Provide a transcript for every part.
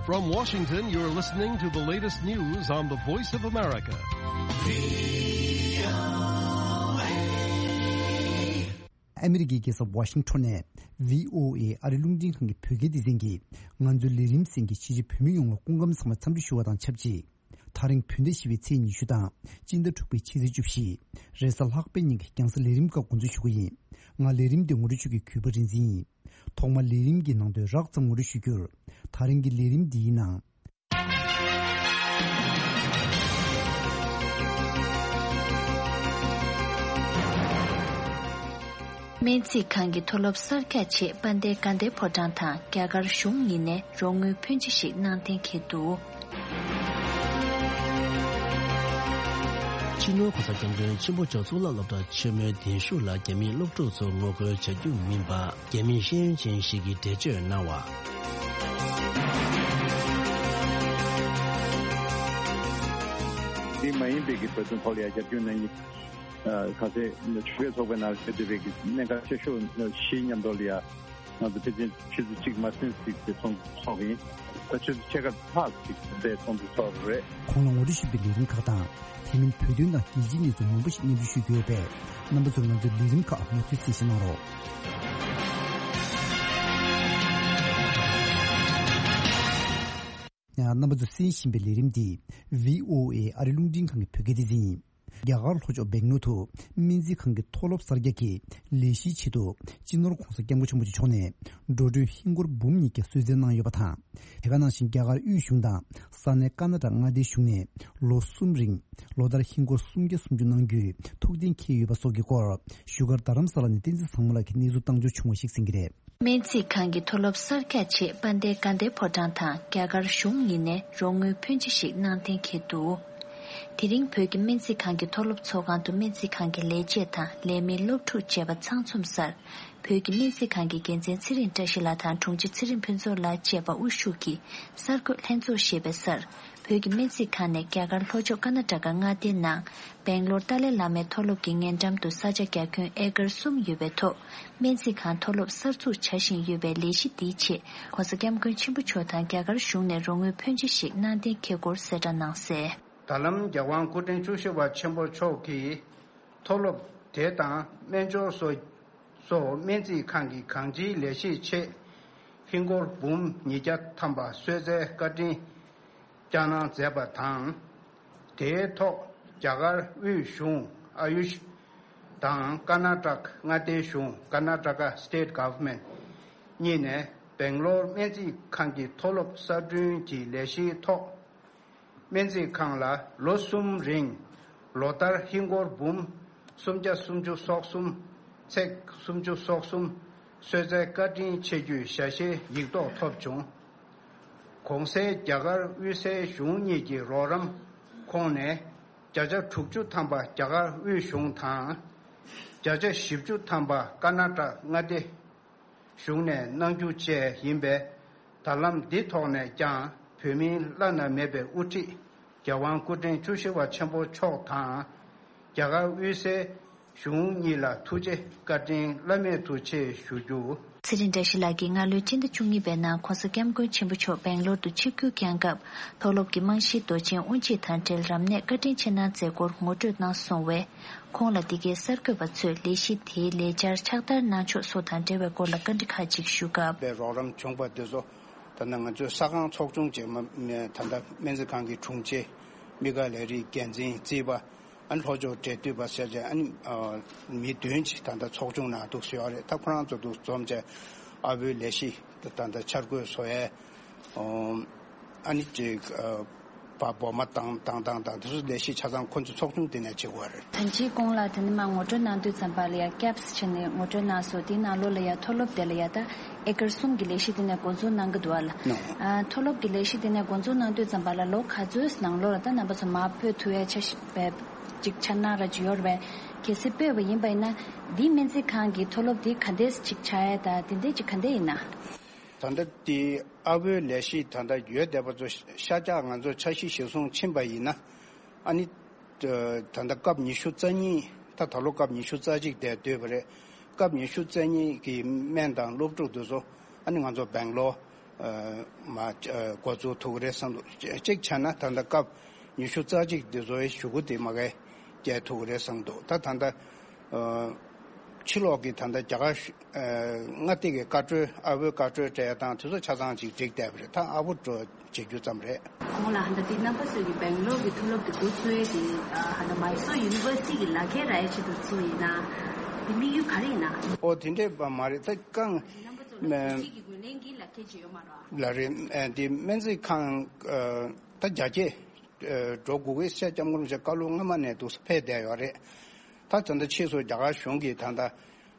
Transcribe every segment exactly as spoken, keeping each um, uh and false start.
From Washington, you're listening to the latest news on the Voice of America. ཨ་མི་རི་ཀའི་རྒྱལ་ས་ཝ་ཤིང་ཊོན་ནས་བྷི་ཨོ་ཨེ་ཨ་རི་རླུང་འཕྲིན་ཁང་གི་བོད་སྐད་སྡེ་ཚན་གྱིས། ང་ཚོའི་ལས་རིམ་གསན་མཁན་ཕྱི་རྒྱལ་བོད་མི་ཡོངས་ལ་སྐུ་ཁམས་བཟང་བའི་འཚམས་འདྲི་ཞུ་བ་དང་ཆབས་ཅིག་དེ་རིང་བོད་ཟླ་བཞི་པའི་ཚེས་ཉི་ཤུ་དང་སྤྱི་ཟླ་དྲུག་པའི་ཕྱི་ཚེས་བཅུ་བཞི། རེས་གཟའ་ལྷག་པའི་ཉིན་གྱི་རྒྱང་སྲིང་ལས་རིམ་ཁག་འགོ་འཛུགས་ཞུ་གི་ཡིན། ང་ལས་རིམ་འདིའི་ངོ་སྤྲོད་ཞུ་མཁན་གུས་པ་རིག་འཛིན་ཡིན། ཐོག་མར་ལས་རིམ་གྱི་ནང་དོན་རགས་ཙམ་ངོ་སྤྲོད་ཞུ་རྒྱུར། དེ་རིང་གི་ལས་རིམ་འདིའི་ནང་། སྨན་རྩིས་ཁང་གི་མཐོ་སློབ་གསར་རྒྱག་ཆེད་དཔལ་ལྡན་དགའ་ལྡན་ཕོ་བྲང་དང་རྒྱ་གར་གཞུང་གཉིས་ནས་རོགས་དངུལ་ཕོན་ཆེ་ཞིག་གནང་གཏན་འཁེལ་འདུག་སྤྱི་ནོར་༸གོང་ས་༸སྐྱབས་མགོན་ཆེན་པོ་མཆོག་གཙུག་ལག་སློབ་གྲྭ་ཆེན་མོའི་གདན་ཞུགས་ལ་རྒྱ་མིའི་སློབ་ཕྲུག་ཚོ་ངོ་རྒོལ་བྱ་རྒྱུ་མིན་པ། རྒྱ་མིའི་ཤེས་ཡོན་ཅན་ཞིག་གིས་འགྲེལ་བརྗོད་གནང་བ། འདི་མ་ཡིན་པའི་གི་བོད་དོན་ཐོག་ལ་ཡང་རྒྱབ་སྐྱོར་གནང་མཁན་ཁ་ཤས་ཆོས་རྒྱལ་ཚོགས་པའི་ནང་བཞུགས་བསྡད་པའི་གི་གནད་འགག་ཆེ་ཤོས་བཞི་མཉམ་དུ་ལ་ཡང་ང་ཚོ་ཕལ་ཆེར་ཆུ་ཚོད་གཅིག་མ་ཟིན་ཙམ་གྱི་ཚོགས་འདུ་ཚོགས་ཡིན། ད་ཆུ་ཚོད་ཕྱེད་ཀ་ལྷག་ཅིག་དེ་ཚོགས་འདུ་ཚོགས་རེད། ཁོང་ལ་ངོ་སྤྲོད་ཞུས་པའི་ལས་རིམ་ཁག་དང་། དེ་མིན་བོད་དོན་དང་རྒྱལ་སྤྱིའི་གནས་ཚུལ་མང་པོ་ཞིག་སྙན་སྒྲོན་ཞུ་རྒྱུ་ཡོད་པས། རྣམ་པ་ཚོས་ང་ཚོའི་ལས་རིམ་ཁག་མུ་མཐུད་གསན་བཞེས་གནང་རོགས། རྣམ་པ་ཚོས་གསན་བཞིན་པའི་ལས་རིམ་འདི་བྷི་ཨོ་ཨེ་ཨ་རི་རླུང་འཕྲིན་ཁང་གི་བོད་སྐད་སྡེ་ཚན་ཡིན། རྒྱ་གར་ལྷོ་ཕྱོགས་སྦེང་ལོར་དུ་སྨན་རྩིས་ཁང་གི་མཐོ་སློབ་གསར་རྒྱག་གི་ལས་གཞིའི་ཆེད་དུ་སྤྱི་ནོར་༸གོང་ས་༸སྐྱབས་མགོན་ཆེན་པོ་མཆོག་མཆོག་ནས་འགྲོ་གྲོན་ཧིན་སྒོར་འབུམ་ཉིས་བརྒྱ་གསོལ་སྩལ་གནང་ཡོད་པ་དང་། དེ་ག་ནང་བཞིན་རྒྱ་གར་དབུས་གཞུང་དང་ས་གནས་ཀར་ན་ཊ་ཀ་མངའ་སྡེའི་གཞུང་ནས་ལོ་གསུམ་རིང་ལོ་ལྟར་ཧིན་སྒོར་སུམ་བརྒྱ་སུམ་ཅུ་གནང་རྒྱུའི་ཐུགས་གཏན་འཁེལ་ཡོད་པ་སོགས་ཀྱི་སྐོར་བཞུགས་སྒར་རྡ་རམ་ས་ལ་ནས་བསྟན་འཛིན་བཟང་མོ་ལགས་ཀྱིས་གནས་ཚུལ་བཏང་འབྱོར་བྱུང་བ་ཞིག་གསན་གྱི་རེད། སྨན་རྩིས་ཁང་གི་མཐོ་སློབ་གསར་རྒྱག་ཆེད་དཔལ་ལྡན་དགའ་ལྡན་ཕོ་བྲང་དང་རྒྱ་གར་གཞུང་གཉིས་ནས་རོགས་དངུལ་ཕོན་ཆེ་ཞིག་གནང་གཏན་འཁེལ་འདུག་དེ་རིང་བོད་ཀྱི་སྨན་རྩིས་ཁང་གི་མཐོ་སློབ་ཚོགས་ཁང་དུ་སྨན་རྩིས་ཁང་གི་ལས་བྱེད་དང་ལས་མི་སློབ་ཕྲུག་བཅས་པ་ཚང་འཛོམས་སར། བོད་ཀྱི་སྨན་རྩིས་ཁང་གི་འགན་འཛིན་ཚེ་རིང་བཀྲ་ཤིས་ལགས་དང་དྲུང་ཆེ་ཚེ་རིང་ཕུན་ཚོགས་ལགས་བཅས་པ་དབུ་བཞུགས་ཀྱིས་གསར་འགོད་ལྷན་ཚོགས་ཞེས་པའི་སར། བོད་ཀྱི་སྨན་རྩིས་ཁང་ནས་རྒྱ་གར་ལྷོ་ཕྱོགས་ཀར་ན་ཊ་ཀ་མངའ་སྡེའི་ནང་སྦེང་ལོར་ཏཱ་ལའི་བླ་མའི་མཐོ་སློབ་ཀྱི་ཉེ་འགྲམ་དུ་ས་ཆ་རྒྱ་ཁྱོན་ཨེ་ཀར་གསུམ་ཡོད་པའི་ཐོག་སྨན་རྩིས་ཁང་མཐོ་སློབ་གསར་འཛུགས་བྱ་བཞིན་ཡོད་པའི་ལས་གཞི་འདིའི་ཆེད་༸གོང་ས་༸སྐྱབས་མགོན་ཆེན་པོ་མཆོག་དང་རྒྱ་གར་གཞུང་ནས་རོགས་དངུལ་ཕོན་ཆེ་ཞིག་གནང་གཏན་འཁེལ་སྐོར་གསལ་བསྒྲགས་གནང་གསལ། ད་ལམ་རྒྱལ་དབང་སྐུ་ཕྲེང་བཅུ་བཞི་པ་ཆེན་པོ་མཆོག་གིས་མཐོ་སློབ་དེ་དང་སྨན་སྦྱོར་སོགས་སོགས་སྨན་རྩིས་ཁང་གི་གང་ཅིའི་ལས་གཞིའི་ཆེད་ཧིན་སྒོར་འབུམ་ཉིས་བརྒྱ་ཐམ་པ་གསོལ་སྩལ་བཀའ་དྲིན་བསྐྱངས་གནང་མཛད་པ་དང་། དེའི་ཐོག་རྒྱ་གར་དབུས་གཞུང་ཨ་ཡུཤ་དང་ཀར་ན་ཊ་ཀ་མངའ་སྡེའི་གཞུང་Karnataka State Government་གཉིས་ནས་སྦེང་ལོར་སྨན་རྩིས་ཁང་གི་མཐོ་སློབ་གསར་སྐྲུན་གྱི་ལས་གཞིའི་ཐོག་སྨན་རྩིས་ཁང་ལ་ལོ་གསུམ་རིང་ལོ་ལྟར་ཧིན་སྒོར་འབུམ་སུམ་བརྒྱ་སུམ་ཅུ་སོ་གསུམ་ཚེག་སུམ་ཅུ་སོ་གསུམ་གསོལ་སྩལ་བཀའ་དྲིན་ཆེ་རྒྱུའི་ཞལ་བཞེས་ཡིག་ཐོག་ཐོབ་བྱུང་། གོང་གསལ་རྒྱ་གར་དབུས་སའི་གཞུང་གཉིས་ཀྱི་རོགས་རམ་ཁོངས་ནས་བརྒྱ་ཆ་དྲུག་ཅུ་ཐམ་པ་རྒྱ་གར་དབུས་གཞུང་དང་། བརྒྱ་ཆ་བཞི་བཅུ་ཐམ་པ་ཀར་ན་ཊ་ཀ་མངའ་སྡེ་གཞུང་ནས་གནང་རྒྱུ་བཅས་ཡིན་པས། ད་ལམ་འདི་ཐོག་ནས་ཀྱང་བོད་མིའི་བླ་ན་མེད་པའི་དབུ་ཁྲིད་རྒྱལ་དབང་སྐུ་ཕྲེང་བཅུ་བཞི་པ་ཆེན་པོ་མཆོག་དང་། རྒྱ་གར་དབུས་སའི་གཞུང་གཉིས་ལ་ཐུགས་རྗེ་བཀའ་དྲིན་བླ་མེད་དུ་ཆེ་ཞུ་རྒྱུ། ཚེ་རིང་བཀྲ་ཤིས་ལགས་ཀྱིས་སྔ་ལོའི་སྤྱི་ཟླ་བཅུ་གཉིས་པའི་ནང་༸གོང་ས་༸སྐྱབས་མགོན་ཆེན་པོ་མཆོག་སྦེང་ལོར་དུ་ཆིབས་བསྒྱུར་བསྐྱངས་སྐབས། མཐོ་སློབ་ཀྱི་རྨང་གཞིའི་མདོ་ཆེན་དབུ་འབྱེད་དང་འབྲེལ་རབ་གནས་བཀའ་དྲིན་ཆེ་གནང་མཛད་སྐོར་ངོ་སྤྲོད་གནང་སོང་བས། ཁོང་ལ་འདི་གའི་གསར་འགོད་པ་ཚོས་ལས་གཞི་དེའི་ལས་འཆར་ཕྱག་བསྟར་གནང་ཕྱོགས་སོགས་དང་འབྲེལ་བའི་སྐོར་ལ་བཀའ་འདྲི་ཁག་ཅིག་ཞུ་སྐབས། པའི་རོགས་རམ་བྱུང་པ་དེ་ཚོ་ད་ནི་ང་ཚོའི་ས་ཁང་ཚོགས་ཆུང་ཅིག་མ་མ་ད་ལྟ་སྨན་རྩིས་ཁང་གི་དྲུང་ཆེ། དམིགས་བཀར་ལས་རིགས་འགན་འཛིན་རྩིས་པ། ཨ་ནི་ལྷོ་ཕྱོགས་འབྲེལ་མཐུད་པ་ཟེར་བྱས་ཨ་ནི་ཨ་མི་བདུན་ཅིག་ད་ལྟ་ཚོགས་ཆུང་ནང་འདུག་སེ་ཡོད་རེད། ད་ཁོ་རང་ཚོ་འདུག་འཛོམས་བྱས་ཨ་བོའི་ལས་གཞི་ད་ད་ལྟ་འཆར་འགོད་བཟོ་ཡས། ཨོ། ཨ་ནི་ཅིག་ཨ་བ་འབོ་མ་བཏང་བཏང་བཏང་བཏང་དེ་ཚོ་ལས་གཞི་ཆ་ཚང་ཁོ་ཚོ་ཚོགས་ཆུང་དེ་ནས་བྱེད་དགོས་རེད། ད་ཅིའི་གོང་ལ་དེ་ནི་མ་ངོ་སྤྲོད་གནང་དུས་ཙམ་པ་ལ་ཡ་ཀེབ་སི་བྱས་ནས་ངོ་སྤྲོད་གནང་སོང་། དེའི་ནང་ལོགས་ལ་ཡ་མཐོ་སློབ་དེ་ལ་ཡ་ད་ཨེ་ཀར་གསུམ་གྱི་ལས་གཞི་དེ་ནས་འགོ་འཛུགས་གནང་གི་འདུག་བ་ལ། ནོ། ཨ་མཐོ་སློབ་ཀྱི་ལས་གཞི་དེ་ནས་འགོ་འཛུགས་གནང་དུས་ཙམ་པ་ལ་ལོ་ག་ཚོད་ནང་ལོགས་ལ་ད་རྣམ་པ་ཚོ་མ་སྤོས་ཐུབ་ཡ་ཆ་ཤས་པའི་ཅིག་འཆར་སྣང་ར་ཅིག་ཡོད་རེད་པས། གལ་སྲིད་སྤོས་པ་ཡིན་པ་ཡིན་ན་འདིའི་སྨན་རྩིས་ཁང་གི་མཐོ་སློབ་དེ་ག་འདྲས་ཅིག་ཆགས་ཡ་ད་དེ་འདྲས་ཅིག་ག་འདྲས་ཡིན་ན། ད་ལྟ་དེ་ཨ་བོའི་ལས་གཞི་ད་ལྟ་ཡོད་བསྡད་པ་ཚོ་ཤ་སྟག་ང་ཚོ་འཆར་གཞི་གཞིར་བཟུང་ཕྱིན་པ་ཡིན་ན། ཨ་ནི། ད་ལྟ་སྐབས་ཉི་ཤུ་རྩ་གཉིས་ད་ད་ལོ་སྐབས་ཉི་ཤུ་རྩ་གཅིག་དེ་སྡོད་པ་རེད། སྐབས་ཉི་ཤུ་རྩ་གཉིས་ཀྱི་སྨན་དང་སློབ་ཕྲུག་དེ་ཚོ་ཨ་ནི་ང་ཚོ་སྦེང་ལོར་ ཨ་མ་ཨ་འགོ་འཛུགས་ཐུབ་ཀྱི་རེད་བསམ་འདུག་གཅིག་བྱས་ན་ད་ལྟ་སྐབས་ཉི་ཤུ་རྩ་གཅིག་འདི་ཚོའི་གཞུག་གུ་དེ་མ་གས་བསྐྱལ་ཐུབ་ཀྱི་རེད་བསམ་འདུག་ད་ད་ལྟ་ཨ་ཕྱི་ལོགས་ཀྱི་ད་ལྟ་རྒྱ་གར་ཨ་མངའ་སྡེ་གི་བཀའ་འཁྲོལ་ཨ་བོའི་བཀའ་འཁྲོལ་སྤྲད་སྟངས་དེ་ཚོ་ཆ་ཚང་ཅིག་འགྲིག་བསྡད་པ་རེད། ད་ཨ་བོ་འགྲོ་བྱེད་རྒྱུ་ཙམ་རེད། ཁོང་ལ་ཧ་ད་དེ་རྣམ་པ་ཚོས་ཀྱི་སྦེང་ལོར་གྱི་མཐོ་སློབ་དེ་འགོ་ཚུགས་ཡས་དེ་ཧ་ད་མའི་སོར་ཡུ་ནི་ཝར་སི་ཊི་གི་ལག་ཁྱེར་རག་ཡས་ཆེད་དུ་ཚུགས་ཡིན་ན། དེ་དམིགས་ཡུལ་ག་རེ་ཡིན་ན། ཨོ་དེ་འདྲས་པ་མ་རེད། ད་རྐང་རྣམ་པ་ཚོ་ལ་མ་ཁྲིམས་ཀྱི་རྒྱུན་ལས་ཀྱི་ལག་ཁྱེར་ཅིག་ཡོད་མ་རེད། ལ་རེད། ཨ་དེ་སྨན་རྩིས་ཁང་ཨ་ད་རྒྱ་སྐྱེད་ཨ་འགྲོ་དགོས་ཀྱི་ཤ་སྐྱབས་མགོན་རིན་པོ་ཆེ་བཀའ་སློབ་སྔ་མ་ནས་འདུག་སེ་ཕེབས་བསྡད་ཡོད་རེད། ད་ད་ལྟ་ཕྱིས་སུ་རྒྱ་གར་གཞུང་གིས་ད་ལྟ་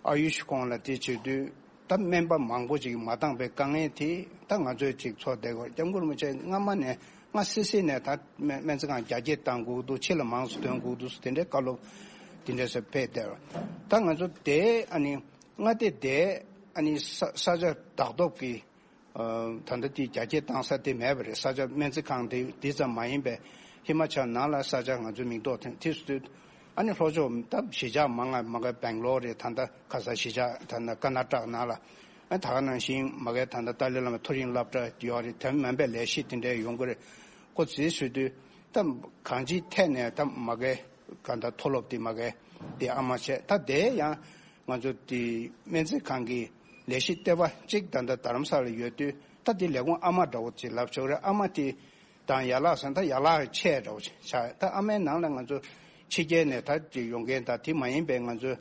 ཨ་ཡུ་ཤི་ཁོངས་ལ་དེ་བྱེད་དུས་ད་སྨན་པ་མང་པོ་ཅིག་མ་འདང་པའི་དཀའ་ངལ་དེ་ད་ང་ཚོས་ཅིག་ཚོར་བསྡད་ཡོད། སྐྱབས་མགོན་རིན་པོ་ཆེ་སྔ་མ་ནས་སྔ་སི་སི་ནས་ད་སྨན་སྨན་རྩིས་ཁང་རྒྱ་སྐྱེད་གཏང་དགོས་འདུག་ཕྱི་ལ་མང་སུ་ཐོན་དགོས་འདུག་དེ་འདྲའི་བཀའ་སློབ་དེ་འདྲས་སེ་ཕེབས་བསྡད་ཡོད། ད་ང་ཚོ་དེ་ཨ་ནི་མངའ་སྡེ་དེ་ཨ་ནི་ས་ས་ཆ་བདག་ཐོབ་ཀྱི་ཨ་ད་ལྟ་དེ་རྒྱ་སྐྱེད་བཏང་ས་དེ་མེད་པ་རེད། ས་ཆ་སྨན་རྩིས་ཁང་དེ་དེ་ཙམ་མ་ཡིན་པའི་ཧི་མ་ཅལ་ནང་ལ་ས་ཆ་ང་ཚོའི་མིང་འདོགས་ཐོན་དུས་སུ་ཨ་ནི་ལྷོ་ཕྱོགས་ད་གཞིས་ཆགས་མང་ང་མང་ག་སྦེང་ལོར་རེད། ད་ལྟ་ཁ་སང་གཞིས་ཆགས་ད་ལྟ་ཀར་ནཱ་ཊ་ཀ་ནང་ལ་ཨ་ད་ག་ནང་བཞིན་མ་གའི་ད་ལྟ་ཏཱ་ལའི་བླ་མའི་མཐོ་རིམ་སློབ་གྲྭ་ཡོད་རེད། དེ་མིན་པའི་ལས་གཞི་དེ་འདྲའི་ཡོང་གི་རེད། ཁོ་རྩིས་ཞུ་དུས་ད་གང་ཅིའི་ཐད་ནས་ད་མ་གའི་ག་ད་མཐོ་སློབ་དེ་མ་གའི་དེ་ཨ་མ་བྱས། ད་དེ་ཡང་ང་ཚོ་དེ་སྨན་རྩིས་ཁང་གི་ལས་གཞི་ལྟེ་བ་གཅིག་ད་ལྟ་རྡ་རམ་ས་ལ་ཡོད་དུས་ད་དེ་ལས་ཁུངས་ཨ་མ་འདྲ་བོ་ཅིག་ལབ་ཆོག་རེད། ཨ་མ་དེ་དང་ཡན་ལག་ཟེར་ན་ད་ཡན་ལག་ཆེ་འདྲ་བོ་ཆགས། ད་ཨ་མའི་ནང་ལ་ང་ཚོ་ཕྱི་རྒྱལ་ནས་ད་ཅིག་ཡོང་མཁན་དང་དེ་མ་ཡིན་པའི་ང་ཚོ་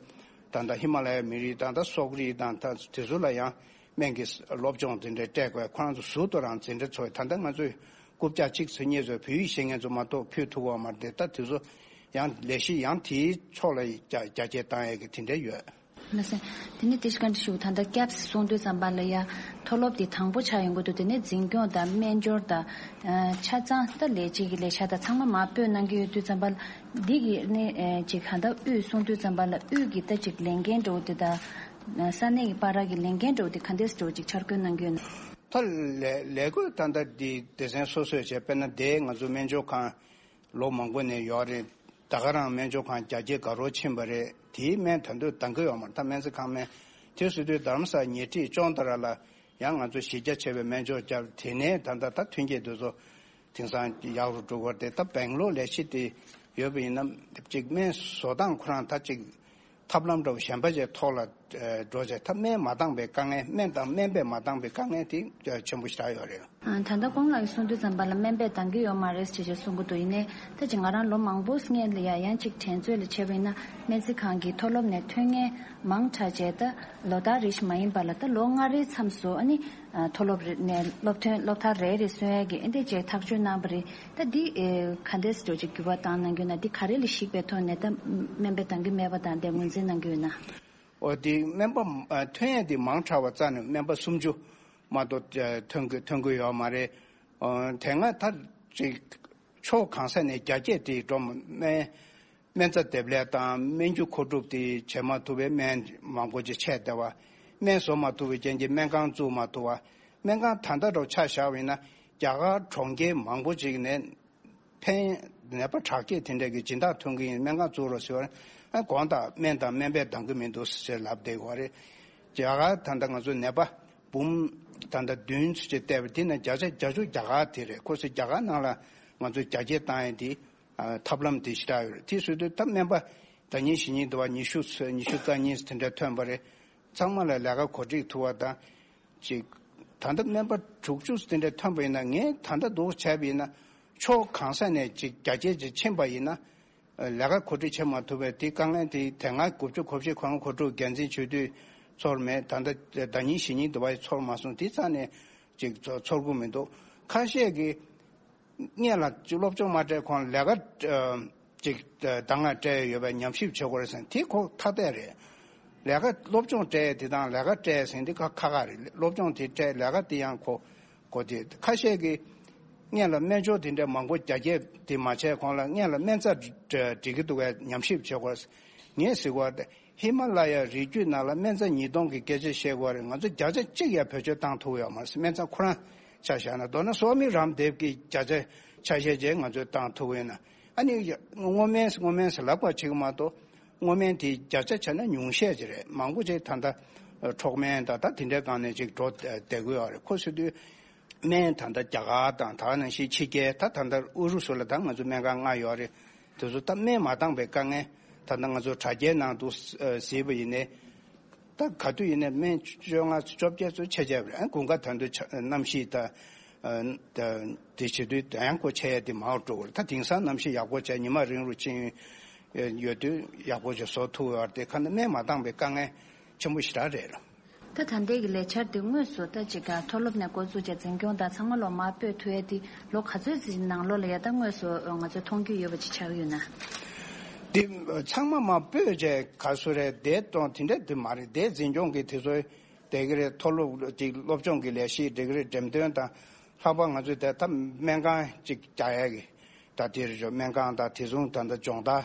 ད་ལྟ་ཧི་མ་ལ་ཡའི་མི་རིགས་དང་ད་སོག་རིགས་དང་ད་དེ་ཚོ་ལ་ཡང་སྨན་གྱི་སློབ་སྦྱོང་དེ་འདྲ་སྤྲད་དགོས། ཁོ་རང་ཚོ་ཟུར་དུ་རང་འཛིན་གྲྭ་ཚོགས། ད་ལྟ་ང་ཚོས་རྐུབ་བཀྱག་གཅིག་ཚོ་གཉིས་ཚོ་བོད་ཡིག་ཤེས་མཁན་ཚོ་མ་གཏོགས་ཕུལ་ཐུབ་པ་མ་རེད། ད་དེ་ཚོ་ཡང་ལས་གཞི་ཡང་དེའི་ཕྱོགས་ལ་རྒྱ་རྒྱ་སྐྱེད་བཏང་ཡས་ཀྱི་དེ་འདྲ་ཡོད། ལགས་སོ། དེ་ནས་དེ་ཞིག་ག་འདྲ་ཞུ་ད་ལྟ་སྐྱབས་གསུང་དུས་ཙམ་པ་ལ་ཡ་མཐོ་སློབ་དེ་དང་པོ་ཆགས་ཡོང་གི་འདུག་དེ་ནས་འཛིན་སྐྱོང་དང་སྨན་སྦྱོར་དང་ཆ་ཚང་ད་ལས་བྱེད་ཀྱི་ལས་བྱ་དང་ཚང་མ་མར་སྤོས་གནང་གི་ཡོད་དུས་ཙམ་པ་ལ་འདི་གི་ནས་ཅིག་ག་ད་དབུས་གསུང་དུས་ཙམ་པ་ལ་དབུས་ཀྱི་ད་ཅིག་ལས་འགན་འགྲོ་འདི་དང་ས་གནས་ཀྱི་བར་གྱི་ལས་འགན་འགྲོ་འདི་ག་འདྲས་འགྲོ་ཅིག་འཆར་འགོད་གནང་གི་ཡོད་ན། ད་ལས་ལས་བགོས་ད་ལྟ་འདི་སྡེ་ཚན་སོ་སོས་བྱས། དཔེར་ན་དེ་ང་ཚོ་སྨན་སྦྱོར་ཁང་ལོ་མང་པོ་ནས་ཡོད་རེད། ད་ག་རང་སྨན་སྦྱོར་ཁང་རྒྱ་སྐྱེད་དགའ་རོགས་ཕྱིན་པ་རེད། དེའི་སྨན་ད་དུང་འདང་གི་ཡོད་མ་རེད། ད་སྨན་རྩིས་ཁང་སྨན་དེ་སུ་དུས་རྡ་རམ་ས་ཉེ་འཁྲིས་ཅོང་ཏ་ར་ལ་ཡང་ང་ཚོ་གཞི་རྒྱ་ཆེ་བའི་སྨན་སྦྱོར་བརྒྱབ། དེ་ནས་ད་ལྟ་ད་ཐོན་སྐྱེད་དེ་ཚོ་དེང་སང་ཡག་རུ་འགྲོ་གི་རེད། ད་སྦེང་ལོར་ལས་གཞི་དེ་ཡོད་པ་ཡིན་ན་ཅིག་སྨན་བཟོ་སྟངས་ཁོ་རང་ད་ཅིག་ཐབས་ལམ་འདྲ་བོ་གཞན་པ་ཅིག་ཐོག་ལ་འགྲོ་བྱས། ད་སྨན་མ་འདང་པའི་དཀའ་ངལ། སྨན་དང་སྨན་པས་མ་འདང་པའི་དཀའ་ངལ་དེ་ཆེན་པོ་ཞེ་དྲག་ཡོད་རེད། ད་ལྟ་ཁོང་ལགས་ཀྱིས་གསུང་དུས་ཙམ་པ་ལ་སྨན་པས་འདང་གི་ཡོད་མ་རེད་ཅེས་ཅེས་གསུང་གི་འདུག་ཡིན་ནའི་ད་ཅིག་ང་རང་ལོ་མང་པོ་སྔས་ལ་ཡ་ཡང་ཅིག་དྲན་ཚོད་ལ་བྱས་པ་ཡིན་ན་སྨན་རྩིས་ཁང་གི་མཐོ་སློབ་ནས་ཐོན་མཁན་མང་དྲགས་བྱས། ད་ལོ་ལྟར་རེ་བཞིན་མ་ཡིན་པ་ལ་ད་ལོ་ལྔ་རེའི་མཚམས་སུ་ཨ་ནི་མཐོ་སློབ་རེ་ནས་སློབ་ཐོན་སློབ་མཐར་རེ་རེ་སོན་ཡས་ཀྱི་ཨེ་འདྲས་ཅིག་ཐག་གཅོད་གནང་བ་རེད། ད་འདི་ག་འདྲས་འགྲོ་ཅིག་འགྱུར་བ་བཏང་གནང་རྒྱུ་ན་འདི་ག་རེ་ལ་གཞིགས་པའི་ཐོག་ནས་ད་སྨན་པས་འདང་གི་མེད་པ་དང་དེ་ངོས་འཛིན་གནང་གི་ཡོད་ན། ཨོ་དེ་སྨན་པ་ཐོན་ཡས་དེ་མང་དྲགས་པ་རྩ་ནས་སྨན་པ་སུམ་ཅུ་མ་གཏོགས་ཐོན་གི་ཐོན་གི་ཡོད་མ་རེད། ཨོ་དེ་སྔ་ད་ཅིག་ཕྱོགས་གང་ས་ནས་རྒྱ་སྐྱེད་དེ་འགྲོ་སྨན་སྨན་རྩ་འདེབས་ལས་དང་སྨན་རྒྱུ་མཁོ་སྒྲུབ་དེ་བྱེད་མ་ཐུབ་པའི་སྨན་མང་པོ་ཅིག་ཆད་བསྡད་པ། སྨན་བཟོ་མ་ཐུབ་པའི་རྐྱེན་གྱིས་སྨན་ཁང་བཙུགས་མ་ཐུབ་པ། སྨན་ཁང་ད་ལྟ་འདྲ་ཆ་བཞག་པ་ཡིན་ན་རྒྱ་གར་གྲོང་ཁྱེར་མང་པོ་ཅིག་ནས་ཕན་ནད་པ་དྲག་སྐྱེད་དེ་འདྲ་གི་སྦྱིན་བདག་ཐོན་གྱི་ཡིན། སྨན་ཁང་བཙུགས་རོགས་ཟེར་བ་ཨ་དགོངས་དག་སྨན་དང་སྨན་པས་འདང་གི་མི་འདུག་ཟེར་ལབ་བསྡད་ཡོད་རེད། རྒྱ་གར་ད་ལྟ་ང་ཚོ་ནད་པ་འབུམ་ད་ལྟ་བདུན་ཙམ་ཅིག་བལྟས་པ་དེ་ནས་བརྒྱ་ཆ་བརྒྱད་ཅུ་རྒྱ་གར་དེ་རེད། ཁོ་ཚོས་རྒྱ་གར་ནང་ལ་ང་ཚོ་རྒྱ་སྐྱེད་བཏང་ཡས་དེ་ཨ་ཐབས་ལམ་དེ་ཞེ་དྲག་ཡོད་རེད། དེ་བཟོས་དུས་ད་སྨན་པ་ཟླ་ཉིན་གཞེས་ཉིན་དུ་བ་ཉི་ཤུ་ཉི་ཤུ་རྩ་གཉིས་དེ་འདྲ་ཐོན་པ་རེད། ཚང་མ་ལ་ལས་ཀ་གོ་སྒྲིག་ཐུབ་པ་དང་ཅིག་ད་ལྟ་སྨན་པ་དྲུག་ཅུ་དེ་འདྲ་ཐོན་པ་ཡིན་ན། ངས་ད་ལྟ་འདུག་བྱས་པ་ཡིན་ན་ཕྱོགས་གང་ས་ནས་ཅིག་རྒྱ་སྐྱེད་ཅིག་ཕྱིན་པ་ཡིན་ན་ལས་ཀ་གོ་སྒྲིག་བྱེད་མ་ཐུབ་པའི་དེ་དཀའ་ངལ་དེ། དེ་སྔ་དགུ་བཅུ་གོ་བཞི་གོ་ལྔ་གོ་དྲུག་འགན་འཛིན་བྱེད་དུས་ཚོར་མེད། ད་ལྟ་ཟླ་ཉིན་གཞེས་ཉིན་དུ་བ་ཚོར་མ་སོང་། དེ་རྩ་ནས་ཅིག་ཚོར་གྱི་མི་འདུག་ཁ་ཤས་ཀྱིས་སྔོན་ལ་ཅིག་སློབ་སྦྱོང་མ་སྤྲད་གོང་ལས་ཀ་ཨ་ཅིག་ཨ་ད་སྔ་སྤྲད་ཡོད་པའི་ཉམས་ཞིབ་བྱེད་དགོས་རེད་ཟེར་ན་དེ་ཁོ་ཐ་དད་རེད། ལས་ཀ་སློབ་སྦྱོང་སྤྲད་དེ་དང་ལས་ཀ་སྤྲད་ཟེར་ན་དེ་ཁ་ཁ་ཁ་རེད། སློབ་སྦྱོང་དེ་སྤྲད་ལས་ཀ་དེ་ཡང་ཁོ་གོ་དེ། ཁ་ཤས་ཀྱིས་སྔོན་ལ་སྨན་སྦྱོར་དེ་འདྲ་མང་པོ་རྒྱ་སྐྱེད་དེ་མ་བྱས་གོང་ལ་སྔོན་ལ་སྨན་རྩ་འགྲིག་གི་འདུག་གས་ཉམས་ཞིབ་བྱེད་དགོས། ངས་ཟེར་བ་དེ་ཧི་མ་ལ་ཡ་རི་རྒྱུད་ནང་ལ་སྨན་རྩ་ཉིས་སྟོང་གི་སྐད་ཆ་བཤད་དགོས་རེད། ང་ཚོ་བརྒྱ་ཆ་གཅིག་ཡ་བེད་སྤྱོད་བཏང་ཐུབ་ཡོད་མ་རེད། སྨན་རྩ་ཁོ་རང་ཆ་བཞག་ན། མདོར་ན་སོ་མི་རམ་དེབ་ཀྱི་བརྒྱ་ཆ་ཆ་ཤས་ཅིག་ང་ཚོས་བཏང་ཐུབ་ཡོད་ན། ཨ་ནི་སྔོ་སྨན་སྔོ་སྨན་ཟེར་ལབ་པ་བྱེད་ཀྱི་མ་གཏོགས་སྔོ་སྨན་དེ་བརྒྱ་ཆ་བྱས་ན་ཉུང་ཤས་ཅིག་རེད། མང་པོ་ཅིག་ད་ལྟ་འཕྲོག་སྨན་ད་ད་དེ་འདྲའི་སྒང་ནས་ཅིག་འགྲོ་བསྡད་ཀྱི་ཡོད་རེད། ཁོ་ཟེར་དུས་ སྨན་ད་ལྟ་རྒྱ་གར་དང་ད་ག་ནང་བཞིན་ཕྱི་རྒྱལ་ད་ད་ལྟ་ཨུ་རུ་སུ་ལ་ད་ང་ཚོ་སྨན་ཁང་ལྔ་ཡོད་རེད། དེ་ཚོ་ད་སྨན་མ་འདང་པའི་དཀའ་ངལ། ད་ལྟ་ང་ཚོ་དྲ་རྒྱའི་ནང་དུ་གཟིགས་པ་ཡིན་ནའི་ད་ག་དུས་ཡིན་ནའི་སྨན་བཅོ་ལྔ་བཅོ་བརྒྱད་ཚོ་ཆད་ཆད་པ་རེད། དགུན་ཁ་ད་དུང་ཆ་གནམ་གཤིས་ད་ད་དེ་བྱེད་དུས་ད་ཡང་ཁོ་ཆད་ཡ་དེ་མང་རུ་འགྲོ་གི་རེད། ད་དེང་སང་གནམ་གཤིས་ཡག་པོ་བྱས་ཉི་མ་རིང་རུ་ཕྱིན་ཡོད་དུས་ཡག་པོ་ཅིག་བཟོ་ཐུབ་ཡོད་རེད། དེ་ཁ་ན་སྨན་མ་འདང་པའི་དཀའ་ངལ་ཆེན་པོ་ཞེ་དྲག་རེད་ལ། ད་ད་ལྟའི་གི་ལས་འཆར་དེ་དངོས་སུ་ད་ཅིག་ག་མཐོ་སློབ་ནས་འགོ་བཙུགས་བྱས་འཛིན་སྐྱོང་དང་ཚང་མ་ལོ་མར་སྤོས་ཐུབ་ཡས་དེ་ལོ་ག་ཚོད་ཅིག་ནང་ལོགས་ལ་ཡ་ད་དངོས་སུ་ང་ཚོས་མཐོང་རྒྱུ་ཡོད་པ་ཅིག་ཆགས་ཡོད་ན། དེ་ཚང་མ་མར་སྤོས་བྱས་ག་སུ་རེད་བསྡད་གཏོང་དེ་འདྲ་དེ་མ་རེད། བསྡད་འཛིན་སྐྱོང་གི་དེ་ཚོ་བསྡད་གི་རེད། མཐོ་སློབ་ཅིག་སློབ་སྦྱོང་གི་ལས་གཞི་སྒྲིག་གི་རེད། འགྲེམས་སྟོན་དང་ལྷག་པར་ང་ཚོས་དེ་ད་སྨན་ཁང་ཅིག་རྒྱག་ཡས་ཀྱི་ད་དེ་རེད། སྨན་ཁང་དང་དེ་ཚོ་ད་ལྟ་སྦྱོང་བརྡར་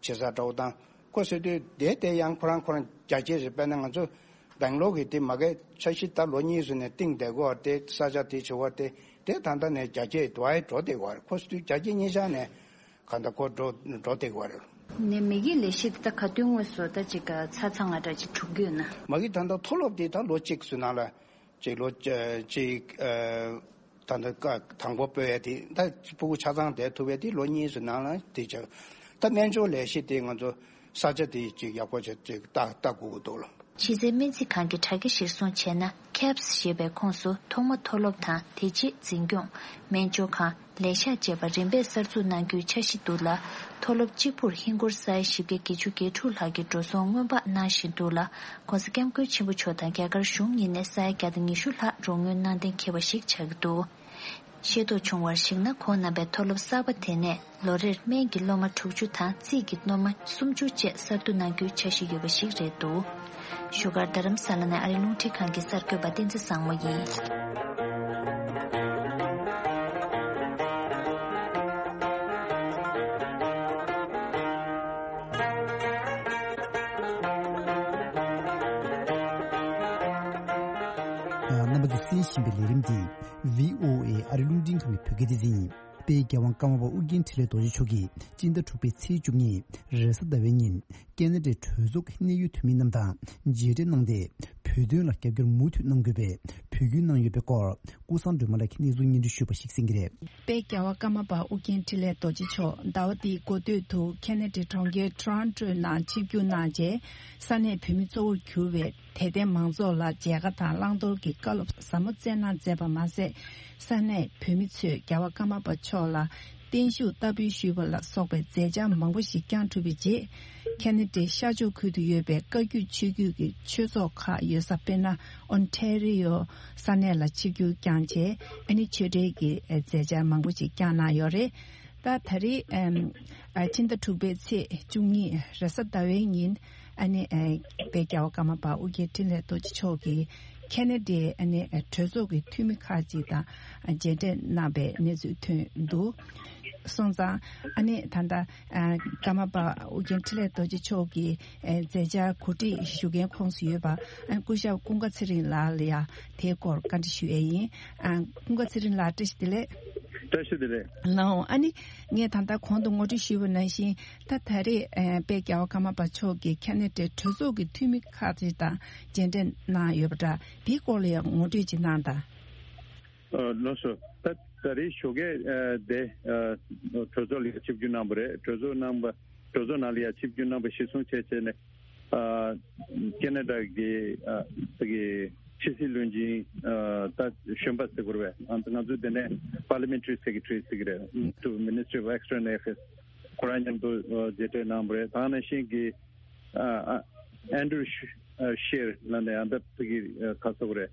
བྱེད་ས་འདྲ་བོ་དང་། ཁོ་ཟེར་དུས་དེ་དེ་ཡང་ཁོ་རང་ཁོ་རང་རྒྱ་སྐྱེད་རེད། དཔེར་ན་ང་ཚོ་སྦེང་ལོར་གི་དེ་མ་གི་འཆར་གཞི་ད་ལོ་གཉིས་ཙམ་ནས་བཏིང་བསྡད་དགོས་པ་དེ་ས་ཆ་དེ་བྱེད་པ་དེ་དེ་ད་ལྟ་ནས་རྒྱ་སྐྱེད་དུ་ཨེ་འགྲོ་བསྡད་ཡོད་རེད། ཁོ་ཟེར་དུས་རྒྱ་སྐྱེད་གཉིས་ཆ་ནས་ག་འདྲ་ཁོ་འགྲོ་འགྲོ་བསྡད་ཡོད་རེད། ནས་མི་གི་ལས་གཞི་དེ་ད་ག་དུས་དངོས་སུ་ད་ཅིག་ག་ཆ་ཚང་ལ་འདྲ་ཅིག་གྲུབ་ཀྱི་ཡོད་ན། མ་གི་ད་ལྟ་མཐོ་སློབ་དེ་ད་ལོ་གཅིག་ཙམ་ནང་ལ་ཅིག་ལོ་གཅིག་ད་ལྟ་དང་པོ་སྤོས་ཡ་དེ་ད་ཕྲུ་གུ་ཆ་ཚང་བསྡད་ཐུབ་པའི་དེ་ལོ་གཉིས་ཙམ་ནང་ལ་དེ་བྱ། ད་སྨན་སྦྱོར་ལས་གཞི་དེ་ང་ཚོ་ས་ཆ་དེ་ཅིག་ཡག་པོ་བྱས་ཅིག་ལྟ་ལྟ་དགོས་ཀྱི་འདུག་ལ། གཞི་རྩའི་སྨན་རྩིས་ཁང་གི་དྲ་རྒྱ་གཞིར་བཟུང་བྱས་ན། ཁེབས་ཞེས་པའི་ཁོངས་སུ་ཐོག་མ་མཐོ་སློབ་དང་དེ་རྗེས་འཛིན་སྐྱོང་། སྨན་སྦྱོར་ཁང་། ལས་ཤག་བཅས་པ་རིམ་པས་གསར་འཛུགས་གནང་རྒྱུའི་འཆར་གཞི་འདུག་ལ། མཐོ་སློབ་གཅིག་པུར་ཧིན་སྒོར་ས་ཡ་བཞི་བརྒྱ་བརྒྱད་ཅུ་གྱ་དྲུག་ལྷག་གི་འགྲོ་སོང་སྔོན་དཔག་གནང་བཞིན་འདུག་ལ། ༸གོང་ས་༸སྐྱབས་མགོན་ཆེན་པོ་མཆོག་དང་རྒྱ་གར་གཞུང་གཉིས་ནས་ས་ཡ་བརྒྱ་དང་ཉི་ཤུ་ལྷག་རོགས་དངུལ་གནང་གཏན་འཁེལ་བ་ཞིག་ཆགས་ཀྱི་འདུག་ཤེས་རྟོགས་བྱུང་བར་གཞིགས་ན། ཁོང་རྣམ་པའི་མཐོ་སློབ་གསར་པ་དེ་ནས་ལོ་རེར་སྨན་གྱི་སློབ་མ་དྲུག་ཅུ་དང་རྩིས་ཀྱི་སློབ་མ་སུམ་ཅུ་བཅས་གསར་བསྡུ་གནང་རྒྱུའི་འཆར་གཞི་ཡོད་པ་ཞིག་རེད་འདུག་བཞུགས་སྒར་རྡ་རམ་ས་ལ་ནས་ཨ་རིའི་རླུང་འཕྲིན་ཁང་གི་གསར་འགོད་པ་བསྟན་འཛིན་བཟང་མོ་ཡིན། རྣམ་པ་ཚོས་གསན་བཞིན་པའི་ལས་རིམ་འདི་བྷི་ཨོ་ཨེ་ཨ་རིའི་རླུང་འཕྲིན་ཁང་གི་བོད་སྐད་སྡེ་ཚན་ཡིན། དཔལ་རྒྱལ་དབང་ཀརྨ་པ་ཨོ་རྒྱན་འཕྲིན་ལས་རྡོ་རྗེ་མཆོག་གིས་སྤྱི་ཟླ་དྲུག་པའི་ཚེས་བཅུ་གཉིས་རེས་གཟའ་ཟླ་བའི་ཉིན་ཀེ་ན་ཌའི་གྲོས་ཚོགས་ཀྱི་གནད་ཡོད་འཐུས་མི་རྣམས་དང་མཇལ་འཕྲད་གནང་སྟེ། བོད་དོན་ལ་རྒྱབ་སྐྱོར་མུ་མཐུད་གནང་དགོས་པའི་འབོད་སྐུལ་གནང་ཡོད་པའི་སྐོར་ཀུན་བཟང་སྒྲོལ་མ་ལགས་ཀྱིས་གནས་ཚུལ་སྙན་སྒྲོན་ཞུས་པ་ཞིག་གསན་གྱི་རེད། དཔལ་རྒྱལ་བ་ཀརྨ་པ་ཨོ་རྒྱན་འཕྲིན་ལས་རྡོ་རྗེ་མཆོག་ཟླ་བ་འདིའི་འགོ་སྟོད་དུ་ཁེ་ན་ཌའི་གྲོང་ཁྱེར་ཊོ་རོན་ཊོའི་ནང་ཆིབས་བསྒྱུར་གནང་རྗེས། ས་གནས་བོད་མི་གཙོ་བོར་གྱུར་བའི་དད་ལྡན་མང་ཚོགས་ལ་མཇལ་ཁ་དང་བླང་དོར་གྱི་བཀའ་སློབ་ཟབ་མོ་སྩལ་གནང་མཛད་པ་མ་ཟད། ས་གནས་བོད་མི་ཚོས་རྒྱལ་བ་ཀརྨ་པ་མཆོག་ལ་བརྟན་བཞུགས་བསྟར་འབུལ་ཞུས་པ་ལ་སོགས་པའི་མཛད་འཆར་མང་པོ་ཞིག་བསྐྱངས་གྲུབ་པའི་རྗེས། ཁེ་ན་ཌའི་ཤར་ཕྱོགས་ཁུལ་དུ་ཡོད་པའི་བཀའ་བརྒྱུད་ཆོས་བརྒྱུད་ཀྱི་ཆོས་ཚོགས་ཁག་ཡོད་ས་དཔེར་ན། ཨོན་ཊེ་རི་ཡོ་ས་གནས་ལ་ཆིབས་བསྒྱུར་བསྐྱངས་རྗེས། ཨ་ནི་ཆོས་འབྲེལ་གྱི་མཛད་འཆར་མང་པོ་ཞིག་བསྐྱངས་གནང་ཡོད་རེད། ད་ད་རེས་ཨམ་ཨ་ཕྱི་ཟླ་དྲུག་པའི་ཚེས་བཅུ་གཉིས་རེས་གཟའ་ཟླ་བའི་ཉིན། ཨ་ནི་ཨ་དཔལ་རྒྱལ་བ་ཀརྨ་པ་ཨོ་རྒྱན་འཕྲིན་ལས་རྡོ་རྗེ་མཆོག་གིས་ཁེ་ན་ཌའི་ཨ་ནི་ཨ་གྲོས་ཚོགས་ཀྱི་འཐུས་མི་ཁག་ཅིག་དང་མཇལ་འཕྲད་གནང་པའི་གནས་ཚུལ་ཐོན་འདུག་སོང་ཙང་། ཨ་ནི་ད་ལྟ་ཨ་ཀརྨ་པ་ཨོ་རྒྱན་འཕྲིན་ལས་རྡོ་རྗེ་མཆོག་གི་ཨ་མཛད་འཆར་གོ་སྒྲིག་ཞུ་མཁན་ཁོངས་སུ་ཡོད་པ་ཨ་སྐུ་ཞབས་ཀུན་དགའ་ཚེ་རིང་ལགས་ལ་ཡང་དེའི་སྐོར་བཀའ་འདྲི་ཞུ་ཡས་ཡིན། ཨ་ཀུན་དགའ་ཚེ་རིང་ལགས་བཀྲ་ཤིས་བདེ་ལེགས། བཀྲ་ཤིས་བདེ་ལེགས། ལགས་འོང་། ཨ་ནི་ངས་ད་ལྟ་གོང་དུ་ངོ་སྤྲོད་ཞུས་པ་ནང་བཞིན། ད་ད་རེས་ཨ་དཔལ་རྒྱལ་བ་ཀརྨ་པ་མཆོག་གིས་ཁེ་ན་ཌའི་གྲོས་ཚོགས་ཀྱི་འཐུས་མི་ཁག་ཅིག་དང་མཇལ་འཕྲད་གནང་ཡོད་པ་འདྲ། དེའི་སྐོར་ལ་ཡང་ངོ་སྤྲོད་ཅིག་གནང་དང་། ཨ་ལགས་སོ། ད་ད་རེས་ཞོགས་ཀས་ཨ་དེ་ཨ་གྲོས་ཚོགས་ལ་ཆིབས་བསྒྱུར་གནང་བ་རེད། གྲོས་ཚོགས་གནང་བ་གྲོས་ཚོགས་ནང་ལ་ཡང་ཆིབས་བསྒྱུར་གནང་བ་གཞིར་བཟུང་བྱས་བྱས་ནས། ཨ་ཁེ་ན་ཌ་གི་ཨ་དེ་གི་ཕྱི་སྲིད་བློན་ཆེན་ཨ་ད་གཞོན་པ་ཟེར་དགོས་རེད་པས། ཨ་ང་ཚོ་དེ་ནས་Parliamentary Secretary ཟེར་གི་རེད། To Ministry of External Affairs། ཁོ་རང་མཉམ་དུ་ཨ་མཇལ་འཕྲད་གནང་བ་རེད། ད་ག་ནང་བཞིན་གྱི་ཨ་ཨ་Andrew Scheer ལབ་ནས་ཨ་ད་དེ་གི་ཨ་ག་ཟེར་དགོས་རེད།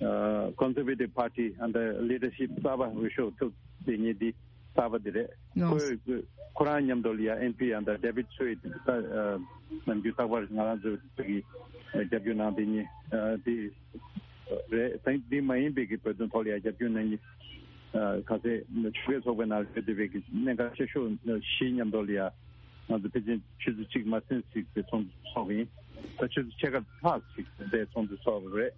ཨ་Conservative Party ཨ་ད་Leadership གསར་པ་འོས་ཤོག་ཐོབ་དེ་ཉིད་འདི། གསར་པ་དེ་རེད། ལགས། ཁོས་ཁོ་རང་མཉམ་དུ་ལ་ཡ་ཨེམ་པི་ཨ་ད་David Sweet ད་ནམ་རྒྱུན་རྟག་པར་ང་རང་ཚོ་དེ་གི་རྒྱབ་སྐྱོར་གནང་དེ་ཉིད་དེ་རེད། དེ་འདི་མ་ཡིན་པའི་གི་བོད་དོན་ཐོག་ལ་ཡ་རྒྱབ་སྐྱོར་གནང་མཁན་ག་ཚད་ཆོལ་ཁའི་ཚོགས་པའི་ནང་སླེབས་བསྡད་པའི་གི་གནད་འགག་ཆེ་ཤོས་བཞི་མཉམ་དུ་ལ་ཡ་ང་ཚོ་ཕལ་ཆེར་ཆུ་ཚོད་གཅིག་མ་ཟིན་ཞིག་གི་ཚོགས་འདུ་ཚོགས་ཡིན། ད་ཆུ་ཚོད་ཕྱེད་ཀ་ལྷག་ཞིག་དེ་ཚོགས་འདུ་ཚོགས་རེད།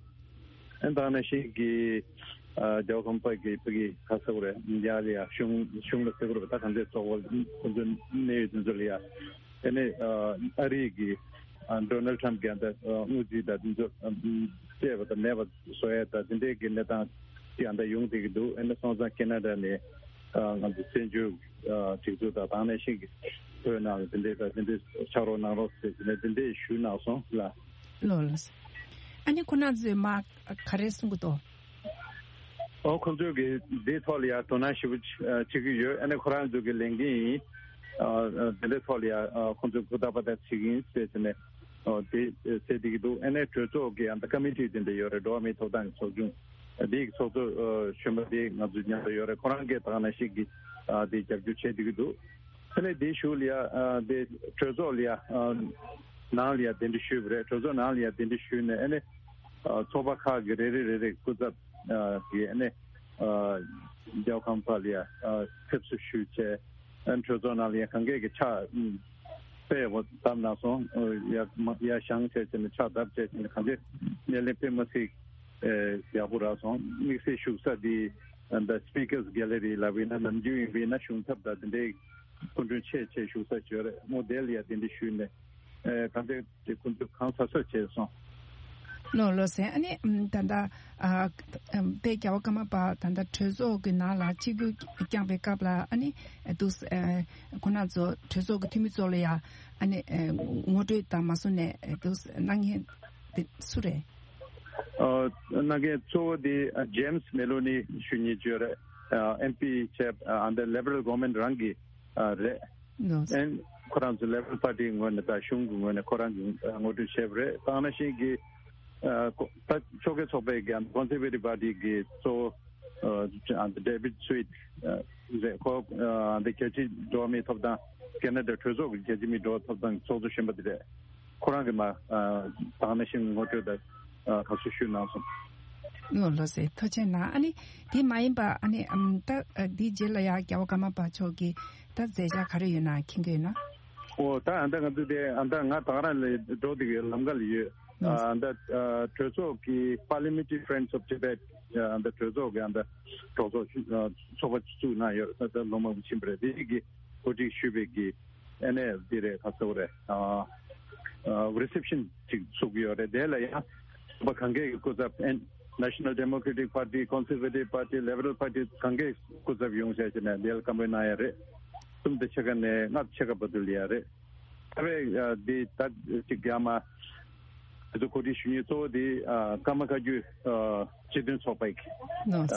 ཨ་ད་ནང་བཞིན་གྱི་ཨ་རྒྱལ་བ་ཀརྨ་པ་གི་ཕ་གི་ག་ཟེར་དགོས་རེད། ཡ་ལ་ཡ་གཞུང་གཞུང་ལ་ཟེར་དགོས་རེད་པ། ད་གང་ཚེ་ཚོགས་པ་ཁོ་ཚོའི་གནད་ཡོད་དེ་ཚོ་ལ་ཡ། དེ་ནས་ཨ་ཨ་རིའི་གི་ཨ་Donald Trump གི་ཨ་ད་དངུལ་རྩིས་དང་དེ་ཚོ་ཨ་བཅད་པ་དང་མེད་པ་བཟོ་ཡ་ད་དེ་འདྲའི་གི་གནས་སྟངས་ ཅིག་ཨ་ད་ཡོང་བསྡད་ཀྱི་འདུག་ཨ་ནི་སོང་ཙང་ཁེ་ན་ཌ་ནས་ཨ་ང་ཚོ་བཙན་བྱོལ་ཨ་སྒྲིག་འཛུགས་དང་དེ་ནང་བཞིན་གྱི་བོད་ནང་ལ་དེ་འདྲའི་ད་དེ་འདྲའི་ཕྱག་རོགས་གནང་རོགས་ཟེར་ནས་དེ་འདྲའི་ཞུས་གནང་སོང་ལ། ལགས་ལགས། ཨ་ནི་ཁོ་ན་ཚོས་མ་ག་རེ་གསུང་གི་འདུག་ཨོ་ཁོང་ཚོས་ཀྱི་འདིའི་ཐོག་ལ་ཡང་དོ་སྣང་ཞེ་པོ་བྱེད་ཀྱི་ཡོད། ཨ་ནི་ཁོ་རང་ཚོ་གི་ལས་འགན་ཡིན། ཨ་དེ་འདྲའི་ཐོག་ལ་ཡང་ཁོང་ཚོས་ཧུར་ཐག་པ་ཐག་བྱེད་ཀྱི་ཡིན་ཟེར་ནས་ཨོ་དེ་ཟེར་བསྡད་ཀྱི་འདུག་ཨ་ནི་གྲོས་ཚོགས་ཀྱི་ཨ་ད་ཀ་མི་ཊི་དེ་འདྲ་ཡོད་རེད། འགྲོ་བ་མིའི་ཐོབ་ཐང་གི་ཚོགས་ཆུང་འདི་གི་ཚོགས་གཙོ་གཞོན་པ་དེ་ང་ཚོ་མཉམ་དུ་ཡོད་རེད། ཁོ་རང་གིས་ད་ག་ནང་བཞིན་གྱི་ཨ་དེ་རྒྱབ་སྐྱོར་བྱེད་བསྡད་ཀྱི་འདུག་ཨ་ནི་དེའི་གཞུག་ལ་ཡ་ཨ་དེ་གྲོས་ཚོགས་ལ་ཡ་ཨ་ནང་ལ་ཡ་གདན་འདྲེན་ཞུས་པ་རེད། གྲོས་ཚོགས་ནང་ལ་ཡ་གདན་འདྲེན་ཞུས་ནས་ཨ་ནི་ཨ་ཚོགས་པ་ཁག་གི་རེ་རེ་རེ་རེ་སྐུ་ཚབ་ཨ་གིས་ཨ་ནི་ཨ་རྒྱལ་བ་ཀརྨ་པ་ལ་ཡ་ཨ་ཕེབས་བསུ་ཞུས་བྱས། ཨ་ནི་གྲོས་ཚོགས་ནང་ལ་ཡ་གང་གས་ཀྱི་ཕྱག་ཨ་དཔེ་ཡག་པོ་བརྡབས་གནང་སོང་། ཨ་ཡ་མ་ཡ་བཞེངས་བྱས་བྱས་ནས་ཕྱག་བརྡབས་བྱས་བྱས་ནས་གང་གས་སྣེ་ལེན་དཔེ་མ་སྲིད་ཨ་ཡག་པོ་རག་སོང་། དམིགས་བསལ་བཞུགས་ས་འདི་ཨ་ད་Speakers Gallery་ལབ་ཡིན་ན་ནམ་རྒྱུན་ཡིན་པ་ཡིན་ན་གཞུང་ཚབ་དང་དེ་འདྲའི་སྐུ་མགྲོན་ཆེ་ཆེ་བཞུགས་ས་ཅིག་ཡོད་རེད་མོ། དེ་ལ་ཡ་གདན་འདྲེན་ཞུས་ནས་ཨ་གང་ལྟར་དེ་ཁོང་ཚོས་གང་ཟབ་ཟབ་བྱས་སོང་། ལགས་ལགས་སེ། ཨ་ནི་ཨམ་ད་ལྟ་ཨ་ཨམ་དཔལ་རྒྱལ་བ་ཀརྨ་པ་ད་ལྟ་གྲོས་ཚོགས་ཀྱི་ནང་ལ་ཆིབས་བསྒྱུར་བསྐྱངས་པའི་སྐབས་ལ་ཨ་ནི་ཨ་འདུག་སེ་ཨ་ཁོང་རྣམ་ཚོ་གྲོས་ཚོགས་ཀྱི་འཐུས་མི་ཚོ་ལ་ཡ་ཨ་ནི་ཨ་ངོ་སྤྲོད་དང་མ་སོང་ནས་ཨ་འདུག་སེ་གནང་མཁན་དེ་སུ་རེད། ཨ་གནང་མཁན་གཙོ་བོ་དེ་ཨ་James Maloney་ཞུ་སྙིང་བརྗོད་རེད། ཨ་ཨེམ་པི་བྱས་ཨ་འདི་Liberal Government་རང་གི་ཨ་རེད། ལགས། ཨན་ཁོ་རང་ཚོ་Liberal Party་ངོས་ནས་དང་གཞུང་གི་ངོས་ནས་ཁོ་རང་གི་ཨ་ངོ་སྤྲོད་བྱས་པ་རེད། དེ་ནང་བཞིན་གྱི་ཨ་ཁོ་ད་ཕྱོགས་འགལ་ཚོགས་པའི་གི་Conservative Party་གི་གཙོ་བོ་ཨ་David Sweet་ཨ་རེད། ཁོ་ཨ་འདི་རྒྱལ་སྤྱིའི་འགྲོ་བ་མིའི་ཐོབ་ཐང་ཁེ་ན་ཌ་གྲོས་ཚོགས་ཀྱི་རྒྱལ་སྤྱིའི་མིའི་འགྲོ་བ་ཐོབ་ཐང་གི་ཚོགས་གཙོ་གཞོན་པ་དེ་རེད། ཁོ་རང་གིས་མ་ཨ་དེ་ནང་བཞིན་ངོ་སྤྲོད་དང་ཨ་ཁ་ཤས་ཞུས་གནང་སོང་། ལགས་ལགས་སེ། ཐུགས་རྗེ་གནང་། ཨ་ནི་དེ་མ་ཡིན་པ་ཨ་ནི་ཨམ་ད་ཨ་འདིའི་རྗེས་ལ་ཡ་རྒྱལ་བ་ཀརྨ་པ་མཆོག་གི་ད་མཛད་འཆར་ག་རེ་ཡོད་ན་མཁྱེན་གྱི་ཡོད་ན། ཨོ་ད་ཨ་ད་ང་ཚོ་དེ་ཨ་ད་ང་ད་ག་རང་ལ་འགྲོ་བསྡད་ཀྱི་ལམ་ཁ་ལ་ཡོད། ཨ་ད་ཨ་གྲོས་ཚོགས་ཀྱི་Parliamentary Friends of Tibet་ཨ་ད་གྲོས་ཚོགས་ཀྱི་ཨ་ད་གྲོས་ཚོགས་ཨ་ཚོགས་པ་བཙུགས་གནང་ཡོད། ད་ད་ལོ་མང་པོ་ཕྱིན་པ་རེད། དེ་གི་གོ་སྒྲིག་ཞུས་པའི་གི་ཨ་ནི་འདི་རེད། ཁ་སོ་རེད། ཨ་ཨ་Reception་ཅིག་ཚུགས་ཡོད་རེད། དེ་ལ་ཡང་ཚོགས་པ་གང་གས་ཀྱི་སྐུ་ཚབ་ཨན་National Democratic Party, Conservative Party, Liberal Party་གང་གས་སྐུ་ཚབ་ཡོང་བྱས་བྱས་ནས་དེ་ལ་བཀའ་མོལ་གནང་ཡ་རེད། གསུམ་དང་ཕྱེད་ཀ་ནས་ལྔ་དང་ཕྱེད་ཀ་བར་དུ་ལ་ཡ་རེད། ད་བས་འདི་ད་ཅིག་རྒྱ་མ་དེ་ཚོ་གོ་སྒྲིག་ཞུ་མཁན་གཙོ་བོ་དེ་ཀརྨ་བཀའ་བརྒྱུད་སྤྱི་མཐུན་ཚོགས་པ་ཡིན།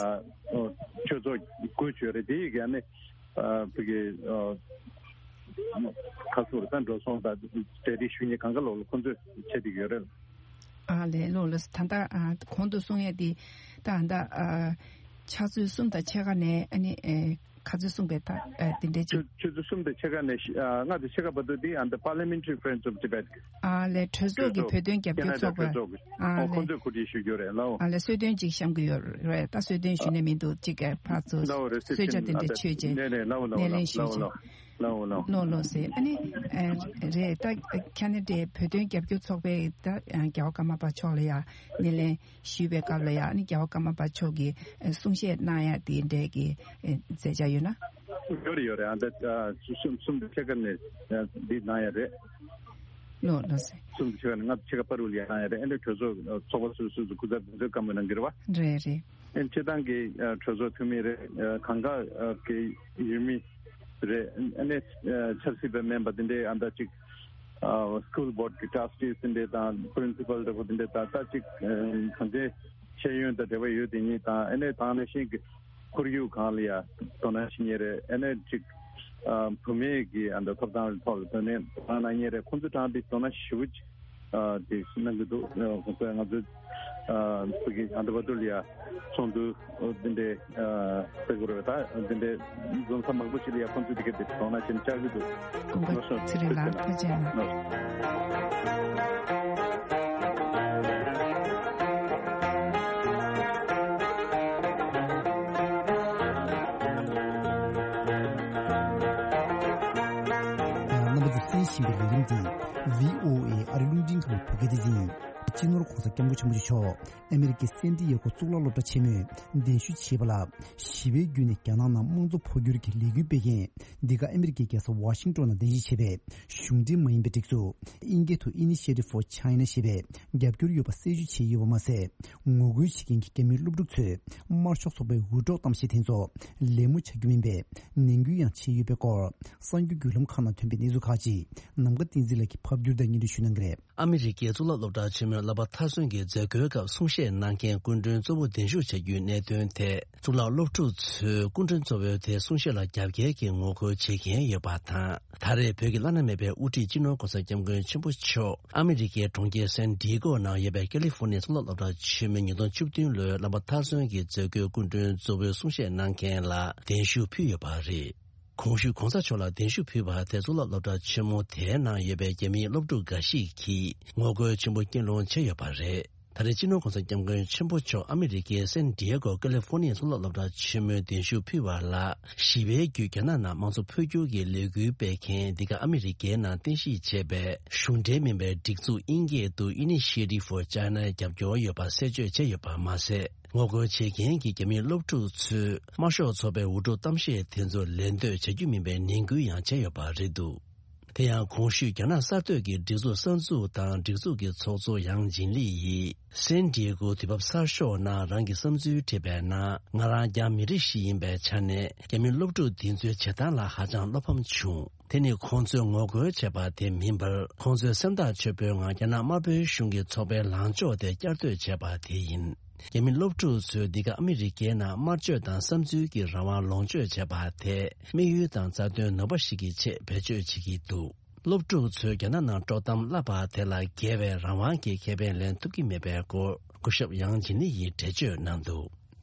ཆོས་ཚོགས་དགོས་ཆོས་རེད། དེ་ཡི་ག་ནི་ཨ་ཕ་གི་ཨ་ཁ་སོར་ད་འགྲོ་སོང་དང་གྲ་སྒྲིག་ཞུ་མཁན་གང་ག་ལོག་ལ་ཁོང་ཚོས་བྱེད་བསྡད་ཡོད་རེད། ཨ་ལས་ལོ་ལ་ད་ལྟ་ཨ་གོང་དུ་གསུང་ཡས་དེ་ད་ད་ཨ་ཆུ་ཚོད་གསུམ་དང་ཕྱེད་ཀ་ནས་ཨ་ནི་ཨེ་ག་ཚོད་གསུངས་པའི་ད་ཨེ་དེ་འདྲའི་ཆུ་ཆུ་ཚོད་གསུམ་དང་ཕྱེད་ཀ་ནས་ཨ་ལྔ་དང་ཕྱེད་ཀ་བར་དུ་དེ་ཨ་ད་Parliamentary Friends of Tibet་གི་ཨ་ལས་གྲོས་ཚོགས་ཀྱི་བོད་དོན་རྒྱབ་སྐྱོར་ཚོགས་པ་ཨ་ལས་ཁོང་ཚོས་གོ་སྒྲིག་ཞུ་རྒྱུ་རེད་ལའོ། ཨ་ལས་གསོལ་སྟོན་ཅིག་བཤམས་ཀྱི་ཡོད་རེད། ད་གསོལ་སྟོན་ཞུས་ནས་མི་འདུག་ཅིག་ག་ཕར་ཚུར་གསོལ་ཇ་དེ་འདྲ་མཆོད་རྗེས་ནས་ནས་ལའོ་ལའོ་སྣེ་ལེན་ཞུས་ལའོ་རྗེས། ལའོ་ལའོ་ལའོ་ལའོ་ལོ་ལོ་ཟེར། ཨ་ནི་ཨ་རེད། ད་ཁ་ན་ཌའི་བོད་དོན་རྒྱབ་སྐྱོར་ཚོགས་པས་ད་རྒྱལ་བ་ཀརྨ་པ་མཆོག་ལ་ཡ་སྣེ་ལེན་ཞུས་པའི་སྐབས་ལ་ཡ་ཨ་ནི་རྒྱལ་བ་ཀརྨ་པ་མཆོག་གིས་གསུང་བཤད་གནང་ཡ་དེ་འདྲའི་གི་མཛད་འཆར་ཡོད་ན། ཡོད་རེད་ཡོད་རེད། ཨ་ད་གསུམ་གསུམ་དུ་ཕྱེད་ཀ་ནས་འདི་གནང་ཡ་རེད། ལོ་ལོ་ཟེར། གསུམ་དུ་ཕྱེད་ཀ་ནས་ལྔ་དུ་ཕྱེད་ཀ་བར་དུ་ལ་ཡ་གནང་ཡ་རེད། ཨ་ནི་གྲོས་ཚོགས་ཚོགས་པ་སོ་སོ་སོ་སོ་སྐུ་ཚབ་དེ་ཚོས་བཀའ་མོལ་གནང་གི་རེད་བ། རེད་རེད། ཨ་ནི་སྤྱི་བཏང་གི་གྲོས་ཚོགས་འཐུས་མི་རེད། གང་ག་གི་ཡུལ་མི་རེད། ཨ་ནི་ཆབ་སྲིད་པ་མིན་པ་དེ་འདྲའི་ཨ་ད་ཅིག་School Board་གི་Trustees་དེ་འདྲའི་དང་Principal་འདྲ་པོ་དེ་འདྲའི་དང་ད་ཅིག་གང་ཅི་ཤེས་ཡོན་དང་འབྲེལ་བ་ཡོད་དེ་གཉིས་དང་ཨ་ནི་དེ་ནང་བཞིན་གི་ཁོར་ཡུག་སྒང་ལ་ཡ་དོ་སྣང་བྱེད་མཁན་རེད། ཨ་ནི་ཅིག་བུད་མེད་ཀྱི་ཨ་ད་ཐོབ་ཐང་ཐོག་ལ་དོ་ནན་དོ་སྣང་གནང་མཁན་རེད། ཁོང་ཚོ་གྲངས་འདི་དོ་སྣང་ཞེ་པོ་ཅིག་ཨ་དེ་གནང་གི་འདུག་ཨ་ཁོང་ཚོས་ང་ཚོ་ཨ་ཕ་གི་ཨ་ད་བར་དུ་ལ་ཡ་ཚོགས་འདུ་འདི་འདྲའི་ཨ་སྤེལ་དགོས་རེད། ད་འདི་འདྲའི་འཛོམས་ས་མང་པོ་ཞིག་ལ་ཡ་ཁོང་ཚོས་འདི་ག་འདི་དོ་སྣང་བྱེད་བཅར་གི་འདུག་སྐུ་ངོ་ཚེ་རིང་ལགས་ཐུགས་རྗེ་གནང་། རྣམ་པ་ཚོས་གསན་བཞིན་པའི་ལས་རིམ་འདི་བྷི་ཨོ་ཨེ་ཨ་རི་རླུང་འཕྲིན་ཁང་བོད་སྐད་སྡེ་ཚན་ཡིན། སྤྱི་ནོར་ ༸གོང་ས་༸སྐྱབས་མགོན་ཆེན་པོ་མཆོག་ཨ་མེ་རི་ཀའི་སན་ཏི་ཡེ་གོ་གཙུག་ལག་སློབ་གྲྭ་ཆེན་མོས་གདན་ཞུ་བྱས་པ་ལ། ཞི་བའི་བརྒྱུད་ནས་རྒྱ་ནག་ནང་དམངས་གཙོ་འཕོ་འགྱུར་གྱི་ལས་འགུལ་སྤེལ་མཁན་འདི་ག་ཨ་མེ་རི་ཀའི་རྒྱལ་ས་ཝ་ཤིང་ཏོན་ནང་རྟེན་གཞི་བྱས་པའི་གཞུང་འབྲེལ་མ་ཡིན་པའི་སྒྲིག་འཛུགས་དབྱིན་སྐད་དུ་Initiative for China ཞེས་པས་རྒྱབ་སྐྱོར་ཡོད་པ་གསལ་བརྗོད་བྱས་ཡོད་པ་མ་ཟད། ངོ་རྒོལ་བྱེད་མཁན་གྱི་རྒྱ་མིའི་སློབ་ཕྲུག་ཚོས་དམར་ཤོག་ཚོགས་པའི་འུར་སྒྲོག་གཏམ་བཤད་དེ་ཚོ་ལད་མོ་བྱ་རྒྱུ་མིན་པའི་ནན་སྐུལ་ཡང་བྱས་ཡོད་པའི་སྐོར། གསར་འགྱུར་བརྒྱུད་ལམ་ཁག་ནང་ཐོན་པའི་གནས་ཚུལ་ཁག་ཅིག་ནམ་མཁའ་བསྟན་འཛིན་ལགས་ཀྱིས་ཕབ་བསྒྱུར་དང་སྙན་སྒྲོན་ཞུ་གནང་གི་རེད། ཨ་མི་རི་ཀའི་གཙུག་ལག་སློབ་གྲྭ་ཆེན་མོའི་བསླབ་པ་མཐར་སོན་གྱི་མཛད་སྒོའི་སྐབས་གསུང་བཤད་གནང་མཁན་སྐུ་མགྲོན་གཙོ་བོ་གདན་ཞུ་བྱ་རྒྱུའི་གནད་དོན་ཐད། གཙུག་ལག་སློབ་ཕྲུག་ཚོས་སྐུ་མགྲོན་གཙོ་བོའི་དེ་གསུང་བཤད་ལ་རྒྱབ་འགལ་གྱི་ངོ་རྒོལ་བྱེད་མཁན་ཡོད་པ་དང་། ད་རེས་བོད་ཀྱི་བླ་ན་མེད་པའི་དབུ་ཁྲིད་སྤྱི་ནོར་༸གོང་ས་༸སྐྱབས་མགོན་ཆེན་པོ་མཆོག་ཨ་མི་རི་ཀའི་གྲོང་ཁྱེར་སན་ཌི་ཡེ་གོ་ནང་ཡོད་པའི་ཀ་ལི་ཧྥོ་ནི་ཡའི་གཙུག་ལག་སློབ་གྲྭ་ཆེན་མོའི་ཉིས་སྟོང་བཅུ་བདུན་ལོའི་བསླབ་པ་མཐར་སོན་གྱི་མཛད་སྒོའི་སྐུ་མགྲོན་གཙོ་བོའི་གསུང་བཤད་གནང་མཁན་ལ་གདན་ཞུ་ཕུལ་ཡོད་པ་རེད། གོང་ཞུས་གོང་ས་མཆོག་ལ་གདན་ཞུ་ཕུལ་བ་དེ་གཙུག་ལག་སློབ་གྲྭ་ཆེན་མོ་དེའི་ནང་ཡོད་པའི་རྒྱ་མིའི་སློབ་ཕྲུག་འགའ་ཞིག་གིས་ངོ་རྒོལ་ཆེན་པོ་སྐྱེལ་སློང་བྱས་ཡོད་པ་རེད། ད་རེས་སྤྱི་ནོར་༸གོང་ས་༸སྐྱབས་མགོན་ཆེན་པོ་མཆོག་ཨ་མི་རི་ཀའི་སན་ཌི་ཡེ་གོ་ཀ་ལི་ཧྥོ་ནི་ཡའི་གཙུག་ལག་སློབ་གྲྭ་ཆེན་མོའི་གདན་ཞུ་ཕུལ་བ་ལ། ཞི་བའི་བརྒྱུད་རྒྱ་ནག་ནང་དམངས་གཙོ་འཕོ་འགྱུར་གྱི་ལས་འགུལ་སྤེལ་མཁན་འདི་ག་ཨ་མི་རི་ཀའི་ནང་རྟེན་གཞི་བྱས་པའི་གཞུང་འབྲེལ་མིན་པའི་སྒྲིག་འཛུགས་དབྱིན་སྐད་དུ་Initiative for China རྒྱབ་སྐྱོར་ཡོད་པ་གསལ་བརྗོད་བྱས་ཡོད་པ་མ་ཟད། ངོ་རྒོལ་བྱེད་མཁན་གྱི་རྒྱ་མིའི་སློབ་ཕྲུག་ཚོས་དམར་ཤོག་ཚོགས་པའི་འུར་སྒྲོག་གཏམ་བཤད་དེ་ཚོ་ལད་ཟློས་བྱ་རྒྱུ་མིན་པའི་ནན་སྐུལ་ཡང་བྱས་ཡོད་པ་རེད་འདུག་དེ་ཡང་གོང་ཞུས་རྒྱ་ནག་གསར་གཏོད་ཀྱི་སྒྲིག་འཛུགས་གསར་འཛུགས་དང་སྒྲིག་འཛུགས་ཀྱི་ཚོགས་གཙོ་ཡང་ཇིན་ལི་ཡིས་སན་ཌི་ཡེ་གོ་དུས་བབ་གསར་ཤོག་ནང་རང་གི་བསམ་ཚུལ་བྲིས་པའི་ནང་། ང་རང་རྒྱ་མི་རིགས་ཤིག་ཡིན་པའི་ཆ་ནས་རྒྱ་མི་སློབ་ཕྲུག་འདི་ཚོའི་བྱེད་སྟངས་ལ་ཧ་ཅང་བློ་ཕམ་བྱུང་། དེ་ནི་ཁོང་ཚོས་ངོ་རྒོལ་བྱས་པ་དེ་མིན་པར། ཁོང་ཚོས་སེམས་ཐག་ཆོད་པོའི་ངང་རྒྱ་ནག་དམར་པོའི་གཞུང་གི་ཚོགས་པའི་ལངས་ཕྱོགས་དེ་བསྐྱར་ཟློས་བྱས་པ་དེ་ཡིན། རྒྱ་མི་སློབ་ཕྲུག་ཚོས་འདི་ག་ཨ་མི་རི་ཀའི་ནང་དམར་གཅོད་དང་བསམ་ཚུལ་གྱི་རང་དབང་ལོངས་སྤྱོད་བྱས་པ་དེ་དམིགས་ཡུལ་དང་རྩ་དོན་ནོར་བ་ཞིག་གི་ཆེད་བེད་སྤྱོད་བྱེད་ཀྱི་འདུག་སློབ་ཕྲུག་ཚོས་རྒྱ་ནག་ནང་དཀྲོག་གཏམ་བསླབས་པ་དེ་ལ་འགལ་བའི་རང་དབང་གི་ཁེ་ཕན་ལེན་ཐུབ་ཀྱི་མེད་པའི་སྐོར་སྐུ་ཞབས་ཡང་ཇིན་ལི་ཡིས་འགྲེལ་བརྗོད་གནང་འདུག་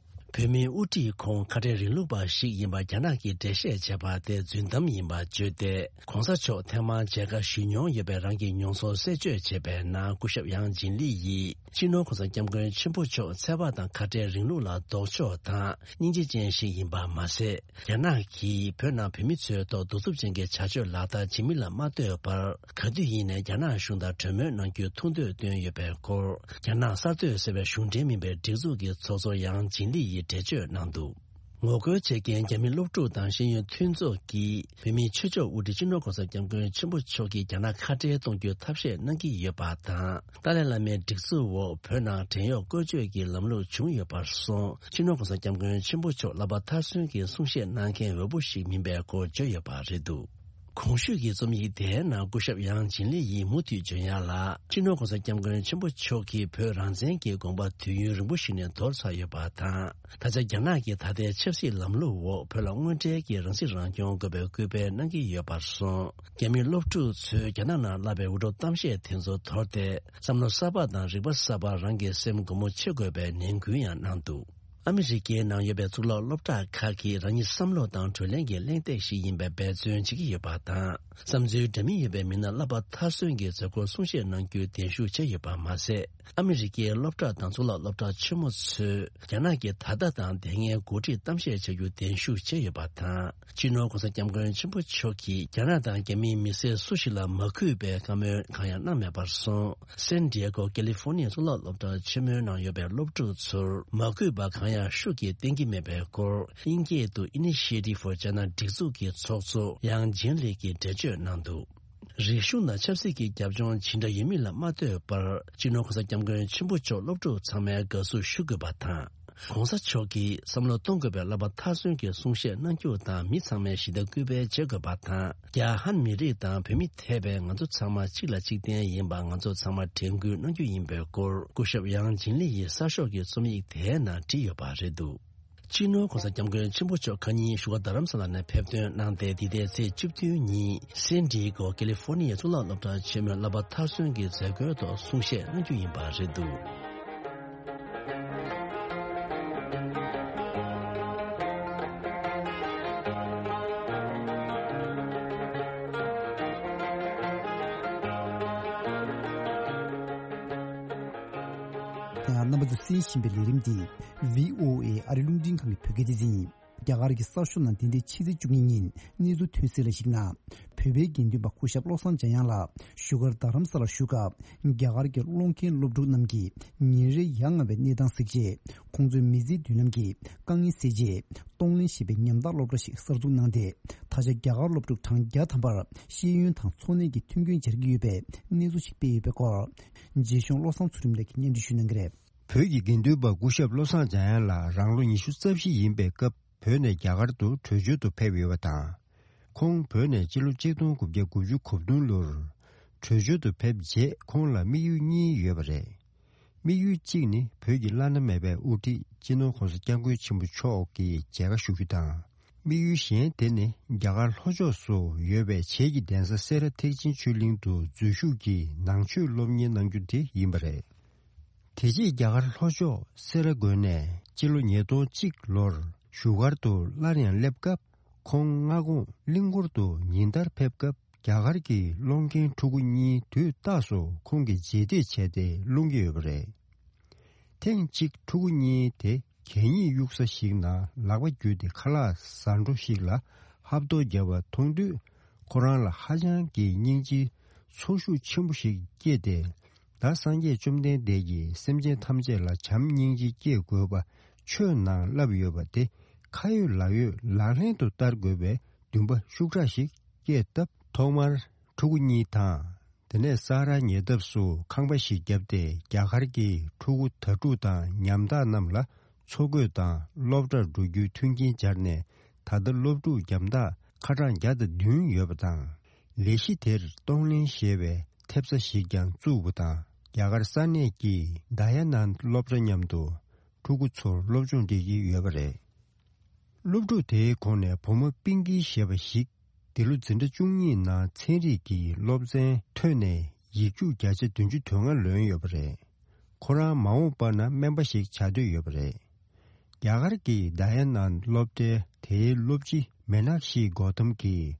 བོད་མིའི་དབུ་ཁྲིད་ཁོང་ཁ་བྲལ་རིང་ལུགས་པ་ཞིག་ཡིན་པ་རྒྱ་ནག་གིས་འགྲེལ་བཤད་བྱས་པ་དེ་རྫུན་གཏམ་ཡིན་པ་བརྗོད་དེ། གོང་ས་མཆོག་ཐེངས་མང་མཇལ་ཁ་ཞུས་མྱོང་ཡོད་པའི་རང་གི་མྱོང་ཚོར་གསལ་བརྗོད་བྱས་པའི་ནང་སྐུ་ཞབས་ཡང་ཇིན་ལི་ཡིས། སྤྱི་ནོར་༸གོང་ས་༸སྐྱབས་མགོན་ཆེན་པོ་མཆོག་ཚད་པ་དང་ཁ་བྲལ་རིང་ལུགས་ལ་ལྡོག་ཕྱོགས་དང་སྙིང་རྗེ་ཅན་ཞིག་ཡིན་པ་མ་ཟད། རྒྱ་ནག་གིས་བོད་ནང་བོད་མི་ཚོའི་ཐོག་གདུག་རྩུབ་ཅན་གྱི་བྱ་སྤྱོད་ལག་བསྟར་བྱེད་མིན་ལ་མ་ལྟོས་པར། ག་དུས་ཡིན་ནའི་རྒྱ་ནག་གཞུང་དང་གྲོས་མོལ་གནང་རྒྱུའི་ཐུགས་འདོད་བཏོན་ཡོད་པའི་སྐོར། རྒྱ་ནག་གསར་གཏོད་ཟེར་བའི་གཞུང་འབྲེལ་མིན་པའི་སྒྲིག་འཛུགས་ཀྱི་ཚོགས་གཙོ་ཡང་ཇིན་ལི་ཡིས་འགྲེལ་བརྗོད་གནང་འདུག་ངོ་རྒོལ་བྱེད་མཁན་རྒྱ་མི་སློབ་ཕྲུག་དང་ཤེས་ཡོན་མཐུན་ཚོགས་ཀྱིས་བོད་མིའི་ཆོས་ཕྱོགས་དབུ་ཁྲིད་སྤྱི་ནོར་༸གོང་ས་༸སྐྱབས་མགོན་ཆེན་པོ་མཆོག་གིས་རྒྱ་ནག་ཁ་བྲལ་གཏོང་རྒྱུའི་ཐབས་ཤེས་གནང་གི་ཡོད་པ་དང་། ཏཱ་ལའི་བླ་མའི་སྒྲིག་འཛུགས་འོག་བོད་ནང་བྲན་གཡོག་བཀོལ་སྤྱོད་ཀྱི་ལམ་ལུགས་བྱུང་ཡོད་པར་སོང་། སྤྱི་ནོར་༸གོང་ས་༸སྐྱབས་མགོན་ཆེན་པོ་མཆོག་བསླབ་པ་མཐར་སོན་གྱི་གསུང་བཤད་གནང་མཁན་འོས་པོ་ཞིག་མིན་པའི་སྐོར་བརྗོད་ཡོད་པ་རེད་འདུག་གོང་ཞུས་ཀྱི་རྩོམ་ཡིག་དེའི་ནང་སྐུ་ཞབས་ཡང་ཇིན་ལི་ཡིས་མུ་མཐུད་བརྗོད་ཡག་ལ། སྤྱི་ནོར་༸གོང་ས་༸སྐྱབས་མགོན་ཆེན་པོ་མཆོག་གིས་བོད་རང་བཙན་གྱི་དགོངས་པ་དུས་ཡུན་རིང་པོ་ཞིག་ནས་འདོར་ཚར་ཡོད་པ་དང་། ད་ཆ་རྒྱ་ནག་གི་ད་ལྟའི་ཆབ་སྲིད་ལམ་ལུགས་འོག་བོད་ལ་དངོས་འབྲེལ་གྱི་རང་སྲིད་རང་སྐྱོང་དགོས་པའི་སྐུལ་སྤེལ་གནང་གི་ཡོད་པར་སོང་། རྒྱ་མིའི་སློབ་ཕྲུག་ཚོས་རྒྱ་ནག་ནང་བསླབ་པའི་འུར་སྒྲོག་གཏམ་བཤད་དེ་ཚོ་དོར་ཏེ། བསམ་བློ་གསར་པ་དང་རིག་པ་གསར་པར་རང་གི་སེམས་སྒོ་མོ་ཕྱེ་དགོས་པའི་ནན་སྐུལ་ཡང་གནང་འདུག་ཨ་མི་རི་ཀའི་ནང་ཡོད་པའི་གཙུག་ལག་སློབ་གྲྭ་ཁག་གིས་རང་ཉིད་བསམ་བློ་དང་གྲོས་གླེང་གི་གླེང་སྟེགས་ཤིག་ཡིན་པའི་འབད་བརྩོན་བྱེད་ཀྱི་ཡོད་པ་དང་། བསམ་ཚུལ་འདྲ་མིན་ཡོད་པའི་མི་སྣ་བསླབ་པ་མཐར་སོན་གྱི་མཛད་སྒོར་གསུང་བཤད་གནང་རྒྱུའི་གདན་ཞུ་བྱས་ཡོད་པ་མ་ཟད། ཨ་མི་རི་ཀའི་སློབ་གྲྭ་དང་གཙུག་ལག་སློབ་གྲྭ་ཆེན་མོ་ཚོས་རྒྱ་ནག་གི་ད་ལྟ་དང་དེ་སྔའི་འགོ་ཁྲིད་གཏམ་བཤད་བྱ་རྒྱུ་གདན་ཞུ་བྱས་ཡོད་པ་དང་། སྤྱི་ནོར་༸གོང་ས་༸སྐྱབས་མགོན་ཆེན་པོ་མཆོག་གིས་རྒྱ་ནག་དང་རྒྱ་མིའི་མི་སེར་སུ་ཞིག་ལ་མ་གུས་པའི་བཀའ་མོལ་གང་ཡང་གནང་མེད་པར་སོང་། སན་ཌི་ཡེ་གོ་ཀེ་ལི་ཧྥོ་ནི་ཡའི་གཙུག་ལག་སློབ་གྲྭ་ཆེན་མོའི་ནང་ཡོད་པའི་སློབ་ཕྲུག་ཚོར་མ་གུས་པ་གང་ཡང་ཤུགས་ཀྱིས་བསྟན་གྱི་མེད་པའི་སྐོར། དབྱིན་སྐད་དུ་Initiative for China སྒྲིག་འཛུགས་ཀྱི་ཚོགས་གཙོ་ཡང་ཇིན་ལི་གིས་འགྲེལ་བརྗོད་གནང་འདུག་རིག་གཞུང་ནང་ཆབ་སྲིད་ཀྱི་རྒྱབ་ལྗོངས་ཇི་འདྲ་ཡོད་མིན་ལ་མ་ལྟོས་པར། སྤྱི་ནོར་༸གོང་ས་༸སྐྱབས་མགོན་ཆེན་པོ་མཆོག་སློབ་ཕྲུག་ཚང་མའི་དགའ་བསུ་ཞུ་དགོས་པ་དང་། ༸གོང་ས་མཆོག་གིས་བསམ་བློ་གཏོང་དགོས་པའི་བསླབ་པ་མཐར་སོན་གྱི་གསུང་བཤད་གནང་རྒྱུ་དང་། མི་ཚང་མས་ཞི་བདེ་སྐུལ་སྤེལ་བྱེད་དགོས་པ་དང་། རྒྱ་ཧན་མི་རིགས་དང་བོད་མི་ཐེ་བའི་ང་ཚོ་ཚང་མ་གཅིག་ལ་གཅིག་བརྟེན་ཡིན་པ་ང་ཚོ་ཚང་མ་དྲན་སྐུལ་གནང་རྒྱུ་ཡིན་པའི་སྐོར། སྐུ་ཞབས་ཡང་ཇིན་ལི་ཡིས་གསར་ཤོག་གི་རྩོམ་ཡིག་དེའི་ནང་བྲིས་ཡོད་པ་རེད་འདུག་སྤྱི་ནོར་༸གོང་ས་༸སྐྱབས་མགོན་ཆེན་པོ་མཆོག་ཁ་ཉིན་བཞུགས་སྒར་རྡ་རམ་ས་ལ་ནས་ཕེབས་ཐོན་གནང་སྟེ། འདི་ཟླའི་ཚེས་བཅུ་བདུན་ཉིན་སན་ཌི་ཡེ་གོ་ཀེ་ལི་ཧྥོ་ནི་ཡའི་གཙུག་ལག་སློབ་གྲྭ་ཆེན་མོའི་བསླབ་པ་མཐར་སོན་གྱི་མཛད་སྒོའི་ཐོག་གསུང་བཤད་གནང་རྒྱུ་ཡིན་པ་རེད་འདུག་རྣམ་པ་ཚོས་གསན་བཞིན་པའི་ལས་རིམ་འདི་བྷི་ཨོ་ཨེ་ཨ་རི་རླུང་འཕྲིན་ཁང་གི་བོད་སྐད་སྡེ་ཚན་ཡིན། རྒྱ་གར་གྱི་གསར་ཤོག་ནང་འདི་ཟླའི་ཕྱི་ཚེས་བཅུ་གཉིས་ཉིན་གནས་ཚུལ་ཐོན་གསལ་ལ་གཞིགས་ན། བོད་ བོད་པའི་དགེ་འདུན་པ་སྐུ་ཞབས་བློ་བཟང་འཇམ་དབྱངས་ལགས་བཞུགས་སྒར་རྡ་རམ་ས་ལར་བཞུགས་སྐབས། རྒྱ་གར་གྱི་སློབ་མཁན་སློབ་ཕྲུག་རྣམས་ཀྱིས་ཉིན་རེ་ཡ་ང་བའི་གནས་སྟངས་གཟིགས་རྗེས། ཁོང་ཚོའི་མི་ཚེའི་མདུན་ལམ་གྱི་དཀའ་ངལ་སེལ་ཆེད། གཏོང་ལེན་ཞེས་པའི་ཉམ་ཐག་སློབ་གྲྭ་ཞིག་གསར་འཛུགས་གནང་སྟེ། ད་ཆ་རྒྱ་གར་སློབ་ཕྲུག་གྲངས་བརྒྱ་ཐམ་པར་ཤེས་ཡོན་དང་འཚོ་གནས་ཀྱི་མཐུན་རྐྱེན་སྦྱར་གྱི་ཡོད་པའི་གནས་ཚུལ་ཞིག་སྤེལ་ཡོད་པའི་སྐོར། རྗེ་གཞུང་བློ་བཟང་ཚུལ་ཁྲིམས་ལགས་ཀྱིས་སྙན་སྒྲོན་ཞུ་གནང་གི་རེད། བོད་ཀྱི་དགེ་འདུན་པ་སྐུ་ཞབས་བློ་བཟང་འཇམ་དབྱངས་ལགས་རང་ལོ་ཉི་ཤུ་རྩ་བཞི་ཡིན་པའི་སྐབས། བོད་ནས་རྒྱ་གར་དུ་བྲོས་བྱོལ་དུ་ཕེབས་ཡོད་པ་དང་། ཁོང་བོད་ནས་སྤྱི་ལོ་གཅིག་སྟོང་དགུ་བརྒྱ་དགུ་བཅུ་གོ་བདུན་ལོར་བྲོས་བྱོལ་དུ་ཕེབས་རྗེས། ཁོང་ལ་དམིགས་ཡུལ་གཉིས་ཡོད་པ་རེད། དམིགས་ཡུལ་གཅིག་ནི་བོད་ཀྱི་བླ་ན་མེད་པའི་དབུ་ཁྲིད་སྤྱི་ནོར་༸གོང་ས་༸སྐྱབས་མགོན་ཆེན་པོ་མཆོག་གི་མཇལ་ཁ་ཞུ་རྒྱུ་དང་། དམིགས་ཡུལ་གཞན་དེ་ནི་རྒྱ་གར་ལྷོ་ཕྱོགས་སུ་ཡོད་པའི་བྱེས་ཀྱི་གདན་ས་སེ་ར་ཐེག་ཆེན་ཆོས་གླིང་དུ་འཛུལ་ཞུགས་ཀྱིས་ནང་ཆོས་སློབ་གཉེར་གནང་རྒྱུ་དེ་ཡིན་པ་རེད། དེ་རྗེས་རྒྱ་གར་ལྷོ་ཕྱོགས་སེ་ར་དགོན་ནས་སྤྱི་ལོ་ཉིས་སྟོང་གཅིག་ལོར་བཞུགས་སྒར་དུ་སླར་ཡང་སླེབས་སྐབས། ཁོང་སྔ་དགོང་གླིང་སྐོར་དུ་ཉིན་ལྟར་ཕེབས་སྐབས། རྒྱ་གར་གྱི་སློབ་མཁན་ཕྲུ་གུ་གཉིས་དུས་རྟག་ཏུ་ཁོང་གི་རྗེས་འདེད་བྱས་ཏེ་སློང་གི་ཡོད་པ་རེད། ཐེངས་གཅིག་ཕྲུ་གུ་གཉིས་དེ་གད་སྙིགས་གཡུག་ས་ཞིག་ནང་ལག་པ་བརྒྱུས་ཏེ་ཁ་ལག་ཟ་འཕྲོ་ཞིག་ལ་ཧབ་ཐོབ་བརྒྱབ་པ་མཐོང་དུས། ཁོ་རང་ལ་ཧ་ཅང་གི་སྙིང་རྗེའི་ཚོར་ཤུགས་ཆེན་པོ་ཞིག་སྐྱེས་ཏེ། ད་སངས་རྒྱས་བཅོམ་ལྡན་འདས་ཀྱིས་སེམས་ཅན་ཐམས་ཅད་ལ་བྱམས་སྙིང་རྗེ་སྐྱེ་དགོས་པ་ཆོས་ནང་བསླབས་ཡོད་པ་དེ་ཁ་ཡོད་ལག་ཡོད་ལག་ལེན་དུ་བསྟར་དགོས་པའི་འདུན་པ་ཤུགས་དྲག་ཞིག་སྐྱེས་སྟབས། ཐོག་མར་ཕྲུ་གུ་གཉིས་དང་། དེ་ནས་ས་རཱ་ཉེ་འདབས་སུ་ཁང་པ་ཞིག་བརྒྱབ་སྟེ། རྒྱ་གར་གྱི་ཕྲུ་གུ་དྭ་ཕྲུག་དང་ཉམ་ཐག་རྣམས་ལ་འཚོ་གོས་དང་སློབ་གྲྭར་འགྲོ་རྒྱུའི་མཐུན་རྐྱེན་སྦྱར་ནས། ད་ལྟ་སློབ་ཕྲུག་རྒྱ་མཐའ་ཁ་གྲངས་བརྒྱ་དང་བདུན་ཡོད་པ་དང་། ལས་གཞི་དེར་གཏོང་ལེན་ཞེས་པའི་ཐེབས་རྩ་ཞིག་ཀྱང་བཙུགས་པ་དང་། རྒྱ་གར་ས་གནས་ཀྱི་དཱ་ཡ་ནཱན་སློབ་གྲྭ་མཉམ་དུ་ཕྲུ་གུ་ཚོར་སློབ་སྦྱོང་སྤྲད་ཀྱི་ཡོད་པ་རེད། སློབ་ཕྲུག་དེའི་ཁོངས་ནས་བུ་མོ་པིང་ཀི་ཞེས་པ་ཞིག་འདི་ལོ་འཛིན་གྲྭ་བཅུ་གཉིས་ནང་ཚན་རིག་གི་སློབ་ཚན་ཐོན་ནས་ཡིག་རྒྱུགས་བརྒྱ་ཆ་བདུན་ཅུ་དོན་ལྔ་ལོན་ཡོད་པ་རེད། ཁོ་རང་མ་འོངས་པ་ན་སྨན་པ་ཞིག་བྱ་འདོད་ཡོད་པ་རེད། རྒྱ་གར་གྱི་དཱ་ཡ་ནཱན་སློབ་གྲྭའི་དེའི་སློབ་སྤྱི་མེ་ནག་ཤི་གོ་ཐམ་གྱིས།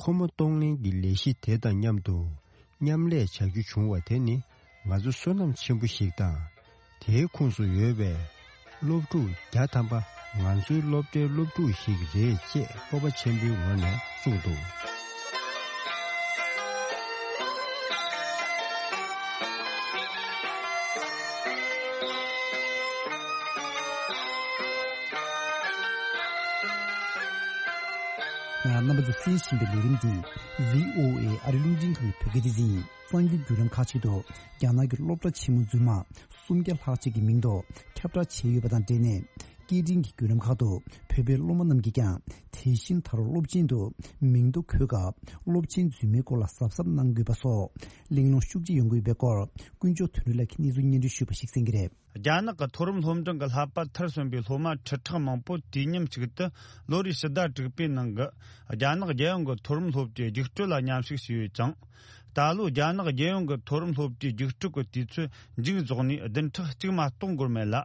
ཁོ་མོ་གཏོང་ལེན་གྱི་ལས་གཞི་དེ་དང་མཉམ་དུ་མཉམ་ལས་བྱ་རྒྱུ་བྱུང་བ་དེ་ནི་ང་ཚོ་བསོད་ནམས་ཆེན་པོ་ཞིག་དང་། དེའི་ཁོངས་སུ་ཡོད་པའི་སློབ་ཕྲུག་བརྒྱ་ཐམ་པ་ང་ཚོའི་སློབ་གྲྭའི་སློབ་ཕྲུག་ཞིག་རེད་ཅེས་སྤོབས་པ་ཆེན་པོའི་ངང་ནས་གསུངས་འདུག། རྣམ་པ་ཚོས་གསན་བཞིན་པའི་ལས་རིམ་འདི་བྷི་ཨོ་ཨེ་ཨ་རི་རླུང་འཕྲིན་ཁང་གི་བོད་སྐད་སྡེ་ཚན་ཡིན། གསར་འགྱུར་བརྒྱུད་ལམ་ཁག་ཅིག་ཏུ། རྒྱ་ནག་གི་སློབ་གྲྭ་ཆེན་མོ་རྫུན་མ་སུམ་བརྒྱ་ལྷག་ཅིག་གི་མིང་ཐོ་ཁྱབ་བསྒྲགས་བྱས་ཡོད་པ་དང་འབྲེལ་ནས། སྐད་འཕྲིན་གྱི་བརྒྱུད་ལམ་ཁག་ཏུ་བོད་པའི་སློབ་མ་རྣམས་ཀྱིས་ཀྱང་། དེ་བཞིན་ད་རུང་སློབ་ཆེན་དུ་མིང་ཐོ་འཁོད་སྐབས། སློབ་ཆེན་རྫུན་མའི་སྐོར་ལ་གཟབ་གཟབ་གནང་དགོས་པ་སོགས་གླེང་སློང་ཤུགས་ཆེ་ཡོང་གི་ཡོད་པའི་སྐོར། དཀོན་མཆོག་དོན་གྲུབ་ལགས་ཀྱིས་གནས་ཚུལ་སྙན་སྒྲོན་ཞུས་པ་ཞིག་གསན་གྱི་རེད། རྒྱ་ནག་གི་མཐོ་རིམ་སློབ་འབྲིང་གི་ལྷ་པ་མཐར་སོན་པའི་སློབ་མ་ཁྲི་ཕྲག་མང་པོ་དུས་མཉམ་གཅིག་ཏུ་ལོ་རེའི་ཕྱི་ཟླ་དྲུག་པའི་ནང་གི་རྒྱ་ནག་རྒྱལ་ཡོངས་ཀྱི་མཐོ་རིམ་སློབ་གྲྭའི་རྒྱུགས་སྤྲོད་ལ་མཉམ་ཞུགས་བྱས་ཡོད་ཅིང་། ད་ལོ་རྒྱ་ནག་རྒྱལ་ཡོངས་ཀྱི་མཐོ་རིམ་སློབ་གྲྭའི་རྒྱུགས་སྤྲོད་ཀྱི་དུས་ཚོད་མཇུག་རྫོགས་ནས་བདུན་ཕྲག་གཅིག་མ་གཏོགས་འགོར་མེད་ལ།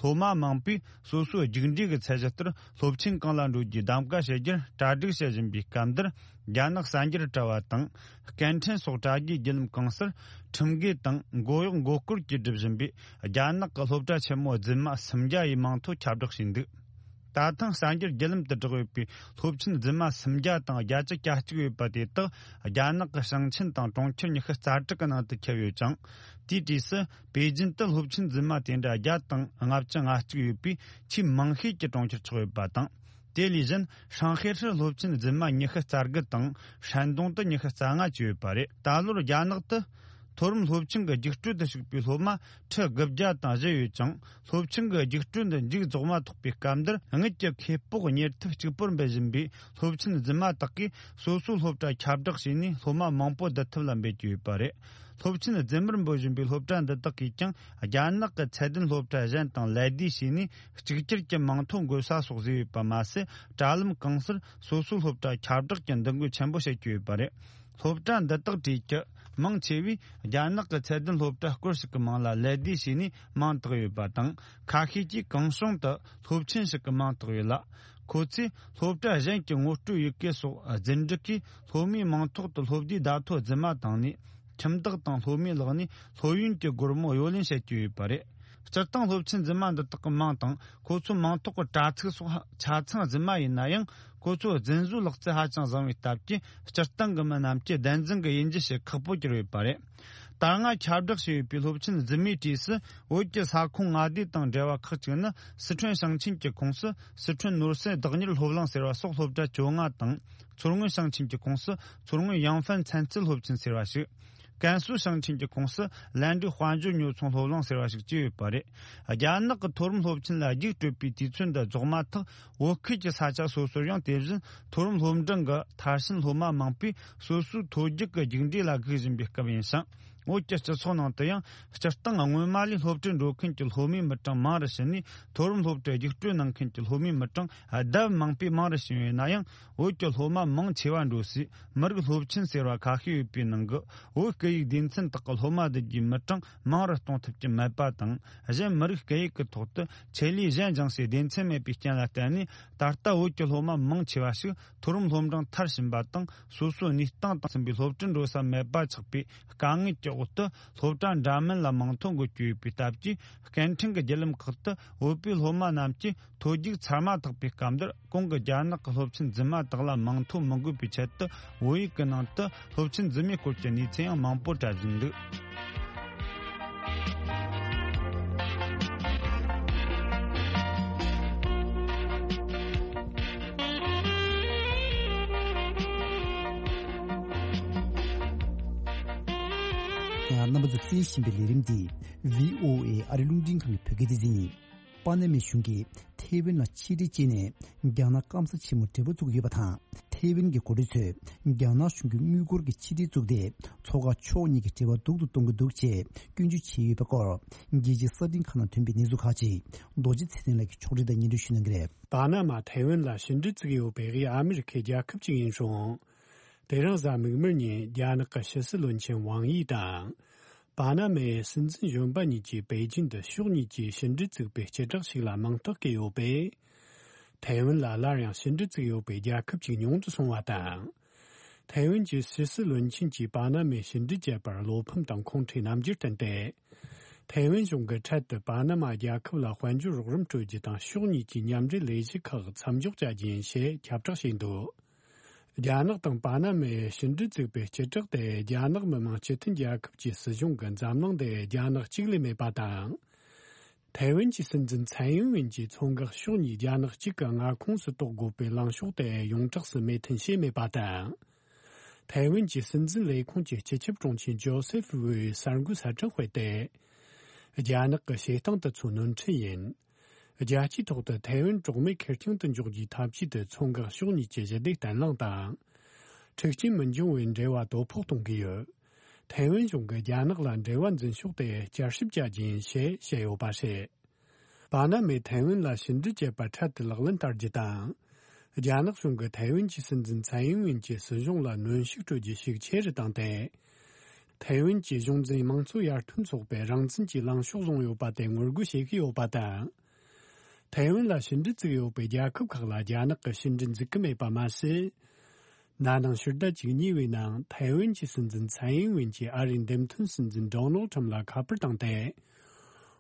སློབ་མ་མང་པོས་སོ་སོའི་རྒྱུགས་འབྲས་ཀྱི་ཚད་གཞི་ལྟར་སློབ་ཆེན་གང་ལ་འགྲོ་རྒྱུའི་གདམ་ག་བྱེད་རྒྱུར་གྲ་སྒྲིག་བྱེད་བཞིན་པའི་སྐབས་འདིར། རྒྱ་ནག་གསར་འགྱུར་དྲ་བ་དང་། སྐད་འཕྲིན་སོགས་དྲ་རྒྱའི་བརྒྱུད་ལམ་གང་སར་ཁྲིམས་འགལ་དང་མགོ་གཡོག་མགོ་སྐོར་གྱིས་སྒྲུབ་བཞིན་པའི་རྒྱ་ནག་གི་སློབ་གྲྭ་ཆེན་མོ་རྫུན་མ་སུམ་བརྒྱ་ཡི་མིང་ཐོ་ཁྱབ་བསྒྲགས་བྱས་འདུག། ད་ཐེངས་གསར་འགྱུར་བརྒྱུད་ལམ་དུ་བསྒྲགས་ཡོད་པའི་སློབ་ཆེན་རྫུན་མ་སུམ་བརྒྱ་དང་བརྒྱད་ཅུ་གྱ་གཅིག་ཡོད་པ་དེ་དག་རྒྱ་ནག་གི་ཞིང་ཆེན་དང་གྲོང་ཁྱེར་ཉི་ཤུ་རྩ་དྲུག་གི་ནང་དུ་ཁྱབ་ཡོད་ཅིང་། དེའི་གྲས་སུ་པེ་ཅིན་དུ་སློབ་ཆེན་རྫུན་མ་དེ་འདྲ་བརྒྱ་དང་ལྔ་བཅུ་ང་གཅིག་ཡོད་པའི་ཆེས་མང་ཤོས་ཀྱི་གྲོང་ཁྱེར་ཆགས་ཡོད་པ་དང་། དེ་ལས་གཞན་ཧྲང་ཧའེ་ཧྲི་སློབ་ཆེན་རྫུན་མ་ཉི་ཤུ་རྩ་དགུ་དང་། ཧྲན་ཏུང་དུ་ཉི་ཤུ་རྩ་ལྔ་བཅས་ཡོད་པ་རེད། ད་ལོར་རྒྱ་ནག་ཏུ་མཐོ་རིམ་སློབ་ཆེན་གྱི་རྒྱུགས་སྤྲོད་དུ་ཞུགས་པའི་སློབ་མ་ཁྲི་དགུ་བརྒྱ་དང་བཞི་ཡོད་ཅིང་། སློབ་ཆེན་གྱི་རྒྱུགས་སྤྲོད་འདི་མཇུག་རྫོགས་མ་ཐག་པའི་སྐབས་འདིར། དངུལ་གྱི་ཁེ་སྤོགས་གཉེར་ཐབས་གཅིག་པུར་འབུལ་བཞིན་པའི་སློབ་ཆེན་རྫུན་མ་དག་གིས་སོ་སོའི་སློབ་གྲྭ་ཁྱབ་བསྒྲགས་བྱས་ནས་སློབ་མ་མང་པོ་བསྡུ་ཐབས་ལ་འབད་ཀྱི་ཡོད་པ་རེད། སློབ་ཆེན་རྫུན་མར་འབོད་བཞིན་པའི་སློབ་གྲྭ་འདི་དག་གིས་ཀྱང་རྒྱ་ནག་གི་ཚད་ལྡན་སློབ་གྲྭ་གཞན་དང་ལད་ཟློས་བྱས་ནས་གཅིག་གྱུར་གྱི་མིང་ཐོ་འགོད་ས་སོགས་བཟོས་ཡོད་པ་མ་ཟད། དྲ་ལམ་གང་སར་སོ་སོའི་སློབ་གྲྭ་ཁྱབ་བསྒྲགས་ཀྱི་འདུ་འགོད་ཆེན་པོ་བྱེད་ཀྱི་ཡོད་པ་རེད། སློབ་གྲྭ་འདི་དག་གྲས་ཀྱི་མང་ཆེ་བས་རྒྱ་ནག་གི་ཚད་ལྡན་སློབ་གྲྭ་སྐོར་ཞིག་གི་མིང་ལ་ལད་ཟློས་བྱས་ནས་མིང་བཏགས་ཡོད་པ་དང་། ཁ་ཤས་ཀྱིས་གང་བྱུང་དུ་སློབ་ཆེན་ཞིག་གི་མིང་བཏགས་ཡོད་ལ། ཁོ་ཚོས་སློབ་གྲྭ་གཞན་གྱི་ངོ་སྤྲོད་ཡི་གེ་སོགས་རྫུན་སྒྲིག་གིས་སློབ་མའི་མིང་ཐོག་ཏུ་སློབ་བསྡུའི་བརྡ་ཐོ་རྫུན་མ་བཏང་ནས། ཁྱིམ་བདག་དང་སློབ་མའི་ལག་ནས་སློབ་ཡོན་གྱི་སྒོར་མོ་གཡོ་ལེན་བྱེད་ཀྱི་ཡོད་པ་རེད། སྤྱིར་བཏང་སློབ་ཆེན་རྫུན་མ་འདི་དག་གི་མིང་དང་ཁོ་ཚོའི་མིང་ཐོག་གི་དྲ་ཚིགས་སོགས་ཆ་ཚང་རྫུན་མ་ཡིན་ན་ཡང་། ཁོ་ཚོའི་རྫུན་བཟོའི་ལག་རྩལ་ཧ་ཅང་བཟང་བའི་སྟབས་ཀྱིས། སྤྱིར་བཏང་གི་མི་རྣམས་ཀྱིས་བདེན་རྫུན་གྱི་དབྱེ་འབྱེད་བྱེད་ཁག་པོ་གྱུར་ཡོད་པ་རེད། ད་སྔ་ཁྱབ་བསྒྲགས་བྱས་ཡོད་པའི་སློབ་ཆེན་རྫུན་མའི་གྲས་སུ། བོད་ཀྱི་ས་ཁོངས་མངའ་སྡེ་དང་འབྲེལ་བ་ཁག་ཅིག་ནི། སི་ཁྲོན་ཞིང་ཆེན་གྱི་ཁོངས་སུ་སི་ཁྲོན་ནོར་སྲིད་བདག་གཉེར་སློབ་གླིང་ཟེར་བ་སོགས་སློབ་གྲྭ་བཅོ་ལྔ་དང་། མཚོ་སྔོན་ཞིང་ཆེན་གྱི་ཁོངས་སུ་མཚོ་སྔོན་ཡང་ཧྥན་ཚན་རྩལ་སློབ་ཆེན་ཟེར་བ་ཞིག་ཀན་སུའུ་ཞིང་ཆེན་གྱི་ཁོངས་སུ་ལན་ཀྲུའུ་དཔལ་འབྱོར་ཉོ་ཚོང་སློབ་གླིང་ཟེར་བ་ཞིག་བཅས་ཡོད་པ་རེད། རྒྱ་ནག་གི་མཐོ་རིམ་སློབ་ཆེན་ལ་རྒྱུགས་སྤྲོད་པའི་དུས་ཚོད་འདི་རྫོགས་མ་ཐག་བོད་ཁུལ་གྱི་ས་ཆ་སོ་སོར་ཡང་དེ་བཞིན་མཐོ་རིམ་སློབ་འབྲིང་གི་མཐར་ཕྱིན་སློབ་མ་མང་པོས་སོ་སོའི་མཐོ་རྒྱུགས་ཀྱི་རྒྱུགས་འབྲས་ལ་སྒུག་བཞིན་པའི་སྐབས་ཡིན་ཞིང་། བོད་ཀྱི་སྤྱི་ཚོགས་ནང་དུ་ཡང་སྤྱིར་བཏང་སྔོན་མ་ལས་སློབ་གྲྭར་འགྲོ་མཁན་གྱི་སློབ་མའི་མི་གྲངས་མང་རུ་ཕྱིན་ནས། མཐོ་རིམ་སློབ་གྲྭར་རྒྱུགས་སྤྲོད་གནང་མཁན་གྱི་སློབ་མའི་མི་གྲངས་ལྡབ་མང་པོས་མང་རུ་ཕྱིན་ཡོད་ན་ཡང་། བོད་ཀྱི་སློབ་མ་མང་ཆེ་བ་འགྲོ་སའི་མི་རིགས་སློབ་ཆེན་ཟེར་བ་ཁ་ཤས་ཡོད་པའི་ནང་གི། བོད་སྐད་ཡིག་སྡེ་ཚན་དག་གི་སློབ་མ་བསྡུ་རྒྱུའི་མི་གྲངས་མང་རུ་གཏོང་ཐུབ་ཀྱི་མེད་པ་དང་། གཞན་མི་རིགས་སྐད་ཡིག་གི་ཐོག་ཏུ་ཆེད་ལས་གཞན་སྦྱང་སའི་སྡེ་ཚན་མེད་པའི་རྐྱེན་ལ་བརྟེན་ནས། ད་ལྟ་བོད་ཀྱི་སློབ་མ་མང་ཆེ་བ་ཞིག་མཐོ་རིམ་སློབ་འབྲིང་མཐར་ཕྱིན་པ་དང་། སོ་སོའི་གནས་སྟངས་དང་མཐུན་པའི་སློབ་གྲྭར་འགྲོ་ས་མེད་པ་ཆགས་པའི་དཀའ་ངལ་གྱི་འོག་ཏུ། སློབ་གྲྭ་འདྲ་མིན་ལ་མིང་ཐོ་འགོད་ཀྱི་ཡོད་པའི་སྟབས་ཀྱིས། སྐད་འཕྲིན་གྱི་བརྒྱུད་ལམ་ཁག་ཏུ་བོད་པའི་སློབ་མ་རྣམས་ཀྱིས་མཐོ་རྒྱུགས་ཚར་མ་ཐག་པའི་སྐབས་འདིར། གོང་གི་རྒྱ་ནག་གི་སློབ་ཆེན་རྫུན་མ་དག་ལ་མིང་ཐོ་མི་འགོད་པའི་ཆེད་དུ། བོད་ཡིག་གི་ནང་དུ་སློབ་ཆེན་རྫུན་མའི་སྐོར་གྱི་གནས་ཚུལ་ཡང་མང་པོ་འཁྲབ་བཞིན་འདུག་ཡང་རྣམ་པ་ཚོས་གསན་བཞིན་པའི་ལས་རིམ་འདི་བྷི་ཨོ་ཨེ་ཨ་རི་རླུང་འཕྲིན་ཁང་གི་བོད་སྐད་སྡེ་ཚན་ཡིན། པ་ན་མའི་གཞུང་གིས་ཐའེ་ཝན་ལ་ཆེད་ཁྲིད་བྱས་ནས། རྒྱ་ནག་སྐམ་ས་ཆེན་མོར་འབྲེལ་བ་བཙུགས་ཡོད་པ་དང་། ཐའེ་ཝན་གྱི་འགོ་ཁྲིད་ཚོས་རྒྱ་ནག་གཞུང་གི་དངུལ་སྒོར་གྱི་ཆེད་ཁྲིད་བཙུགས་ཏེ། མཚོ་འགག་ཕྱོགས་གཉིས་ཀྱི་འབྲེལ་བ་སྡུག་ཏུ་གཏོང་གི་འདུག་ཅེས་སྐྱོན་བརྗོད་བྱས་ཡོད་པའི་སྐོར། རྒྱལ་སྤྱིའི་གསར་འཕྲིན་ཁག་ནང་ཐོན་པའི་གནས་ཚུལ་ཁག་ཅིག་རྡོ་རྗེ་ཚེ་བརྟན་ལགས་ཀྱིས་ཕྱོགས་སྒྲིག་དང་སྙན་སྒྲོན་ཞུ་གནང་གི་རེད། པ་ན་མ་ཐའེ་ཝན་ལ་ཕྱི་འབྲེལ་བཙུགས་ཡོད་པའི་དབུས་ཨ་མི་རི་ཁའི་རྒྱལ་ཁབ་ཅིག་ཡིན་རུང་། དེ་རིང་གཟའ་མིག་དམར་ཉིན་རྒྱ་ནག་གི་ཕྱི་སྲིད་བློན་ཆེན་ཝང་ཡི་དང་། པ་ན་མའི་སྲིད་འཛིན་གཞོན་པ་གཉིས་ཀྱིས་པེ་ཅིན་དུ་ཕྱོགས་གཉིས་ཀྱིས་ཕྱི་འབྲེལ་བཙུགས་པའི་སྤྱི་བསྒྲགས་ཤིག་ལ་མིང་རྟགས་བཀོད་ཡོད་པས། ཐའེ་ཝན་ལ་སླར་ཡང་ཕྱི་འབྲེལ་བཙུགས་ཡོད་པའི་རྒྱལ་ཁབ་ཅིག་ཉུང་དུ་སོང་བ་དང་། ཐའེ་ཝན་གྱི་ཕྱི་སྲིད་བློན་ཆེན་གྱིས་པ་ན་མའི་ཕྱི་འབྲེལ་བཅད་པར་བློ་ཕམ་དང་ཁོང་ཁྲོའི་རྣམ་འགྱུར་བསྟན་ཏེ། ཐའེ་ཝན་གཞུང་གི་འཕྲལ་དུ་པ་ན་མ་རྒྱལ་ཁབ་ལ་དཔལ་འབྱོར་རོགས་རམ་སྤྲོད་རྒྱུ་དང་ཕྱོགས་གཉིས་ཀྱི་མཉམ་འབྲེལ་ལས་གཞི་ཁག་མཚམས་འཇོག་བྱ་རྒྱུ་ཡིན་ཞེས་ཁྱབ་བསྒྲགས་བྱས་འདུག་རྒྱ་ནག་དང་པ་ན་མའི་ཕྱི་འབྲེལ་བཙུགས་པའི་སྤྱི་བསྒྲགས་དེ་རྒྱ་ནག་མི་དམངས་སྤྱི་མཐུན་རྒྱལ་ཁབ་ཀྱི་སྲིད་གཞུང་གི་འཛམ་གླིང་འདིར་རྒྱ་ནག་གཅིག་ལས་མེད་པ་དང་། ཐའེ་ཝན་གྱི་སྲིད་འཛིན་ཚན་ཡིན་ཝིན་གྱིས་མཚོ་འགག་ཕྱོགས་གཉིས་རྒྱ་ནག་གཅིག་གི་མངའ་ཁོངས་སུ་གཏོགས་དགོས་པའི་ལངས་ཕྱོགས་དེ་ཡོངས་གྲགས་སུ་མོས་མཐུན་བྱས་མེད་པ་དང་། ཐའེ་ཝན་གྱི་སྲིད་འཛིན་ལས་ཁུངས་ཀྱི་སྤྱི་ཁྱབ་དྲུང་ཆེ་ཇོ་སེ་ཧྥི་ཝུའེ་གསར་འགོད་གསལ་བསྒྲགས་སྤེལ་ཏེ། རྒྱ་ནག་གི་བྱེད་སྟངས་དེ་ཚོ་ནོར་འཁྲུལ་ཡིན། རྒྱལ་སྤྱིའི་ཐོག་ཏུ་ཐའེ་ཝན་གྲོགས་མེད་ཁེར་རྐྱང་དུ་འཇོག་རྒྱུའི་ཐབས་ཇུས་དེ་མཚོ་འགག་ཕྱོགས་གཉིས་ཀྱི་ཞི་བདེ་བརྟན་ལྷིང་དང་། འཁྲུག་རྐྱེན་མི་འབྱུང་བའི་འབྲེལ་བ་དོ་ཕོག་གཏོང་གི་ཡོད། ཐའེ་ཝན་གཞུང་གིས་རྒྱ་ནག་ལ་འབྲེལ་བ་འཛིན་ཕྱོགས་དེ་བསྐྱར་ཞིབ་བྱ་རྒྱུ་ཡིན་ཞེས་བཤད་ཡོད་པ་རེད། པ་ན་མས་ཐའེ་ཝན་ལ་ཕྱི་འབྲེལ་བྱེད་པ་འཕྲལ་དུ་ལག་ལེན་བསྟར་རྒྱུ་དང་། རྒྱ་ནག་གཞུང་གིས་ཐའེ་ཝན་གྱི་སྲིད་འཛིན་ཚན་ཡིན་ཝིན་གྱི་སྲིད་གཞུང་ལ་གནོན་ཤུགས་སྤྲོད་རྒྱུ་ཤུགས་ཆེ་རུ་བཏང་སྟེ། ཐའེ་ཝན་གྱི་གཞུང་འཛིན་དམངས་གཙོ་ཡར་ཐོན་ཚོགས་པས་རང་བཙན་གྱི་ལངས་ཕྱོགས་བཟུང་ཡོད་པ་དེ་ངོ་རྒོལ་བྱེད་ཀྱི་ཡོད་པ་དང་། ཐའེ་ཝན་ལ་ཕྱི་འབྲེལ་བཙུགས་ཡོད་པའི་རྒྱལ་ཁབ་ཁག་ལ་རྒྱ་ནག་གིས་ཕྱི་འབྲེལ་འཛུགས་ཀྱི་མེད་པ་མ་ཟད། ན་ནིང་ཕྱི་ཟླ་བཅུ་གཉིས་པའི་ནང་ཐའེ་ཝན་གྱི་སྲིད་འཛིན་ཚན་ཡིན་ཝིན་གྱིས་ཨ་རིའི་འདེམས་ཐོན་སྲིད་འཛིན་ཌོ་ནལ་ཁྲམ་ལ་ཁ་པར་བཏང་སྟེ།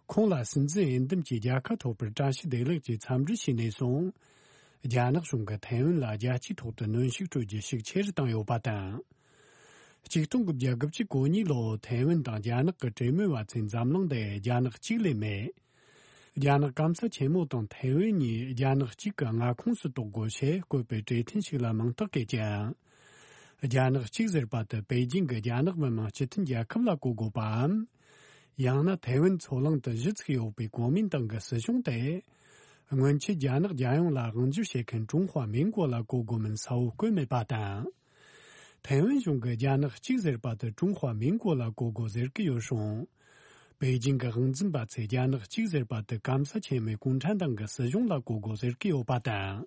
ཁོང་ལ་སྲིད་འཛིན་འོས་འདེམས་ཀྱི་རྒྱལ་ཁ་ཐོབ་པར་བཀྲ་ཤིས་བདེ་ལེགས་ཀྱི་འཚམས་འདྲི་ཞུས་ནས་བཟུང་། རྒྱ་ནག་གཞུང་གིས་ཐའེ་ཝན་ལ་རྒྱལ་སྤྱིའི་ཐོག་ཏུ་གནོན་ཤུགས་སྤྲོད་རྒྱུ་ཤུགས་ཆེ་རུ་བཏང་ཡོད་པ་དང་། ཆིག་སྟོང་དགུ་བརྒྱ་དགུ་བཅུ་གོ་གཉིས་ལོར་ཐའེ་ཝན་དང་རྒྱ་ནག་གི་གྲོས་མོལ་བ་ཚོས་འཛམ་གླིང་འདིར་རྒྱ་ནག་གཅིག་ལས་མེད། རྒྱ་ནག་སྐམ་ས་ཆེན་མོ་དང་ཐའེ་ཝན་གཉིས་རྒྱ་ནག་གཅིག་གི་མངའ་ཁོངས་སུ་གཏོགས་དགོས་ཞེས་བཀོད་པའི་གྲོས་མཐུན་ཞིག་ལ་མིང་རྟགས་བཀོད་ཀྱང་། རྒྱ་ནག་གཅིག་ཟེར་པ་དེ་པེ་ཅིང་གི་རྒྱ་ནག་མི་དམངས་སྤྱི་མཐུན་རྒྱལ་ཁབ་ལ་གོ་དགོས་པའམ། ཡང་ན་ཐའེ་ཝན་མཚོ་གླིང་དུ་གཞི་ཚུགས་ཡོད་པའི་གོ་མིན་ཏང་གི་སྲིད་གཞུང་དེ། སྔོན་ཆད་རྒྱ་ནག་རྒྱལ་ཡོངས་ལ་དབང་སྒྱུར་བྱེད་མཁན་ཀྲུང་ཧྭ་མིན་གོ་ལ་གོ་དགོས་མིན་གསལ་བོ་བཀོད་མེད་པ་དང་། ཐའེ་ཝན་གཞུང་གིས་རྒྱ་ནག་གཅིག་ཟེར་པ་དེ་ཀྲུང་ཧྭ་མིན་གོ་ལ་གོ་དགོས་ཟེར་གྱི་ཡོད་རུང་། པེ་ཅིང་གི་དབང་འཛིན་པ་ཚོས་རྒྱ་ནག་གཅིག་ཟེར་པ་དེ་སྐམ་ས་ཆེན་མོའི་གུང་ཁྲན་ཏང་གི་སྲིད་གཞུང་ལ་གོ་དགོས་ཟེར་གྱི་ཡོད་པ་དང་།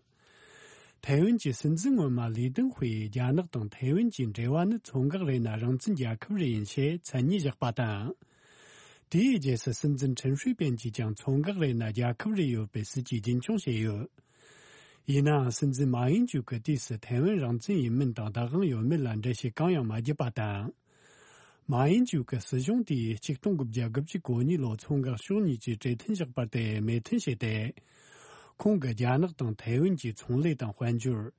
ཐའེ་ཝན་གྱི་སྲིད་འཛིན་སྔོན་མ་ལི་ཏིན་ཧུའེ་རྒྱ་ནག་དང་ཐའེ་ཝན་གྱི་འབྲེལ་བ་ནི་མཚོ་འགག་རེད་ན་རང་བཙན་རྒྱལ་ཁབ་རེ་ཡིན་ཞེས་མཚན་ཉིད་བཞག་པ་དང་། དེའི་རྗེས་སུ་སྲིད་འཛིན་ཁྲིན་ཧྲུའེ་པེན་གྱིས་ཀྱང་མཚོ་འགག་རེད་ན་རྒྱལ་ཁབ་རེ་ཡོད་པའི་སྲིད་ཇུས་རྒྱུན་འཁྱོངས་བྱས་ཡོད། ཡིན་ནའང་སྲིད་འཛིན་མཱ་ཡིན་ཇུ་གི་དུས་སུ་ཐའེ་ཝན་རང་བཙན་ཡིན་མིན་དང་བདག་དབང་ཡོད་མེད་ལ་འགྲེལ་བཤད་གང་ཡང་མ་བརྒྱབ་པ་དང་། མཱ་ཡིན་ཅུའུ་གི་སྲིད་གཞུང་དེས་ཆིག་སྟོང་དགུ་བརྒྱ་དགུ་བཅུ་གོ་གཉིས་ལོར་མཚོ་འགག་ཕྱོགས་གཉིས་ཀྱི་གྲོས་མཐུན་བཞག་པ་དེ་མོས་མཐུན་བྱས་ཏེ། ཁོང་གིས་རྒྱ་ནག་དང་ཐའེ་ཝན་གྱི་ཚོང་ལས་དང་དཔལ་འབྱོར།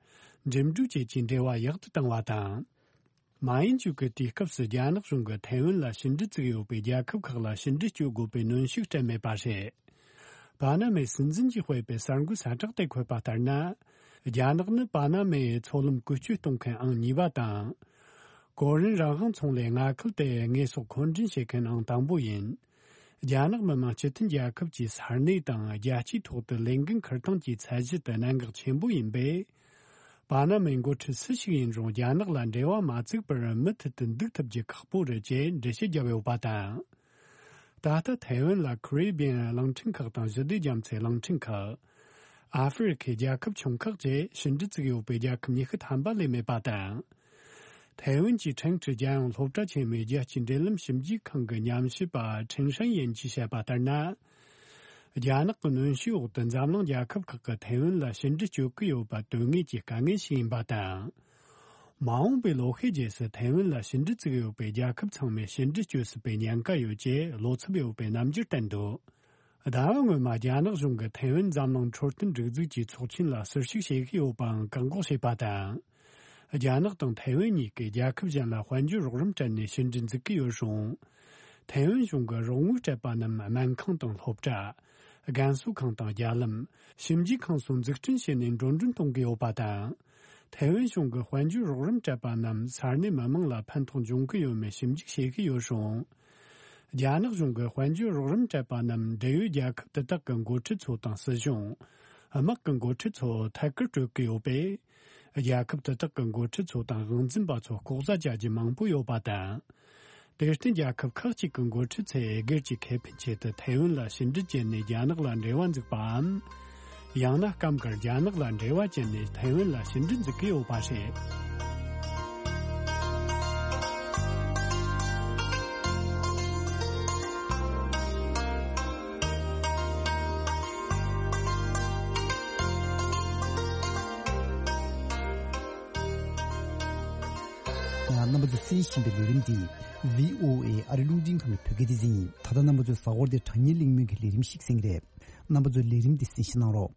འགྲིམ་འགྲུལ་བཅས་ཀྱི་འབྲེལ་བ་ཡག་ཏུ་བཏང་བ་དང་། མཱ་ཡིན་ཅུའུ་གིས་དུས་སྐབས་སུ་རྒྱ་ནག་གཞུང་གིས་ཐའེ་ཝན་ལ་ཕྱི་འབྲེལ་བཙུགས་ཡོད་པའི་རྒྱལ་ཁབ་ཁག་ལ་ཕྱི་འབྲེལ་གཅོད་དགོས་པའི་གནོན་ཤུགས་སྤྲད་མེད་པ་རེད། པ་ན་མའི་སྲིད་འཛིན་གྱིས་སྤེལ་པའི་གསར་འགོད་གསལ་བསྒྲགས་དེ་འཁོད་པ་ལྟར་ན། རྒྱ་ནག་ནི་པ་ན་མའི་མཚོ་ལམ་བཀོལ་སྤྱོད་གཏོང་མཁན་ཨང་གཉིས་པ་དང་། གོ་རིམ་རང་དབང་ཚོང་ལས་མངའ་ཁུལ་དེ་དངོས་ཟོག་མཁོ་འདྲེན་བྱེད་མཁན་ཨང་དང་པོ་ཡིན། རྒྱ་ནག་མི་དམངས་སྤྱི་མཐུན་རྒྱལ་ཁབ་ཀྱི་ས་གནས་དང་རྒྱལ་སྤྱིའི་ཐོག་ཏུ་ལས་འགན་འཁུར་སྟངས་ཀྱི་ཚད་གཞི་དེ་གནད་འགག་ཆེན་པོ་ཡིན་པས། པ་ན་མའི་འགོ་ཁྲིད་སུ་ཞིག་ཡིན་རུང་རྒྱ་ནག་ལ་འབྲེལ་བ་མ་བཙུགས་པར་མུ་མཐུད་དུ་འདུག་ཐུབ་རྒྱུ་ཁག་པོ་རེད་ཅེས་འགྲེལ་བཤད་བརྒྱབ་ཡོད་པ་དང་། ད་ལྟ་ཐའེ་ཝན་ལ་ཁེ་རི་བི་ཡན་གླིང་ཕྲན་ཁག་དང་ཞི་བདེ་རྒྱ་མཚོའི་གླིང་ཕྲན་ཁག་ཨ་ཧྥེ་རི་ཁའི་རྒྱལ་ཁབ་ཆུང་ཁག་བཅས་ཕྱི་འབྲེལ་བཙུགས་ཡོད་པའི་རྒྱལ་ཁབ་ཉི་ཤུ་ཐམ་པ་ལས་མེད་པ་དང་། ཐའེ་ཝན་གྱི་ཁྲེང་ཀྲི་རྒྱལ་ཡོངས་སློབ་གྲྭ་ཆེན་མོའི་རྒྱལ་སྤྱིའི་འབྲེལ་ལམ་ཞིབ་འཇུག་ཁང་གི་ཉམས་ཞིབ་པ་ཁྲེང་ཧྲན་ཡན་གྱིས་བཤད་པ་ལྟར་ན། རྒྱ་ནག་གི་གནོན་ཤུགས་འོག་ཏུ་འཛམ་གླིང་རྒྱལ་ཁབ་ཁག་གིས་ཐའེ་ཝན་ལ་ཕྱི་འབྲེལ་གཅོད་ཀྱི་ཡོད་པ་དོན་དངོས་ཀྱི་དཀའ་ངལ་ཞིག་ཡིན་པ་དང་། མ་འོངས་པའི་ལོ་ཤས་རྗེས་སུ་ཐའེ་ཝན་ལ་ཕྱི་འབྲེལ་བཙུགས་ཡོད་པའི་རྒྱལ་ཁབ་ཚང་མས་ཕྱི་འབྲེལ་གཅོད་སྲིད་པའི་ཉེན་ཁ་ཡོད་ཅེས་བློ་འཚབ་ཡོད་པའི་རྣམ་འགྱུར་བསྟན་འདུག་ཟླ་བ་སྔོན་མ་རྒྱ་ནག་གཞུང་གིས་ཐའེ་ཝན་འཛམ་གླིང་འཕྲོད་བསྟེན་སྒྲིག་འཛུགས་ཀྱི་ཚོགས་ཆེན་ལ་ཟུར་ཞུགས་བྱེད་ཀྱི་ཡོད་པའང་བཀག་འགོག་བྱས་པ་དང་། རྒྱ་ནག་དང་ཐའེ་ཝན་གཉིས་ཀས་རྒྱལ་ཁབ་གཞན་ལ་དཔལ་འབྱོར་རོགས་རམ་སྤྲད་ནས་ཕྱི་འབྲེལ་འཛུགས་ཀྱི་ཡོད་རུང་། ཐའེ་ཝན་གཞུང་གིས་རོགས་དངུལ་སྤྲད་པ་རྣམས་སྨན་ཁང་དང་སློབ་གྲྭ། རྒན་གསོ་ཁང་དང་རྒྱ་ལམ། ཞིབ་འཇུག་ཁང་སོགས་འཛུགས་སྐྲུན་བྱས་ནས་འགྲོ་གྲོན་གཏོང་གི་ཡོད་པ་དང་། ཐའེ་ཝན་གཞུང་གིས་དཔལ་འབྱོར་རོགས་རམ་སྤྲད་པ་རྣམས་ས་གནས་མི་མང་ལ་ཕན་ཐོགས་འབྱུང་གི་ཡོད་མེད་ཞིབ་འཇུག་བྱེད་ཀྱི་ཡོད་རུང་། རྒྱ་ནག་གཞུང་གིས་དཔལ་འབྱོར་རོགས་རམ་སྤྲད་པ་རྣམས་འབྲེལ་ཡོད་རྒྱལ་ཁབ་དེ་དག་གི་འགོ་ཁྲིད་ཚོ་དང་སྲིད་གཞུང་། དམག་གི་འགོ་ཁྲིད་ཚོ་ཐད་ཀར་སྤྲོད་ཀྱི་ཡོད་པས། རྒྱལ་ཁབ་དེ་དག་གི་འགོ་ཁྲིད་ཚོ་དང་དབང་འཛིན་པ་ཚོ་ལྐོག་ཟ་བྱ་རྒྱུ་མང་པོ་ཡོད་པ་དང་། དེར་བརྟེན་རྒྱལ་ཁབ་ཁག་ཅིག་གི་འགོ་ཁྲིད་ཚོས་སྒེར་གྱི་ཁེ་ཕན་ཆེད་དུ་ཐའེ་ཝན་ལ་ཕྱི་འབྲེལ་བྱས་ནས་རྒྱ་ནག་ལ་འབྲེལ་བ་འཛུགས་པའམ། ཡང་ན་སྐབས་འགར་རྒྱ་ནག་ལ་འབྲེལ་བ་བཅད་ནས་ཐའེ་ཝན་ལ་ཕྱི་འབྲེལ་འཛུགས་ཀྱི་ཡོད་པ་རེད། རྣམ་པ་ཚོས་གསན་བཞིན་པའི་ལས་རིམ་འདི་བྷི་ཨོ་ཨེ་ཨ་རི་རླུང་འཕྲིན་ཁང་གི་བོད་སྐད་སྡེ་ཚན་ཡིན། ད་ལྟ་རྣམ་པ་ཚོས་གཟའ་འཁོར་འདིར་དྲ་བརྙན་གླེང་མོལ་གྱི་ལས་རིམ་ཞིག་གསན་གྱི་རེད། རྣམ་པ་ཚོས་ལས་རིམ་འདི་གསན་བཞེས་གནང་རོགས།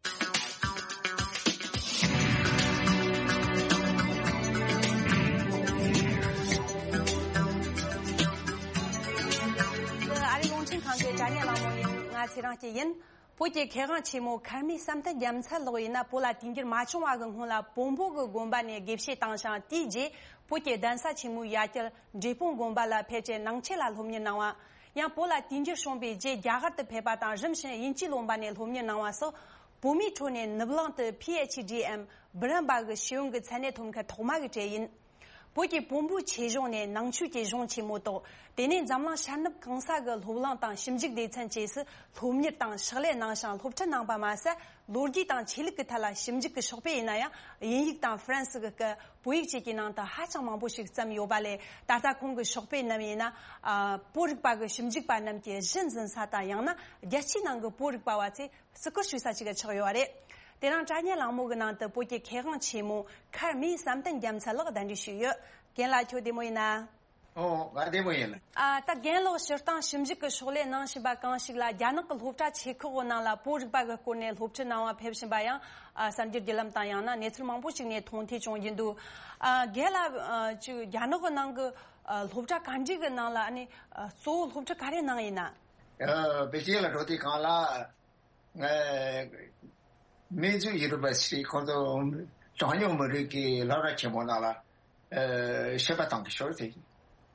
ཨ་རི་རླུང་འཕྲིན་ཁང་གི་དྲ་བརྙན་གླེང་མོལ་ཡིན། ང་ཚེ་རིང་སྐྱིད་ཡིན། བོད་ཀྱི་མཁས་དབང་ཆེན་མོ་མཁར་རྨེའུ་བསམ་གཏན་རྒྱལ་མཚན་ལགས་ཡིན་ན། བོད་ལ་དུས་འགྱུར་མ་བྱུང་བ་གི་སྔོན་ལ་བོན་པོ་གི་དགོན་པ་ནས་དགེ་བཤེས་བཏང་ཞིང་། དེའི་རྗེས་བོད་ཀྱི་གདན་ས་ཆེན་མོའི་ཡ་གྱལ་འབྲས་སྤུངས་དགོན་པ་ལ་ཕེབས་ཏེ་ནང་ཆོས་ལ་སློབ་གཉེར་གནང་བ། ཡང་བོད་ལ་དུས་འགྱུར་བྱུང་བའི་རྗེས་རྒྱ་གར་དུ་ཕེབས་པ་དང་། རིམ་བཞིན་དབྱིན་ཇིའི་ལོན་པ་ནས་སློབ་གཉེར་གནང་བ་སོགས། བོད་མིའི་ཁྲོད་ནས་ནུབ་གླིང་དུ་ཕི་ཨེཆ་ཌི་འམ་འབུམ་རམས་པ་གི་ཤེས་ཡོན་གྱི་མཚན་གནས་ཐོབ་མཁན་ཐོག་མ་གི་གྲས་ཡིན། བོད་ཀྱི་བོན་པོའི་ཆོས་གཞུང་ནས་ནང་ཆོས་ཀྱི་གཞུང་ཆེན་མོ་ཐོག་དེ་ནས་འཛམ་གླིང་ཤར་ནུབ་གང་ས་གི་སློབ་གླིང་དང་ཞིབ་འཇུག་སྡེ་ཚན་བཅས་སུ་སློབ་གཉེར་དང་ཕྱག་ལས་གནང་ཞིང་སློབ་ཁྲིད་གནང་པ་མ་ཟད། ལོ་རྒྱུས་དང་ཆོས་ལུགས་ཀྱི་ཐད་ལ་ཞིབ་འཇུག་གི་ཤོག་དཔེ་ཡིན་ན་ཡང་། དབྱིན་ཡིག་དང་ཧྥ་རན་སི་གི་སྐད། བོད་ཡིག་བཅས་ཀྱི་ནང་དུ་ཧ་ཅང་མང་པོ་ཞིག་བརྩམས་ཡོད་པ་ལས། ད་ལྟ་ཁོང་གི་ཤོག་དཔེ་རྣམས་ཡིན་ན། ཨ། བོད་རིག་པ་གི་ཞིབ་འཇུག་པ་རྣམས་ཀྱི་གཞི་འཛིན་ས་དང་། ཡང་ན་རྒྱལ་སྤྱིའི་ནང་གི་བོད་རིག་པ་བ་ཚོས་བརྩི་བཀུར་ཞུ་ས་ཞིག་ཆགས་ཡོད་པ་རེད། དེ་རིང་དྲ་བརྙན་གླེང་མོལ་གྱི་ནང་དུ་བོད་ཀྱི་མཁས་དབང་ཆེན་མོ་མཁར་རྨེའུ་བསམ་གཏན་རྒྱལ་མཚན་ལགས་གདན་འདྲེན་ཞུས་ཡོད། རྒན་ལགས་ཁྱོད་བདེ་མོ་ཡིན་ན། ཨོ། ང་བདེ་མོ་ཡིན། ཨ། ད་རྒན་ལགས་སྤྱིར་བཏང་ཞིབ་འཇུག་གི་ཕྱག་ལས་གནང་བཞིན་པ་གང་ཞིག་ལ། རྒྱ་ནག་གི་སློབ་གྲྭ་ཆེ་ཁག་གི་ནང་ལ་བོད་རིག་པ་གི་སྐོར་ནས་སློབ་ཁྲིད་གནང་བ་ཕེབས་བཞིན་པ་ཡང་། ཨ། གསར་འགྱུར་བརྒྱུད་ལམ་དང་ཡང་ན་གནས་ཚུལ་མང་པོ་ཞིག་ནས་མཐོང་ཐོས་བྱུང་བཞིན་འདུག་ཨ། རྒན་ལགས། ཨ། ཅིག་རྒྱ་ནག་གི་ནང་གི། ཨ། སློབ་གྲྭ་ག་འདྲ་གི་ནང་ལ་ཨ་ནི། ཨ། གཙོ་བོ་སློབ་ཁྲིད་ག་རེ་གནང་ཡིན་ན། ཨ། པེ་ཅིན་ལ་འགྲོ་དུས་སྒང་ལ། ཨ། མིན་ཙུའུ་ཡུ་ནི་ཝར་སི་ཊི་ཁོང་ཚོ་གྲངས་ཉུང་མི་རིགས་ཀྱི་སློབ་གྲྭ་ཆེན་མོ་ནང་ལ། ཨ། བཤད་པ་གཏོང་གི་ཞོར་དེ།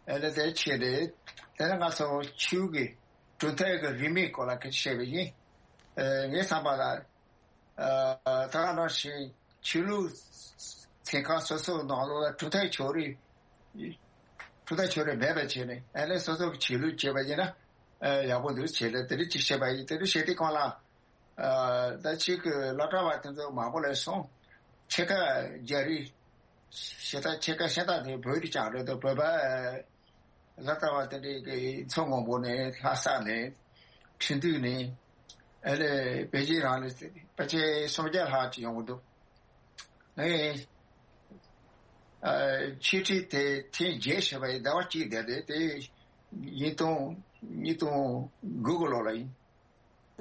ཨ་ནི་དེ་བྱས་ཏེ། དེ་ནས་ང་ཚོ་ཆོས་ཀྱི་གྲུབ་མཐའ་གི་རིས་མེད་སྐོར་ལ་སྐད་ཆ་བཤད་པ་ཡིན། ཨ། ངའི་བསམ་པ་ལ། ཨ། ད་ག་ནང་བཞིན་ཆོས་ལུགས་ཚན་ཁག་སོ་སོའི་ནང་ལོགས་ལ་གྲུབ་མཐའ་ཕྱོགས་རིས། གྲུབ་མཐའ་ཕྱོགས་རིས་མེད་པ་བྱས་ནས། ཨ་ནི་སོ་སོ་གི་ཆོས་ལུགས་བྱས་པ་ཡིན་ན། ཨ། ཡག་པོ་འདུག་བྱས་ཏེ་དེ་འདྲ་ཅིག་བཤད་པ་ཡིན། དེ་འདྲ་བཤད་དུས་སྒང་ལ། ཨ། ད་ཕྱིས་ཀྱི་སློབ་གྲྭ་བ་དེ་ཚོ་མང་པོ་ལས་སོང་། ཕྱེད་ཀ་རྒྱ་རིགས། ཕྱེད་ཀ་ཕྱེད་ཀ་ཤ་སྟག་དེ་བོད་རིགས་རྐྱང་རེད་འདུག་བོད་པ་སློབ་གྲྭ་བ་དེ་འདྲའི་གི་མཚོ་སྔོན་པོ་ནས། ལྷ་ས་ནས། ཁྲིན་ཏུའུ་ནས། ཨ་ལས་པེ་ཅིན་རང་ནས་ཕལ་ཆེར་སུམ་བརྒྱ་ལྷག་ཅིག་ཡོང་གི་འདུག་ངས། ཨ་འཆད་ཁྲིད་དེ་ཐེངས་བརྒྱད་བྱས་པ་ཡིན། ཟླ་བ་གཅིག་བསྡད་དེ་དེ་ཉིས་སྟོང་ཉིས་སྟོང་དགུ་གི་ལོ་ལ་ཡིན།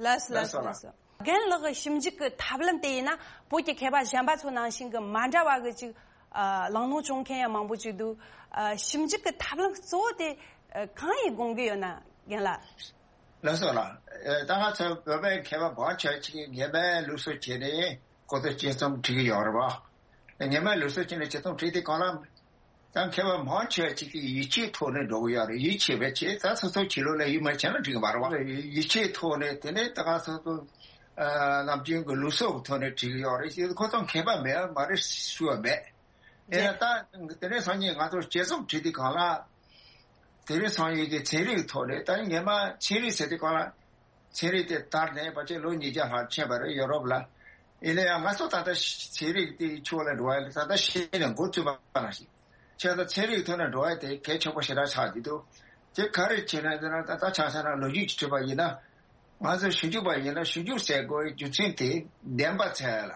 ལགས་སོ་ལགས་སོ་ལགས་སོ། རྒན་ལགས་ཀྱི་ཞིབ་འཇུག་གི་ཐབས་ལམ་དེ་ཡིན་ན་བོད་ཀྱི་མཁས་པ་གཞན་པ་ཚོ་ནང་བཞིན་གྱི་མ་འདྲ་བ་གི་ཅིག་ཨ་གླེང་སློང་བྱུང་མཁན་ཡང་མང་པོ་ཅིག་འདུག་ཨ་ཞིབ་འཇུག་གི་ཐབས་ལམ་གཙོ་བོ་དེ་ཨ་གང་ཡིན་དགོངས་ཀྱི་ཡོད་ན་རྒན་ལགས། ལགས་སོ་ལགས། ཨ་ད་ང་ཚོ་བོད་པའི་མཁས་པ་མང་ཆེ་ཅིག་གིས་སྔ་མའི་ལུགས་སྲོལ་བྱས་ནས་ཁོ་ཚོ་དཔྱད་རྩོམ་བྲིས་ཀྱི་ཡོད་རེད་པ། སྔ་མའི་ལུགས་སྲོལ་བྱས་ནས་དཔྱད་རྩོམ་བྲིས་དུས་སྒང་ལ། ད་མཁས་པ་མང་ཆེ་བ་ཅིག་གིས་ཡིད་ཆེས་ཐོག་ནས་འགྲོ་གི་ཡོད་རེད། ཡིད་ཆེས་པའི་ཆེད་ད་སོ་སོ་ཆོས་ལུགས་ལ་ཡིད་མ་ཆེས་ན་འགྲིག་གི་མ་རེད་པ། ཡིད་ཆེས་ཐོག་ནས་དེ་ནས་ད་ག་སོ་སོ་ཨ་ནམ་རྒྱུན་གྱི་ལུགས་སྲོལ་གྱི་ཐོག་ནས་བྲིས་ཀྱི་ཡོད་རེད། ཁོ་ཚོ་མཁས་པ་མེད་པ་མ་རེད་ཞུ་བ་མེད། ཡིན་ན་ད་དེ་རིང་སང་ཉིན་ང་ཚོ་དཔྱད་རྩོམ་བྲིས་དུས་སྒང་ལ། དེ་རིང་སང་ཉིན་གྱི་ཚན་རིག་ཐོག་ནས་ད་སྔ་མ་ཚན་རིག་ཟེར་དུས་སྒང་ལ། ཚན་རིག་དེ་དར་ནས་ཕལ་ཆེར་ལོ་ཉིས་བརྒྱ་ལྷག་ཕྱིན་པ་རེད་ཡོ་རོབ་ལ། ཡིན་ན་ཡང་ང་ཚོ་ད་ལྟ་ཚན་རིག་དེའི་ཕྱོགས་ལ་འགྲོ་བ་ཡིན་ད་ལྟ་ཤེས་ནས་འགོ་བཙུགས་པ་ནང་བཞིན། བྱས་ཙང་ཚན་རིག་ཐོག་ནས་འགྲོ་བ་དེ་གལ་ཆེན་པོ་ཞེ་དྲག་ཆགས་ཀྱི་འདུག་དེ་ག་རེ་བྱས་ན་ཟེར་ན་ད་ལྟ་ཆ་བཞག་ན་ལོ་རྒྱུས་ཀྱི་བྲིས་པ་ཡིན་ན། ང་ཚོ་ཞིབ་འཇུག་པ་ཡིན་ན་ཞིབ་འཇུག་ཟེར་དགོས་རྒྱུ་མཚན་དེ་བདེན་པ་འཚོལ་ཡ་ལ།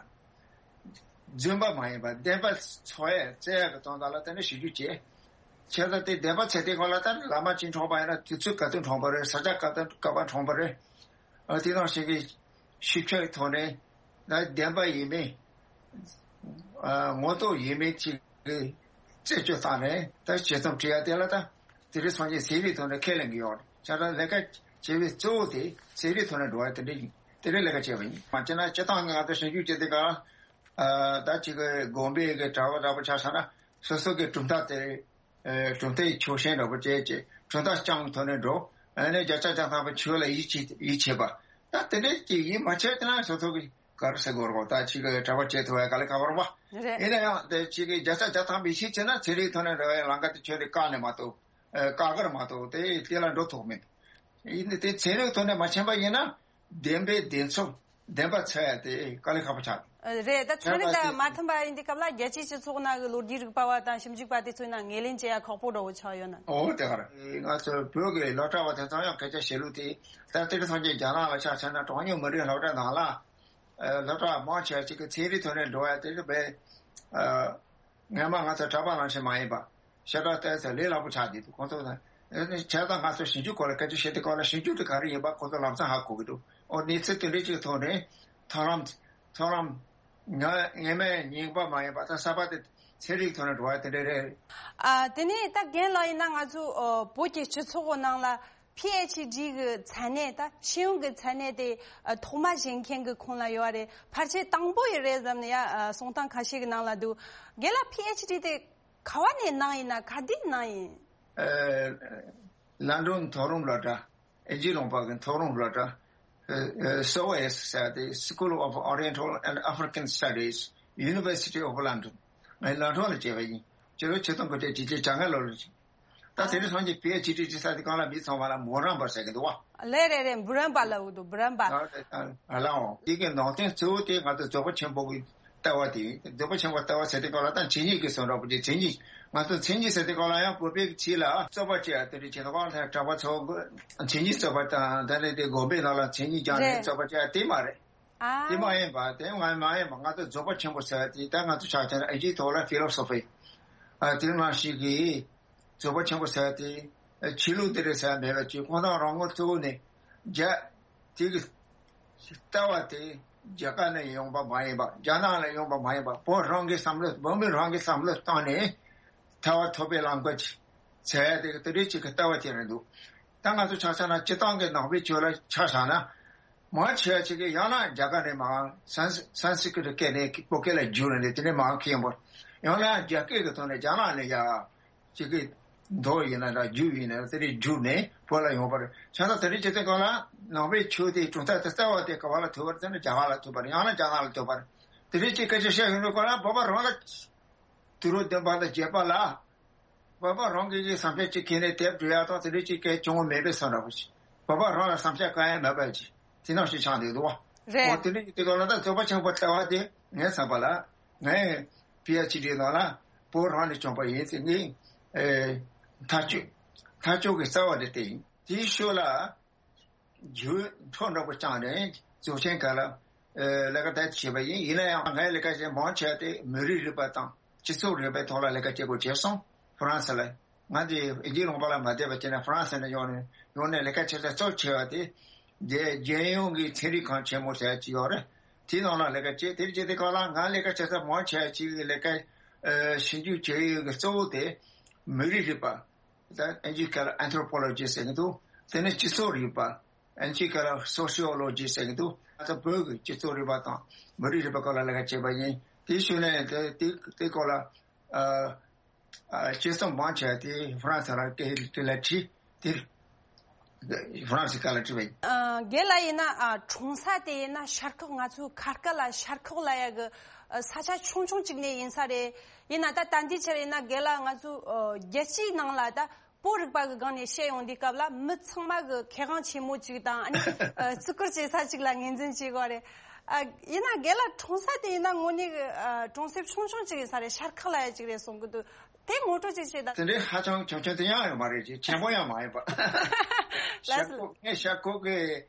རྫུན་པ་མ་ཡིན་པ་བདེན་པ་འཚོལ་ཡ་བཙལ་ཡ་གི་དོན་དག་ལ་དེ་ནས་ཞིབ་འཇུག་བྱས། བྱས་ཙང་དེ་བདེན་པ་འཚོལ་དུས་སྒང་ལ་ད་བླ་མ་གཅིག་འཁྲུངས་པ་ཡིན་ན་དུས་ཚོད་ག་དུས་འཁྲུངས་པ་རེད། ས་ཆ་ག་དུས་ག་པར་འཁྲུངས་པ་རེད། ཨ་དེ་ནང་བཞིན་གྱི་ཤེས་བྱའི་ཐོག་ནས་ད་བདེན་པ་ཡིན་མིན། ཨ་ངོ་ཐོག་ཡིན་མིན་ཅིག་གི་རྩད་གཅོད་བཏང་ནས་ད་དཔྱད་རྩོམ་བྲིས་ཡ་དེ་ལ་ད་དེ་རིང་སང་ཉིན་ཚན་རིག་ཐོག་ནས་ཁས་ལེན་གྱི་ཡོད་རེད། བྱས་ཙང་ལས་ཀ་བྱེད་པའི་གཙོ་བོ་དེ་ཚན་རིག་ཐོག་ནས་འགྲོ་བ་དེ་འདྲ་ཡིན། དེ་འདྲའི་ལས་ཀ་བྱས་པ་ཡིན། མ་བྱས་ན་སྤྱིར་བཏང་གི་ང་ཚོ་ཞིབ་འཇུག་བྱེད་དུས་སྒང་ལ། ཨ་ད་ཅིག་གི་དགོན་པའི་གི་གྲྭ་པ་འདྲ་པོ་ཆ་བཞག་ན་སོ་སོ་གི་གྲུབ་མཐའ་དེ། ཨ་གྲུབ་མཐའི་ཕྱོགས་ཞེན་འདྲ་པོ་བྱས་བྱས་གྲུབ་མཐའ་རྐྱང་ཐོག་ནས་འགྲོ། ཨ་ནི་བརྒྱ་ཆ་བརྒྱ་ཐམ་པ་ཆོས་ལ་ཡིད་ཆེས་ཡིད་ཆེས་པ། ད་དེ་འདྲའི་ཅིག་ཡིད་མ་ཆེས་དེ་ན་སོ་སོ་གི་ག་རེ་ཟེར་དགོས་རེད། ད་ཅིག་གི་གྲྭ་པ་བྱེད་ཐུབ་པའི་དཀའ་ལས་ཁག་པོ་རེད་པ། རེད། ཡིན་ན་ཡང་དེ་ཅིག་གི་བརྒྱ་ཆ་བརྒྱ་ཐམ་པ་ཡིད་ཆེས་བྱས་ན་ཚན་རིག་ཐོག་ནས་འགྲོ་བའི་ལམ་ཁ་དེ་ཁྱོན་ནས་བཀག་ནས་མ་གཏོགས། ཨ་བཀག་གི་རེད་མ་གཏོགས་དེ་དེ་ལ་འགྲོ་ཐུབ་མེད། ཡིན་ནའི་དེ་ཚན་རིག་ཐོག་ནས་མ་ཕྱིན་པ་ཡིན་ན། བདེན་པའི་བདེན་འཚོལ། བདེན་པ་འཚོལ་ཡ་དེ་དཀའ་ལས་ཁག་པོ་ཆགས། རེད། ད་ཚན་རིག་དང་མ་མཐུན་པ་ཡིན་དུས་སྐབས་ལ་རྒྱལ་སྤྱིའི་སྤྱི་ཚོགས་ནང་གི་ལོ་རྒྱུས་རིག་པ་བ་དང་ཞིབ་འཇུག་པ་དེ་ཚོའི་ནང་ངོས་ལེན་བྱེད་ཡ་ཁག་པོ་འདྲ་བོ་ཆགས་ཡོད་ན། འོ་དེ་ག་རེད། ང་ཚོ་བོད་ཀྱི་སློབ་གྲྭ་བ་དེ་ཚོ་ཡང་སྐད་ཆ་བཤད་ལུགས་དེ། ད་དེ་རིང་སང་ཉིན་རྒྱ་ནག་ལ་ཆ་བཞག་ན་གྲངས་ཉུང་མི་རིགས་སློབ་གྲྭ་ནང་ལ། ཨ་སློབ་གྲྭ་མང་ཆེ་བ་ཅིག་གི་ཚན་རིག་ཐོག་ནས་འགྲོ་བ་དེ་རེད་པས། ཨ། སྔོན་མ་ང་ཚོ་གྲྭ་པ་ནང་བཞིན་མ་ཡིན་པ། ཞེ་དྲག་བལྟས་ཚེ་ལས་སླ་པོ་ཆགས་བསྡད་འདུག་ཁོང་ཚོ་དང་། བྱས་ཙང་ང་ཚོ་ཞིབ་འཇུག་སྐོར་ལ་སྐད་ཆ་བཤད་དུས་སྐབས་ལ་ཞིབ་འཇུག་དེ་ག་རེ་ཡིན་པ་ཁོང་ཚོ་ལམ་སང་ཧ་གོ་གི་འདུག་ཨོ་གནས་ཚུལ་དེ་འདྲའི་ཅིག་ཐོག་ནས་མཐོང་ལམ། མཐོང་ལམ། ང་སྔོན་མའི་རྙིང་པ་མ་ཡིན་པ་ད་གསར་པ་དེ་ཚན་རིག་ཐོག་ནས་འགྲོ་བ་དེ་འདྲ་རེད། ཨ་དེ་ནས་ད་རྒན་ལགས་ཡིན་ན་ང་ཚོ་ཨ་བོད་ཀྱི་སྤྱི་ཚོགས་ནང་ལ། པི་ཨེཆ་ཌི་གི་མཚན་གནས་ད་ཤེས་ཡོན་གྱི་མཚན་གནས་དེ་ཨ་ཐོག་མ་བཞེས་མཁན་གྱི་ཁོངས་ལ་ཡོད་རེད། ཕལ་ཆེར་དང་པོ་ཡི་རེད་བསམ་ནས་ཡ་ཨ་གསུང་སྟངས་ཁ་ཤས་ཀྱི་ནང་ལ་འདུག་རྒན་ལགས་པི་ཨེཆ་ཌི་དེ་ག་བ་ནས་གནང་ཡིན་ན་ག་དུས་གནང་ཡིན། ཨ་ལན་ཌོན་མཐོ་རིམ་སློབ་གྲྭ། ཨིན་ཇིའི་ལུང་པ་གི་མཐོ་རིམ་སློབ་གྲྭ། ཨ་ཨ་སི་ཨོ་ཨེ་ཟེར་ཏེ་School of Oriental and African Studies, University of London. ངས་ལོན་ཌོན་ལ་བྱས་པ་ཡིན། སྤྱི་ལོ་ཆིག་སྟོང་དགུ་བརྒྱ་བརྒྱད་ཅུ་གྱ་ལྔ་ལོ་ལ་བྱས། ད་དེ་རིང་སང་ཉིན་པི་ཨེཆ་ཌི་བྱེད་ས་དེ་གང་ལ་མི་ཚང་མ་ལ་མུ་རན་པར་ཟེར་གི་འདུག་བ། ལེ་རེ་རེ་འབུ་རན་པ་ལ་འུ་འདུག་འབུ་རན་པ། ཨ་ལའོ། དེ་གི་ནང་དོན་གཙོ་བོ་དེ་ང་ཚོ་རྫོགས་པ་ཆེན་པོ་གི་ལྟ་བ་དེ་ཡིན། རྫོགས་པ་ཆེན་པོ་ལྟ་བ་ཟེར་དེ་གང་ལ་ད་མཚན་ཉིད་ཀྱི་བསམ་པ་དེ་མཚན་ཉིད། ང་ཚོ་མཚན་ཉིད་ཟེར་དེ་གང་ལ་ཡང་བོད་པའི་ཆོས་ལ་རྩོད་པ་བྱེད་ཡ་དེ་འདྲ་བྱེད་དུས་གང་ལ་གྲྭ་པ་ཚོ་མཚན་ཉིད་རྩོད་པ་དང་ད་ནི་དེ་དགོན་པའི་ནང་ལ་མཚན་ཉིད་སྦྱངས་ནས་རེད། རྩོད་པ་བྱེད་ཡ་དེ་མ་རེད། ཨ། དེ་མ་ཡིན་པ་དེ་ང་མ་ཡིན་པ་ང་ཚོ་རྫོགས་པ་ཆེན་པོ་ཟེར་བ་དེ་ད་ང་ཚོ་ཆ་བཞག་ན་ཨིན་ཇིའི་ཐོག་ལ་ཕི་ལོ་སོ་ཕི། ཨ་དེ་ནང་བཞིན་གྱི་རྫོགས་པ་ཆེན་པོ་ཟེར་བ་དེ་ཆོས་ལུགས་འདི་རེད་ཟེར་བ་མེད་པ་ཅིག་ཁོང་རང་རང་ངོ་གཙོ་བོ་ནས་རྒྱ་དེ་གི་ལྟ་བ་དེ་རྒྱ་གར་ནས་ཡོང་པ་མ་ཡིན་པ་རྒྱ་ནག་ལ་ཡོང་པ་མ་ཡིན་པ་བོད་རང་གི་བསམ་བློ་བོད་མི་རང་གི་བསམ་བློ་བཏང་ནས། ཐར་པ་ཐོབ་པའི་ལམ་ཁ་ཅིག་བཙལ་ཡ་དེ་གི་དེ་འདྲའི་ཅིག་གི་ལྟ་བ་དེ་རེད་འདུག་ད་ང་ཚོ་ཆ་བཞག་ན་སྤྱིར་བཏང་གི་ནང་པའི་ཆོས་ལ་ཆ་བཞག་ན། མང་ཆེ་བ་ཅིག་གིས་ཡང་ན་རྒྱ་གར་ནས་མར་སན་སན་སི་ཀྲི་ཏ་སྐད་ནས་བོད་སྐད་ལ་བསྒྱུར་ནས་དེ་ནས་མར་ཁྱེར་ཡོང་པ། ཡང་ན་རྒྱ་སྐད་ཀྱི་ཐོག་ནས་རྒྱ་ནག་ནས་ཡར་ཅིག་གི་མདོ་ཡིན་ན་འདྲ་རྒྱུད་ཡིན་ན་དེ་འདྲའི་བསྒྱུར་ནས་བོད་ལ་ཡོང་པ་རེད། བྱས་ཙང་དེ་འདྲའི་བྱེད་དུས་སྒང་ལ་ནང་པའི་ཆོས་དེའི་གྲུབ་མཐའ་དེ་རྩ་བ་དེ་ག་བ་ལ་ཐུག་པ་རེད་ཟེར་ན་རྒྱ་གར་ལ་ཐུག་པ་རེད། ཡང་ན་རྒྱ་ནག་ལ་ཐུག་པ་རེད། དེ་འདྲའི་ཅིག་སྐད་ཆ་བཤད་ཡོང་དུས་སྒང་ལ་བོད་པ་རང་ལ། དུས་རབས་བདུན་པ་དང་བརྒྱད་པ་ལ། བོད་པ་རང་གི་གི་བསམ་འཆར་ཅིག་ཁྱེར་ནས་དེབ་འབྲི་ཡག་དང་དེ་འདྲ་ཅིག་གལ་བྱུང་བ་མེད་པའི་བསམ་འདྲ་པོ་ཞིག་བོད་པ་རང་ལ་བསམ་འཆར་གང་ཡང་མེད་པ་ཅིག་དེ་ནང་བཞིན་ཆགས་འདུག་འདུག་བ། རེད། འོ་དེ་འདྲ་ཡིན་དུས་སྒང་ལ་ད་རྫོགས་པ་ཆེན་པོ་ལྟ་བ་དེ་ངའི་བསམ་པ་ལ་ངའི་པི་ཨེཆ་ཌི་ནང་ལ་བོད་རང་ནས་བྱུང་པ་ཡིན་ཚེ་ངའི་ཨེ་ཐག་གཅོད་ཐག་གཅོད་ཀྱི་རྩ་བ་དེ་དེ་ཡིན། དེའི་ཤུལ་ལ། རྒྱུན་འཕྲོ་འདྲ་པོ་བཅངས་ནས་རྫོགས་ཆེན་སྒང་ལ་ཨ་ལས་ཀ་དེ་བྱས་པ་ཡིན། ཡིན་ན་ཡང་ངའི་ལས་ཀ་བྱེད་མང་ཆེ་བ་དེ་མི་རིགས་རིག་པ་དང་ སྤྱི་ཚོགས་རིག་པའི་ཐོག་ལ་ལས་ཀ་བྱེད་དགོས་བྱས་སོང་། ཧྥ་རན་སི་ལ། ང་འདི་ཨིན་ཇི་ལུང་པ་ལ་མ་བསྡད་པ་བྱས་ན་ཧྥ་རན་སི་ནས་ཡོང་ནས་ཡོང་ནས་ལས་ཀ་བྱེད་ས་གཙོ་ཆེ་བ་དེ། རྒྱལ་རྒྱལ་ཡོངས་ཀྱི་ཚན་རིག་ཁང་ཆེན་མོ་ཟེར་ཡ་ཅིག་ཡོད་རེད། དེའི་ནང་ལ་ལས་ཀ་བྱས། དེར་བྱས་དེ་སྐབས་ལ་ང་ལས་ཀ་བྱེད་ས་མང་ཆེ་བ་ཅིག་གི་ལས་ཀ་ཨ་ཞིབ་འཇུག་བྱེད་ཡུལ་གྱི་གཙོ་བོ་དེ་མི་རིགས་རིག་པ། ད་ཨིན་ཇིས་བཀོད་ལ་ཨན་ཐྲོ་པོ་ལོ་ཇི་ཟེར་གྱི་འདུག་དེ་ནས་སྤྱི་ཚོགས་རིག་པ། ཨིན་ཇིས་བཀོད་ལ་སོ་སི་ཡོ་ལོ་ཇི་ཟེར་གྱི་འདུག་ང་ཚོ་བོད་ཀྱི་སྤྱི་ཚོགས་རིག་པ་དང་མི་རིགས་རིག་པ་སྐོར་ལ་ལས་ཀ་བྱས་པ་ཡིན། དེའི་ཤུལ་ནས་དེ་དེ་དེ་སྐོར་ལ་ཨ། ཨ། དཔྱད་རྩོམ་མང་ཆེ་བ་དེ་ཧྥ་རན་སི་ལ་སྐད་དེ་ལ་བྲིས། དེ་ཧྥ་རན་སི་སྐད་ལ་བྲིས་པ་ཡིན། ཨ། རྒན་ལགས་ཡིན་ན། ཨ། གྲོང་ས་དེ་ཡིན་ན་ཤར་ཁོག་ང་ཚོའི་ཁ་སྐད་ལ་ཤར་ཁོག་ལབ་ཡ་གི་ཨ་ས་ཆ་ཆུང་ཆུང་ཅིག་ནས་ཡིན་ས་རེད། ཡིན་ན་ད་ད་འདི་ཆར་ཡིན་ན་རྒན་ལགས་ང་ཚོའི་ཨ་རྒྱལ་སྤྱིའི་ནང་ལ་ད་བོད་རིག་པ་གི་སྒང་ནས་བཤད་ཡོང་དུས་སྐབས་ལ་མི་ཚང་མ་གི་མཁས་དབང་ཆེན་མོ་ཅིག་དང་། ཨ་ནི་ཨ་བརྩི་བཀུར་བྱེད་ས་ཅིག་ལ་ངོས་འཛིན་བྱེད་དགོས་རེད། ཨ། ཡིན་ན་རྒན་ལགས་གྲོང་ས་དེ་ཡིན་ན་དངོས་གནས་གི་ཨ་གྲོང་གསེབ་ཆུང་ཆུང་ཅིག་ཡིན་ས་རེད། ཤར་ཁོག་ལབ་ཡ་ཅིག་རེད་གསུང་གི་འདུག་དེ་ངོ་སྤྲོད་ཅིག་བྱེད་དང་། དེ་འདྲའི་ཧ་ཅང་ཆུང་ཆུང་དེ་ཡང་ཡོད་མ་རེད། ཅིག་ཆེན་པོ་ཡང་མ་ཡིན་པ། ལགས་སོ། ཤར་ཁོག་ངས་ཤར་ཁོག་གི་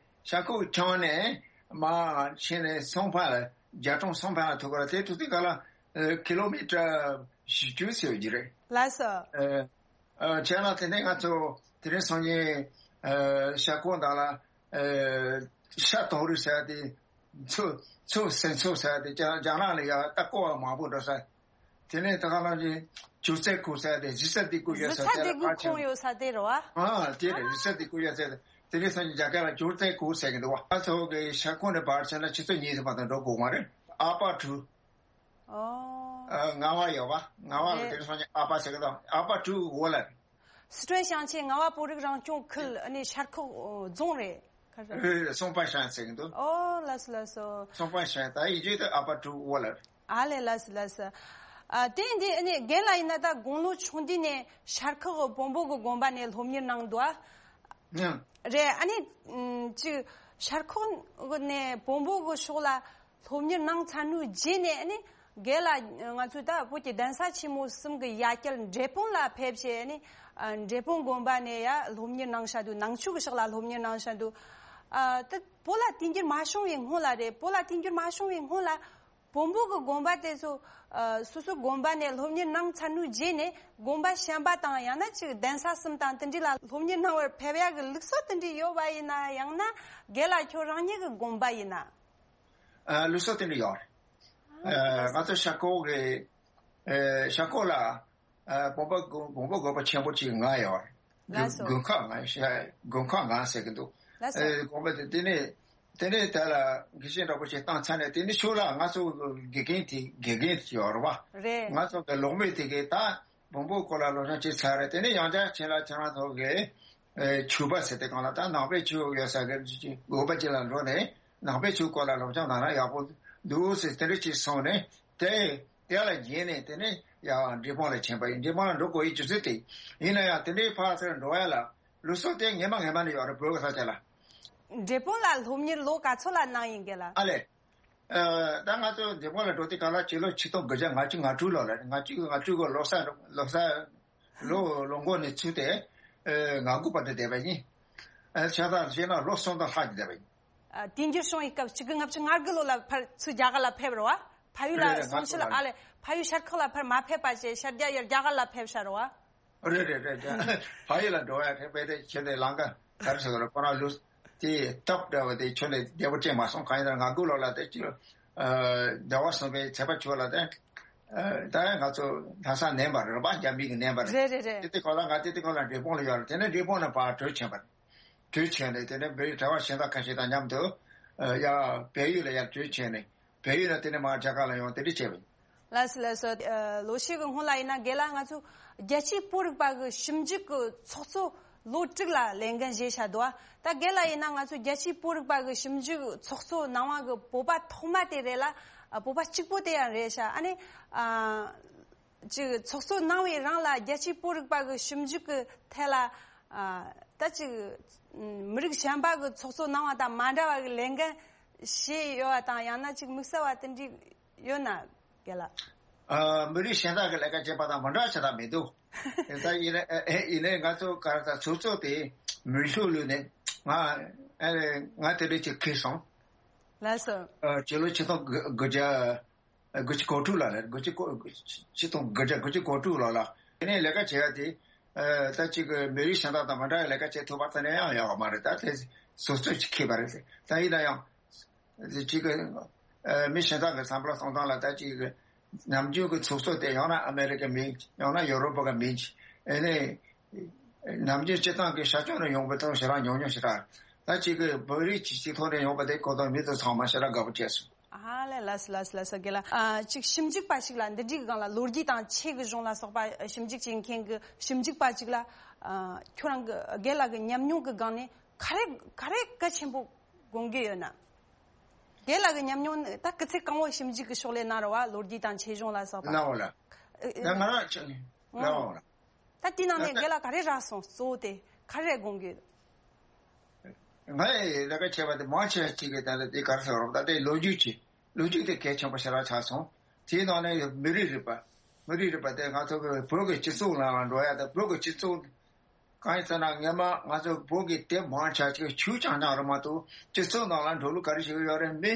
ཤར་ཁོག་ཁྱོན་ནས་མར་ཕྱིན་ནས་སུང་ཕན་ལ། རྒྱ་གྲོང་སུང་ཕན་ལ་ཐུག་གི་རེད། དེ་ཐུག་དུས་སྐབས་ལ་ཨ་ཁི་ལོ་མི་ཊར་བཞི་བཅུ་ཟེར་གྱི་རེད། ལགས་སོ། ཨ། ཨ། བྱས་ན་དེ་ནས་ང་ཚོ་དེ་རིང་སང་ཉིན་ཨ་ཤར་ཁོག་ནང་ལ་ཨ་ཤ་དོང་རི་ཟེར་ཡ་དེ། མཚོ་མཚོ་སེང་མཚོ་ཟེར་ཡ་དེ་རྒྱ་རྒྱ་ནག་ལ་ཡ་ད་ཀོ་བ་མང་པོ་འགྲོ་ས། དེ་ནས་ད་ག་ལ་ཅིག་ཅུར་ཙེ་ཁུག་ཟེར་ཡ་དེ་གཞིས་རྩེ་སྡེ་དགུ་ཡོད་ས་གཞིས་རྩེ་དེ་ལ་སྡེ་དགུ་ཕར་ཕྱིན། ཁོངས་ཡོད་ས་དེ་རེད་བ། ཨ། དེ་རེད། གཞིས་རྩེ་སྡེ་དགུ་ཡོད་ས་དེ། དེ་རིང་སང་ཉིན་རྒྱ་སྐད་ལ་ཅུར་ཙེ་ཁུག་ཟེར་གྱི་འདུག་བ། ང་ཚོ་གི་ཤར་ཁོག་ནས་ཕར་ཕྱིན་ན་ཆུ་ཚོད་གཉིས་ཙམ་མ་གཏོགས་འགྲོ་དགོས་མ་རེད། ཨ་པ་གྲུ། ཨོ། ཨ། རྔ་བ་ཡོད་པ། རྔ་བ་ལ་རེད། དེ་རིང་སང་ཉིན་ཨ་པ་ཟེར་གི་འདུག་ཨ་པ་གྲུ་འོག་ལ་རེད། སི་ཁྲོན་ཞིང་ཆེན་རྔ་བ་བོད་རིགས་རང་སྐྱོང་ཁུལ། ཨ་ནི་ཤར་ཁོག་རྫོང་རེད། ག་རེ། རེད་རེད། སུང་ཕན་ཞང་ཟེར་གི་འདུག་ཨོ། ལགས་སོ་ལགས་སོ། སུང་ཕན་ཞང་། ད་ཡིན་རྒྱུ་དེ་ཨ་པ་གྲུ་འོག་ལ་རེད། ཨ་ལེ། ལགས་སོ་ལགས་སོ། ཨ། དེ་འདི་ཨ་ནི་རྒན་ལགས་ཡིན་ན་ད་དགུང་ལོ་ཆུང་དུས་ནས་ཤར་ཁོག་བོན་པོ་གི་དགོན་པ་ནས་སློབ་གཉེར་གནང་འདུག་ཨ། ཨང་། རེད། ཨ་ནི་ཨམ་ཅིག་ཤར་ཁོག་ནས་བོན་པོ་གི་ཕྱོགས་ལ་སློབ་གཉེར་གནང་ཚར་དུས་རྗེས་ནས། ཨ་ནི་རྒན་ལགས་ང་ཚོའི་ད་བོད་ཀྱི་གདན་ས་ཆེན་མོ་གསུམ་གྱི་ཡ་གྱལ་འབྲས་སྤུངས་ལ་ཕེབས་བྱས། ཨ་ནི་ཨ་འབྲས་སྤུངས་དགོན་པ་ནས་ཡ་སློབ་གཉེར་གནང་བཞག་འདུག་ནང་ཆོས་ཀྱི་ཕྱོགས་ལ་སློབ་གཉེར་གནང་བཞག་འདུག་ཨ། ད་བོད་ལ་དུས་འགྱུར་མ་བྱུང་བའི་སྔོན་ལ་རེད། བོད་ལ་དུས་འགྱུར་མ་བྱུང་བའི་སྔོན་ལ་བོན་པོ་གི་དགོན་པ་དེ་ཚོ་ཨ་སོ་སོའི་དགོན་པ་ནས་སློབ་གཉེར་གནང་ཚར་དུས་རྗེས་ནས་དགོན་པ་གཞན་པ་དང་། ཡང་ན་ཅིག་གདན་ས་གསུམ་དང་དེ་འདྲ་ལ་སློབ་གཉེར་གནང་བར་ཕེབས་ཡག་གི་ལུགས་སྲོལ་དེ་འདྲ་ཡོད་པ་ཡིན་ན། ཡང་ན་རྒན་ལགས་ཁྱོད་རང་ཉིད་ཀྱི་དགོན་པ་ཡིན་ན། ཨ། ལུགས་སྲོལ་དེ་འདྲ་ཡོད་རེད། ཨ། ང་ཚོ་ཤར་ཁོག་གི་ཨ་ཤར་ཁོག་ལ་ཨ་བོན་པོ་དགོན་བོན་པོ་དགོན་པ་ཆེན་པོ་གཅིག་ལྔ་ཡོད་རེད། ལགས་སོ། དགོན་ཁག་ལྔ་ཟེར། དགོན་ཁག་ལྔ་ཟེར་གྱི་འདུག་ལགས་སོ། ཨ། དགོན་པ་དེ་དེ་ནས་དེ་ནས་དེ་ལ་དགེ་བཤེས་འདྲ་པོ་ཞིག་བཏང་ཚར་ནས། དེ་ནས་ཕྱོགས་ལ་ང་ཚོ་དགེ་རྒན་དེ་དགེ་རྒན་དེ་ཡོད་རེད་བ། རེད། ང་ཚོ་གི་སློབ་མས་དེ་གའི་ད་བོན་པོའི་སྐོར་ལ་སློབ་སྦྱོང་བྱས་ཚར་རེད། དེ་ནས་ཡང་བསྐྱར་ཁྱེད་ལ་ཁྱེད་རང་ཚོ་གི་ཨེ་ཆོས་པ་ཟེར་དེ་གང་ལ་ད་ནང་པའི་ཆོས་ཡོད་ས་གི་དགོན་པ་ཅིག་ལ་འགྲོ་ནས་ནང་པའི་ཆོས་སྐོར་ལ་སློབ་སྦྱོང་གནང་ན་ཡག་པོ་འདུག་ཟེར་དེ་འདྲ་ཅིག་གསུངས་ནས། དེ་དེ་ལ་བརྟེན་ནས་དེ་ནས་ཡང་འབྲས་སྤུངས་ལ་ཕྱིན་པ་ཡིན། འབྲས་སྤུངས་ལ་འགྲོ་དགོས་ཡི་རྒྱུ་མཚན་དེ་ཡིན་ན་ཡང་། དེ་འདྲའི་ཕར་ཚུར་འགྲོ་ཡ་ལ་ལུགས་སྲོལ་དེ་སྔས་མ་སྔས་མ་ནས་ཡོད་རེད། བོད་ཀྱི་ས་ཆ་ལ། འབྲས་སྤུངས་ལ་སློབ་གཉེར་ལོ་ག་ཚོད་ལ་གནང་ཡིན་གྱི་ལ། ཨ་ལས། ཨ། ད་ང་ཚོ་འབྲས་སྤུངས་ལ་འགྲོ་དུས་སྐབས་ལ་སྤྱི་ལོ་ཆིག་སྟོང་དགུ་བརྒྱ་ལྔ་བཅུ་ང་དྲུག་ལོ་ལ་རེད། ང་བཅུ་ང་དྲུག་གི་ལོ་གསར་ལོ་གསར་ལོ་ལོ་འགོ་ནས་ཚུད་དེ་ཨ་ང་དགུ་བར་དུ་བསྡད་པ་ཡིན། ཨ། ཆ་ཚང་བྱས་ན་ལོ་གསུམ་དང་ལྷག་ཅིག་བསྡད་པ་ཡིན། ཨ། དུས་འགྱུར་བྱུང་བའི་སྐབས་ཆིག་སྟོང་དགུ་བརྒྱ་ལྔ་བཅུ་དགུ་ལོ་ལ་ཕར་ཚུར་རྒྱ་གར་ལ་ཕེབས་རེད་བ། ཕ་ཡུལ་ལ་རེད་རེད། སོང་ཕྱིར། ང་ཚོ་ལ། ཨ་ལས། ཕ་ཡུལ་ཤར་ཁོག་ལ་ཕར་མ་ཕེབས་པ་བྱས་ཤར་རྒྱག་ཡར་རྒྱ་གར་ལ་ཕེབས་ཤག་རེད་བ། རེད་རེད་རེད། རྒྱ་ཕ་ཡུལ་ལ་འགྲོ་ཡ་ཁེ་ཕན་དེ་ཁྱོད་དེ་ལང་ཀ་ག་རེ་ཟེར་དགོས་རེད། ཁོ་རང་ལུས་དེ་སྟབས་བདེ་བ་དེ་ཁྱོད་ནས་བདེ་པོ་ཅན་མ་སོང་། གང་ཡིན་ན་ང་དགུ་ལོ་ལ་དེ་ཅི་ལོ། ཨ། ཟླ་བ་གསུམ་པའི་ཚེས་པ་བཅུ་ལ་དེ། ཨ། ད་ང་ཚོ་ལྷ་ས་ནས་པ་རེད་པ། རྒྱ་མི་གི་ནས་པ་རེད། རེད་རེད་རེད། དེ་དེ་ཁོ་ལ་ང་དེ་དེ་ཁོ་ལ་འབྲས་སྤུངས་ལ་ཡོད་རེད། དེ་ནས་འབྲས་སྤུངས་ནས་ཕར་བྲོས་ཕྱིན་པ་རེད། བྲོས་ཕྱིན་ནས་དེ་ནས་བོད་གྲྭ་པ་གཞན་དག་ཁ་ཤས་དང་མཉམ་དུ་ཨ་ཡ་བལ་ཡུལ་ལ་ཡར་བྲོས་ཕྱིན་ནས། བལ་ཡུལ་ལ་དེ་ནས་མར་རྒྱ་གར་ལ་ཡོང་། དེ་འདྲ་བྱས་པ་ཡིན། ལགས་སོ་ལགས་སོ། ཨ། ལོ་ཤས་ཀྱི་སྔོན་ལ་ཡིན་ན་རྒན་ལགས་ང་ཚོ་རྒྱལ་སྤྱིའི་བོད་རིག་པ་གི་ཞིབ་འཇུག་གི་ཚོགས་གཙོ་ལོ་དྲུག་ལ་ལས་འགན་བཞེས་བཞག་འདུག་ད་རྒན་ལགས་ཡིན་ན་ང་ཚོ་རྒྱལ་སྤྱིའི་བོད་རིག་པ་གི་ཞིབ་འཇུག་ཚོགས་གཙོ་གནང་བ་གི་བོད་པ་ཐོག་མ་དེ་རེད་ལ། ཨ། བོད་པ་གཅིག་པོ་དེ་ཡང་རེད་ཤག་ཨ་ནི་ཨ། ཅིག་ཚོགས་གཙོ་གནང་བའི་རིང་ལ་རྒྱལ་སྤྱིའི་བོད་རིག་པ་གི་ཞིབ་འཇུག་གི་ཐད་ལ། ཨ། ད་ཅིག་མི་རིགས་གཞན་པ་གི་ཚོགས་གཙོ་གནང་བ་དང་མ་འདྲ་བ་གི་ལས་འགན་བཞེས་ཡོད་པ་དང་། ཡང་ན་ཅིག་དམིགས་བསལ་བ་དེ་འདྲ་ཡོད་ན་རྒན་ལགས། ཨ། མི་རིགས་གཞན་དག་གི་ལས་ཀ་བྱེད་པ་དང་མ་འདྲ་བ་བྱེད་སྟངས་མི་འདུག་ད་ཡིན་ནའི་ཡིན་ནའི་ང་ཚོ་ག་རེ་ད་ཚོགས་གཙོ་དེ་མི་ཤུགས་ལུས་ནས་ང་ཨ་ང་དེ་འདྲ་ཅིག་ཁེལ་སོང་། ལགས་སོ། ཨ། སྤྱི་ལོ་ཆིག་སྟོང་དགུ་བརྒྱ། དགུ་བཅུ་གོ་དྲུག་ལ་རེད། དགུ་བཅུ་གོ་ཆིག་སྟོང་དགུ་བརྒྱ་དགུ་བཅུ་གོ་དྲུག་ལོ་ལ། དེ་ནས་ལས་ཀ་བྱེད་ཡ་དེ་ད་ཅིག་མི་རིགས་གཞན་དག་དང་མ་འདྲ་བའི་ལས་ཀ་བྱེད་ཐུབ་པ་དེ་ནས་ཡང་ཡོད་མ་རེད། ད་དེ་སོ་སོས་ཅིག་ཁེལ་བ་རེད། ད་ཡིན་ན་ཡང་ཅིག་མི་གཞན་དག་གི་བསམ་བློ་གཏོང་སྟངས་ལ་ད་ཅིག་ནམ་རྒྱུན་གྱི་ཚོགས་གཙོ་དེ་ཡང་ན་ཨ་མེ་རི་ཀའི་མི་ཡིན། ཡང་ན་ཡོ་རོབ་པ་གི་མི་ཡིན། ཨེ་ནས་ནམ་རྒྱུན་སྤྱི་བཏང་གི་ཤར་ཕྱོགས་ནས་ཡོང་པའི་ཐོག་ཞེ་དྲག་ཉུང་ཉུང་ཞེ་དྲག་ད་ཅིག་གི་བོད་རིགས་ཀྱི་སྤྱི་ཚོགས་ནས་ཡོང་པ་དེ་གོ་ཐོག་མི་ཚོ་ཚང་མ་ཞེ་དྲག་དགའ་པོ་བྱས་སོང་། ཨ་ལས། ལགས་སོ། ལགས་སོ། ལགས་སོ། རྒན་ལགས། ཨ་ཅིག་ཞིབ་འཇུག་པ་ཞིག་ལ་འདི་འདྲའི་སྒང་ལ་ལོ་རྒྱུས་དང་ཆོས་ཀྱི་གཞུང་ལ་སོགས་པ་ཞིབ་འཇུག་བྱེད་མཁན་གྱི་ཞིབ་འཇུག་པ་ཅིག་ལ། ཨ་ཁྱོད་རང་གི་རྒན་ལགས་ཀྱི་ཉམས་མྱོང་གི་སྒང་ནས་ག་རེ་ག་རེ་གལ་ཆེན་པོ་དགོངས་ཀྱི་ཡོད་ན། རྒན་ལགས་ཀྱི་ཉམས་མྱོང་ནི་ད་སྐུ་ཚེ་གང་བོ་ཞིབ་འཇུག་གི་ཕྱག་ལས་གནང་རེད་བ། ལོ་རྒྱུས་དང་ཆོས་གཞུང་ལ་སོགས་པ། ལའོ་ལ། ཨ་ད་ང་རང་ཅིག་ནས་ལའོ་ལ། ད་དེ་ནང་ནས་རྒན་ལགས་ག་རེ་རག་སོང་། གཙོ་བོ་དེ་ག་རེ་དགོངས་ཀྱི་ཡོད། ང་ཡི་ལས་ཀ་བྱས་པ་དེ་མང་ཆེ་བ་ཅིག་གིས་ད་ལྟ་དེ་ག་རེ་ཟེར་རོགས། ད་ལྟའི་ལོ་རྒྱུས་ཀྱི་ལོ་རྒྱུས་དེ་གལ་ཆེན་པོ་ཞེ་དྲག་ཆགས་སོང་། དེའི་ནང་ནས་མི་རིགས་རིག་པ། མི་རིགས་རིག་པ་དེ་ང་ཚོ་གི་བོད་ཀྱི་སྤྱི་ཚོགས་ནང་ལ་འགྲོ་ཡ་དང་། བོད་ཀྱི་སྤྱི་ཚོགས་གང་ཡིན་ཟེར་ན། སྔན་མ་ང་ཚོ་བོད་ཀྱི་དེབ་མང་ཆེ་ཅིག་ཆོས་རྐྱང་རྐྱང་རེད་མ་གཏོགས། སྤྱི་ཚོགས་ནང་ལ་འགྲོ་ལུགས་ག་རེ་བྱེད་ཀྱི་ཡོད་རེད། མི་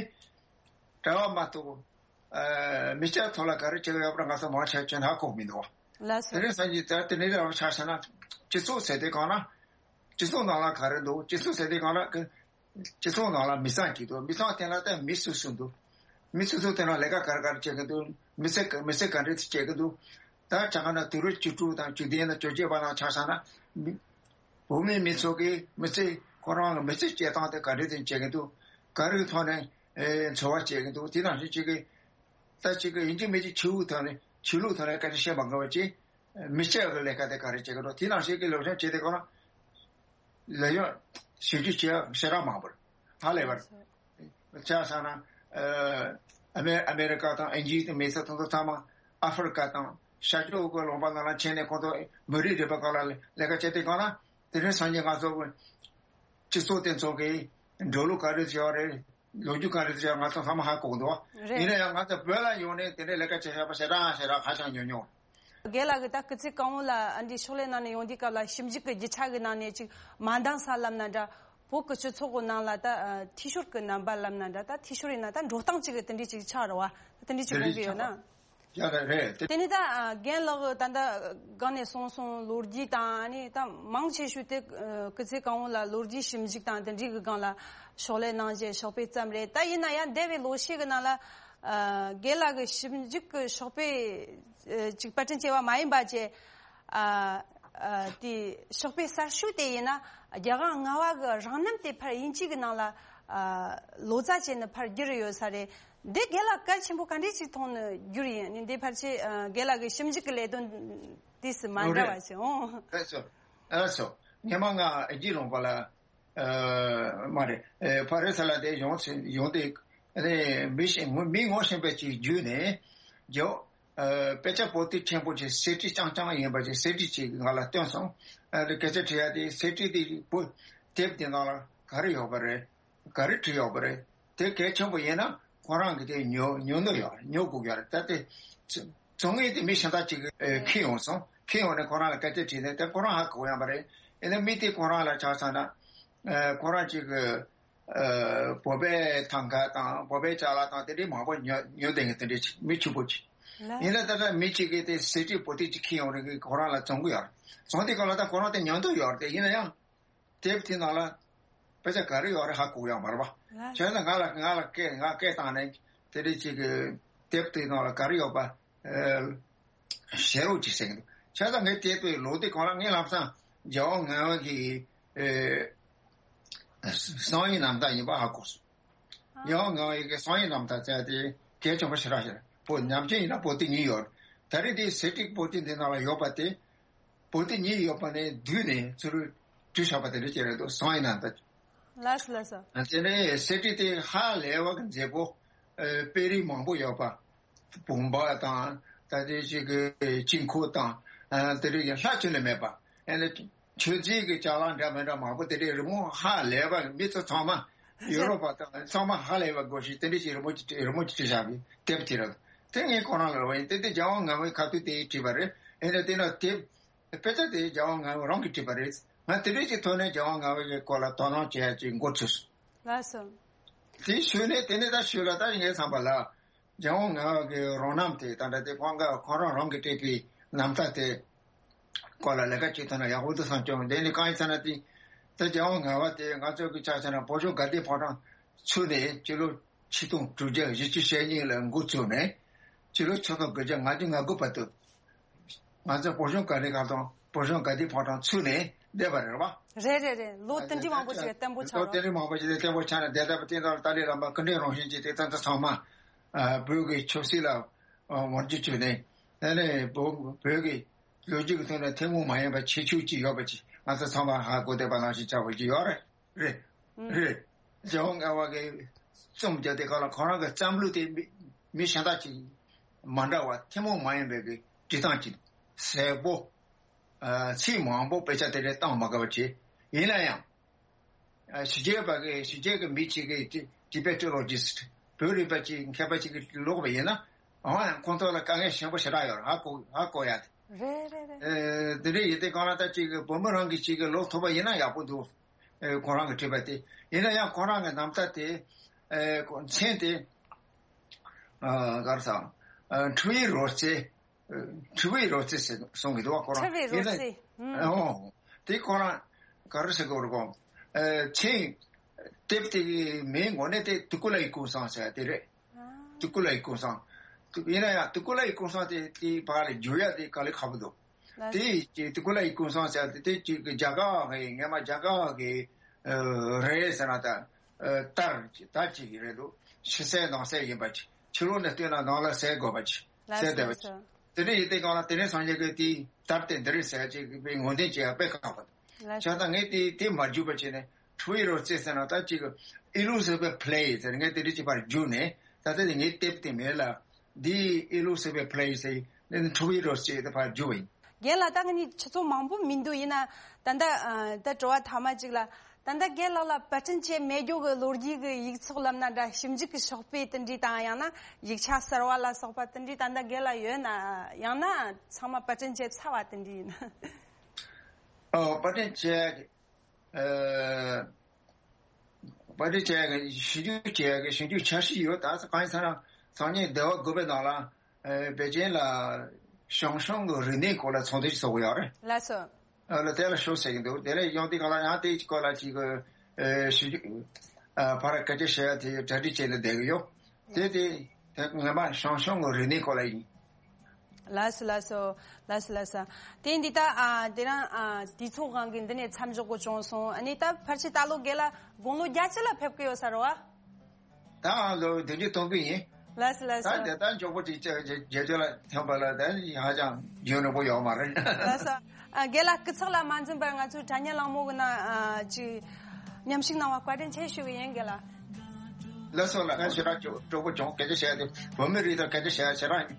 གྲྭ་བ་མ་གཏོགས། ཨ་མི་སྐྱ་ཐོག་ལ་ག་རེ་བྱེད་ཀྱི་ཡོད་པ་ང་ཚོ་མང་ཆེ་ཅིག་ཧ་གོ་མི་འདུག་དེ་ལགས་སོ། རིང་སང་ཉིན་ད་དེ་ནས་རང་ཆ་བཞག་ན། སྤྱི་ཚོགས་ཟེར་དུས་སྒང་ལ་སྤྱི་ཚོགས་ནང་ལ་ག་རེ་འདུག་སྤྱི་ཚོགས་ཟེར་དུས་སྒང་ལ་གི་སྤྱི་ཚོགས་ནང་ལ་མི་ཚང་གཅིག་འདུག་མི་ཚང་དེ་ལ་ད་མི་སུ་སུ་འདུག་མི་སུ་སུ་དེ་ལ་ལས་ཀ་ག་རེ་ག་རེ་བྱེད་ཀྱི་འདུག་མི་ཚེ་མི་ཚེ་ག་འདྲ་བྱེད་ཀྱི་འདུག་ད་ཆ་བཞག་ན་དུས་རབས་བཅུ་དྲུག་དང་བཅུ་བདུན་དང་བཅོ་བརྒྱད་པ་ནང་ཆ་བཞག་ན། མི་བོད་མི་མི་ཚོ་གི་མི་ཚེ་ཁོ་རང་གི་མི་ཚེ་སྐྱེལ་སྟངས་དེ་ག་འདྲ་དེ་བྱེད་ཀྱི་འདུག་ག་རེ་གི་ཐོག་ནས་ཨེ་འཚོ་བ་སྐྱེལ་གྱི་འདུག་དེ་ནང་བཞིན་ཅིག་གི་ད་ཅིག་གི་ཡིན་གཅིག་མིན་གཅིག་ཆོས་ལུགས་ཐོག་ནས་ཆོས་ལུགས་ཐོག་ནས་སྐད་ཆ་བཤད་མ་དགོས་པ་ཅིག་མི་སྐྱ་གི་ལས་ཀ་དེ་ག་རེ་བྱེད་ཀྱི་འདུག་དེ་ནང་བཞིན་གི་ལེགས་ཤོམ་བྱེད་དེ་གོ་ན། ལས་ཡོད་ཞིབ་འཇུག་བྱེད་ཡག་ཞེ་དྲག་མང་པོ་རེད། ཧ་ལས་པ་རེད། ཆ་བཞག་ན། ཨ་མེ་ཨ་མེ་རི་ཀ་དང་ཨིན་ཇི་དང་མི་སེར་དེ་ཚོ་ཚང་མ་ཨ་ཧྥེ་རི་ཀ་དང་ཤར་ཕྱོགས་ཀྱི་ལུང་པ་ནང་ལ་ཕྱིན་ནས་ཁོང་ཚོ་མི་རིགས་རིག་པའི་སྐོར་ལ་ལས་ཀ་བྱེད་དུས་སྒང་ལ། དེ་རིང་སང་ཉིན་ང་ཚོ་སྤྱི་ཚོགས་དེ་ཚོ་གི་འགྲོ་ལུགས་ག་རེ་བྱས་པ་རེད། ལོ་རྒྱུས་ག་རེ་བྱས་པ་ང་ཚོ་ཚང་མ་ཧ་གོ་གི་འདུག་རེད། ཡིན་ན་ཡང་ང་ཚོ་བོད་ལ་ཡོང་ནས་དེ་འདྲའི་ལས་ཀ་བྱེད་ཤེས་པ་ཞེ་དྲག་ཞེ་དྲག་ཧ་ཅང་ཉུང་ཉུང་། རྒན་ལགས་ཀྱིས་ད་སྐུ་ཚེ་གང་བོ་ལ་ཨ་འདྲའི་ཕྱག་ལས་གནང་ནས་ཡོང་དུས་སྐབས་ལ་ཞིབ་འཇུག་གི་རྒྱུ་ཆ་གི་ནང་ནས་ཅིག་མ་འདང་ས་ལབ་ན་འདྲ། བོད་ཀྱི་སྤྱི་ཚོགས་ཀྱི་ནང་ལ་ད་ཨ་འཐུས་ཤོར་གྱི་རྣམ་པ་ལབ་ན་འདྲ། ད་འཐུས་ཤོར་ཡིན་ན་ད་འགྲོ་སྟངས་ཅིག་གི་དེ་འདྲའི་ཅིག་ཆགས་རེད་བ། ད་དེ་འདྲའི་ཅིག་དེ་དགོངས་ཀྱི་ཡོད་ན། ཡ་ད་རེད་དེ། དེ་ནི་ད་ཨ་རྒན་ལགས་ད་ལྟ་སྒང་ནས་གསུངས་སོང་། ལོ་རྒྱུས་དང་ཨ་ནི་ད་མང་ཆེ་ཤོས་དེ་ཨ་སྐུ་ཚེ་གང་བོ་ལ་ལོ་རྒྱུས་ཞིབ་འཇུག་དང་དེ་འདྲའི་གི་སྒང་ལ་ཕྱག་ལས་གནང་བཞིན་ཕྱག་དཔེ་བརྩམས་རེད། ད་ཡིན་ན་ཡང་འདས་པའི་ལོ་ཤས་ཀྱི་ནང་ལ་ཨ་རྒན་ལགས་ཀྱི་ཞིབ་འཇུག་གི་ཕྱག་དཔེ་ཨ་ཅིག་པར་སྐྲུན་བྱས་པ་མ་ཡིན་པ་བཅས། ཨ་ཨ་དེ་ཕྱག་དཔེ་གསར་ཤོས་དེ་ཡིན་ན་རྒྱལ་དབང་ལྔ་པ་གི་རང་རྣམ་དེ་ཕར་དབྱིན་ཇི་གི་ནང་ལ་ཨ་ལོ་ཙཱ་བྱས་ནས་ཕར་བསྒྱུར་ཡོད་ས་རེད། འདི་རྒན་ལགས་གལ་ཆེན་པོ་ག་འདྲས་ཅིག་མཐོང་ནས་བསྒྱུར་ཡིན། ནི་འདི་ཕལ་ཆེར་ཨ་རྒན་ལགས་ཀྱི་ཞིབ་འཇུག་གི་ལས་དོན་དུས་སུ་མ་འདྲ་བ་ཞིག་འོང་། ལགས་སོ། ལགས་སོ། སྔོན་མ་ང་ཨིན་ཇི་ལུང་པ་ལ་ཨ་མ་རེད། ཨ་ཕ་རི་སི་ལ་དེ་ཡོང་ཚེ་ཡོང་དེ་ཨ་ནི་མི་ཤེས་མི་ངོ་ཤེས་པ་ཅིག་བརྒྱུད་ནས་རྒྱོ་ཨ་དཔེ་ཆ་པོ་ཏི་ཆེན་པོ་ཅིག་སི་ཌི་རྐྱང་རྐྱང་ཡིན་པ་ཅིག་སི་ཌི་ཅིག་ང་ལ་སྟོན་སོང་། ཨ་ནི་སྐད་ཆ་དྲི་ཡ་དེ་སི་ཌི་དེ་པོ་དེབ་དེ་ནང་ལ་ག་རེ་ཡོད་པ་རེད། ག་རེ་བྲིས་ཡོད་པ་རེད། དེ་གལ་ཆེན་པོ་ཡིན་ན་ཁོ་རང་གིས་དེ་ཉོ་ཉོ་འདོད་ཡོད་རེད། ཉོ་དགོས་ཀྱི་ཡོད་རེད། ད་དེ་ཚོང་ངེས་དེ་མི་གཞན་དག་ཅིག་གིས་ཨེ་ཁྱེར་ཡོང་སོང་། ཁྱེར་ཡོང་ནས་ཁོ་རང་ལ་སྐད་ཆ་དྲིས་ནས་དེ་ཁོ་རང་ཧ་གོ་ཡོང་པ་རེད། ཡིན་ན་མི་དེ་ཁོ་རང་ལ་ཆ་བཞག་ན་ཨེ་ཁོ་རང་ཅིག་གིས་ཨེ་བོད་པའི་ཐང་ག་དང་བོད་པའི་ཅ་ལག་དང་དེ་འདྲའི་མང་པོ་ཉོ་ཉོ་བསྡད་མཁན་དེ་འདྲའི་ཅིག་མི་ཕྱུག་པོ་ཅིག་ལགས། ཡིན་ན་ད་ལྟ་མི་གཅིག་གིས་དེ་སི་ཌི་པོ་ཏི་ཅིག་ཁྱེར་ཡོང་རེད། ཁོ་རང་ལ་བཙོང་གི་ཡོད་རེད། བཙོང་དུས་སྒང་ལ་ད་ཁོ་རང་དེ་ཉོ་འདོད་ཡོད་རེད། དེ་ཡིན་ན་ཡང་དེབ་དེ་ནང་ལ་དཔེ་ཆ་ག་རེ་ཡོད་རེད་ཧ་གོ་ཡོད་མ་རེད་པ། ལགས། བྱས་ན་ང་ལ་ང་ལ་སྐད་ང་སྐད་བཏང་ནས་དེ་འདྲའི་ཅིག་གི་དེབ་དེ་ནང་ལ་ག་རེ་ཡོད་པ་ཨེ་བཤད་རོགས་ཅིག་ཟེར་གི་འདུག་བྱས་ཙང་ངས་དེབ་དེ་ཀློག་དུས་སྒང་ལ་ངས་ལམ་སང་རྒྱལ་དབང་ལྔ་པ་གི་ཨེ་གསང་བའི་རྣམ་ཐར་ཡིན་པ་ཧ་གོ་སོང་། རྒྱལ་དབང་ལྔ་པའི་གི་གསང་བའི་རྣམ་ཐར་ཟེར་ཡ་དེ་གལ་ཆེན་པོ་ཞེ་དྲག་ཞིག་རེད། པོ་ནམ་རྒྱུན་ཡིན་ན་པོ་ཏི་གཉིས་ཡོད་རེད། ད་རེས་དེ་སི་ཌི་པོ་ཏི་འདི་ནང་ལ་ཡོད་པ་དེ་པོ་ཏི་གཉིས་ཡོད་པ་ནས་བསྡུས་ནས་ཚུར་བྲིས་བཞག་པ་དེ་འདྲ་ཅིག་རེད་འདུག་གསང་བའི་རྣམ་ཐར། ལགས་སོ། ལགས་སོ། དེ་ནས་སི་ཌི་དེ་ཧ་ལས་པ་གི་མཛེས་པོ། ཨེ་དཔེ་རིས་མང་པོ་ཡོད་པ། བུམ་པ་དང་ད་ལྟའི་ཅིག་གི་དཀྱིལ་འཁོར་དང་ཨ་དེ་རིགས་ཀྱི་ལྷག་ཆོས་ལས་མེད་པ། ཨེ་ནས་མཆོད་རྫས་ཀྱི་ཅ་ལག་འདྲ་མི་འདྲ་མང་པོ་དེ་འདྲའི་རི་མོ་ཧ་ལས་པ་མི་ཚོ་ཚང་མ་ཡོ་རོབ་པ་དང་ཚང་མ་ཧ་ལས་པ་དགོས་ཤིག་དེ་འདྲའི་ཅིག་རི་མོ་ཅིག་རི་མོ་ཅིག་བྲིས་བཞག་པའི་དེབ་ཅིག་རེད། དེ་ངས་ཁོ་རང་ལ་རོགས་ཡིན། དེ་དེ་རྒྱལ་དབང་ལྔ་པའི་ཁ་ཐུག་དེ་བྲིས་པ་རེད། ཨེ་ནས་དེ་ན་དེབ་དཔེ་ཆ་དེ་རྒྱལ་དབང་ལྔ་པ་རང་གིས་བྲིས་པ་རེད། ང་དེ་འདྲའི་ཅིག་ཐོག་ནས་རྒྱལ་དབང་ལྔ་པའི་སྐོར་ལ་དོ་སྣང་བྱེད་ཡ་ཅིག་འགོ་ཚུགས་སོང་། ལགས་སོ། དེའི་ཤུལ་ནས་དེ་ནས་ད་ཤུལ་ལ་ད་ངའི་བསམ་པ་ལ། རྒྱལ་དབང་ལྔ་པ་གི་རང་རྣམ་དེ་ད་ལྟ་དེ་ཁོང་ག་ཁོ་རང་རང་གིས་སྤྲད་པའི་རྣམ་ཐར་དེ་སྐོར་ལ་ལས་ཀ་བྱེད་ཐུབ་ན་ཡག་པོ་འདུག་བསམ་བྱུང་། དེ་ནི་གང་ཡིན་ཟེར་ན་དེ་ད་རྒྱལ་དབང་ལྔ་པ་དེ་ང་ཚོ་གི་ཆ་བཞག་ན་བོད་གཞུང་དགའ་ལྡན་ཕོ་བྲང་ཚུགས་ནས་ཕྱི་ལོ་ཆིག་སྟོང་དྲུག་བརྒྱ་བཞི་བཅུ་ཞེ་གཉིས་ལ་འགོ་བཙུགས་ནས་ཕྱི་ལོ་ཆིག་སྟོང་དགུ་བརྒྱ་ལྔ་བཅུ་ང་དགུ་བར་དུ། ང་ཚོ་བོད་གཞུང་དགའ་ལྡན་ཁང་དང་བོད་གཞུང་དགའ་ལྡན་ཕོ་བྲང་ཚུགས་ནས་བསྡད་པ་རེད་བ། རེད་རེད་རེད། ལོ་དེ་འདྲའི་མང་པོ་ཞིག་བརྟན་པོ་ཆགས་ལོ་དེ་རེད། འདྲའི་མང་པོ་ཞིག་བརྟན་པོ་ཆགས་ནས་བསྡད་པ་དེ་དག་ཏཱ་ལའི་བླ་མ་སྐུ་ཕྲེང་རིམ་བྱོན་གྱི་དེ་ཚོ་ཚང་མ་ཨ་བོད་ཀྱི་ཆབ་སྲིད་ལ་ཨ་ངོ་རྒོལ་བྱས་ནས་དེ་ནས་བོད་བོད་ཀྱི་ལོ་རྒྱུས་ཀྱི་ཐོག་ནས་ཐུན་མོང་མ་ཡིན་པའི་ཁྱད་ཆོས་ཅིག་ཡོད་པ་ཅིག་ང་ཚོ་ཚང་མ་ཧ་གོ་བསྡད་པ་ནང་བཞིན་ཆགས་པ་ཅིག་ཡོད་རེད། རེད། རེད། རྒྱལ་དབང་ལྔ་པ་གིས་རྩོམ་རྒྱག་དེ་ག་ལ་ཁོ་རང་གི་བརྩམས་ལུགས་དེ་མི་མི་གཞན་དག་ཅིག་མ་འདྲ་བ་ཐུན་མོང་མ་ཡིན་པའི་གི་འབྲི་སྟངས་ཅིག་གསལ་པོ། ཨ་ཚིག་མང་པོ་དཔེ་ཆ་དེ་འདྲ་བཏང་མ་དགོས་པ་བྱས། ཡིན་ན་ཡང་ཨ་ཕྱི་རྒྱལ་པ་གི་ཕྱི་རྒྱལ་གི་མི་གཅིག་གིས་ཊི་Tibetologist། བོད་རིག་པ་ཅིག་མཁས་པ་ཅིག་གིས་ཀློག་པ་ཡིན་ན་འོ་ཡང་ཁོང་ཚོ་ལ་དཀའ་ངལ་ཆེན་པོ་ཞེ་དྲག་ཡོད་རེད། ཧ་གོ་ཧ་གོ་ཡ་དེ། རེད་རེད་རེད། ཨེ་དེ་འདྲ་ཡིན་དུས་གང་ལ་ད་ཅིག་བོད་མི་རང་གིས་ཅིག་གིས་ཀློག་ཐུབ་པ་ཡིན་ན་ཡག་པོ་འདུག་ཨེ་ཁོ་རང་གིས་བྲིས་པ་དེ་ཡིན་ན་ཡང་ཁོ་རང་གི་རྣམ་ཐར་དེ་ཨེ་མཚན་དེ་ཨ་ག་རེ་ཟེར་ཨ་འཁྲུལ་བའི་རོལ་རྩེད། ཨེ་འཁྲུལ་བའི་རོལ་རྩེད་ཟེར་གསུང་གི་འདུག་བ། ཁོ་རང་འཁྲུལ་བའི་ཡིན་རོལ་ན་རྩེད། ཨུམ། ཨོ་དེ་ཁོ་རང་ག་རེ་ཟེར་དགོས་རེད་གོ། ཨེ་མཚན་དེབ་དེ་གི་མིང་ངོ་ནས་དེ་ཏུ་ཀུ་ལའི་ཀུན་བཟང་ཟེར་དེ་རེད། ཨ། ཏུ་ཀུ་ལའི་ཀུན་བཟང་། ཏུ་ཡིན་ན་ཡང་ཏུ་ཀུ་ལའི་ཀུན་བཟང་དེ་དེ་བར་ལ་བསྒྱུར་ཡ་དེ་དཀའ་ལས་ཁག་པོ་འདུག་ལགས། དེ་ཅིག་ཏུ་ཀུ་ལའི་ཀུན་བཟང་ཟེར་དེ་དེ་ཅིག་གི་རྒྱ་གར་གི་སྔས་མ་རྒྱ་གར་གི་ཨ་རེད་ཟེར་ན་ད་ཨ་དར་ཅིག་དར་ཅིག་གི་རེད་འདུག་ཕྱི་གསལ་ནང་གསལ་ཡིན་པ་ཅིག་ཕྱི་ལོགས་ནས་བལྟས་ན་ནང་ལ་གསལ་དགོས་པ་ཅིག་ལགས་གསལ་བསྡད་པ་ཅིག་སོ། དེ་འདྲ་ཡིན་དུས་གང་ལ་དེ་ནས་སངས་རྒྱས་ཀྱི་དེའི་དར་དེ་འདི་རེད་ཟེར་ཅིག་པའི་ངོས་འཛིན་བྱེད་ཡ་དཔེ་ཁག་པོ་འདུག་ལགས། བྱས་ཙང་ངས་དེ་དེ་མ་བསྒྱུར་བ་བྱས་ནས། འཁྲུལ་བའི་རོལ་རྩེད་ཟེར་ན་ད་ཅིག་Illusive Play ཟེར་ངས་དེ་འདྲ་ཅིག་ཕར་བསྒྱུར་ནས་ད་ལྟ་དེ་ངའི་དེབ་དེ་མེད་ལ། འདི་Illusive Play ཟེར་འདི་ནི་འཁྲུལ་བའི་རོལ་རྩེད་དེ་ཕར་བསྒྱུར་བ་ཡིན། རྒན་ལགས། ད་ང་གཉིས་ཆུ་ཚོད་མང་པོ་མི་འདུག་ཡིན་ན་ད་ལྟ་ཨ་ད་དྲི་བ་ཐ་མ་གཅིག་ལ། ད་ལྟ་རྒན་ལགས་ལ་པར་སྐྲུན་བྱས་མེད་རྒྱུ་གི་ལོ་རྒྱུས་ཀྱི་ཡིག་ཚོགས་ལབ་ན་འདྲ། ཞིབ་འཇུག་གི་ཤོག་དཔེ་དེ་འདྲ་དང་ཡང་ན་ཡིག་ཆ་གསར་བ་ལ་སོགས་པ་དེ་འདྲ་ད་ལྟ་རྒན་ལགས་ཡོད་ན། ཡང་ན་ཚང་མ་པར་སྐྲུན་བྱས་ཚར་བ་དེ་འདྲ་ཡིན་ན། ཨོ་པར་སྐྲུན་བྱས། ཨ་པར་སྐྲུན་བྱས་ཞིབ་འཇུག་བྱས་ཞིབ་འཇུག་འཆར་གཞི་ཡོད། ད་གང་ཡིན་ཟེར་ན་སང་ཉིན་ཟླ་བ་དགུ་པའི་ནང་ལ་ཨ་པེ་ཅིན་ལ་ཞང་ཞུང་གི་རིག་གནས་སྐོར་ལ་ཚོགས་འདུ་ཞིག་ཚོགས་ཀྱི་ཡོད་རེད། ལགས་སོ། ཨ་ལ་དེ་ལ་ཤོག་ཟེར་གྱི་འདུག་དེ་ལ་ཡོང་དུས་གང་ལ་ཡང་དེའི་སྐོར་ལ་ཅིག་གི་ཨ་ཞིབ་འཇུག་ཨ་ཕར་སྐད་ཆ་བཤད་ཡ་དེ་གྲ་སྒྲིག་བྱས་ནས་བསྡད་ཀྱི་ཡོད། དེ་དེ་དེ་ངོ་མ་ཞང་ཞུང་གི་རིག་གནས་སྐོར་ལ་ཡིན། ལགས་སོ་ལགས་སོ། ལགས་སོ་ལགས་སོ། དེ་འདི་ད་ཨ་དེ་རང་ཨ་དུས་ཚོད་དབང་གིས་འདི་ནས་མཚམས་འཇོག་དགོས་བྱུང་སོང་། ཨ་ནི་ད་ཕལ་ཆེར་ད་ལོ་རྒན་ལགས་དགུང་ལོ་བརྒྱད་ཅུ་ལ་ཕེབས་ཀྱི་ཡོད་ས་རེད་བ། ད་ཨ་ལོ་བདུན་ཅུ་དོན་དགུ་ཡིན། ལགས་སོ་ལགས་སོ། ད་དེ་ད་མགྱོགས་པོ་ཅིག་བརྒྱད་ཅུ་ལ་ཐོན་པ་ལ་ད་ཧ་ཅང་ཡུན་རིང་པོ་ཡོད་མ་རེད། ལགས་སོ། ཨ་རྒན་ལགས་སྐུ་ཚེགས་ལ་མ་འཛེམས་པར་ང་ཚོའི་དྲ་བརྙན་གླེང་མོལ་གྱི་ནང་ཨ་ཅིག་མཉམ་ཞུགས་གནང་བ་བཀའ་དྲིན་ཆེ་ཞུ་གི་ཡིན་རྒན་ལགས། ལགས་སོ་ལགས། ཞེ་དྲག་སྤྲོ་སྤྲོ་པོ་བྱུང་། སྐད་ཆ་བཤད་དུས་བོད་མི་རིགས་དང་སྐད་ཆ་བཤད་ཞེ་དྲག་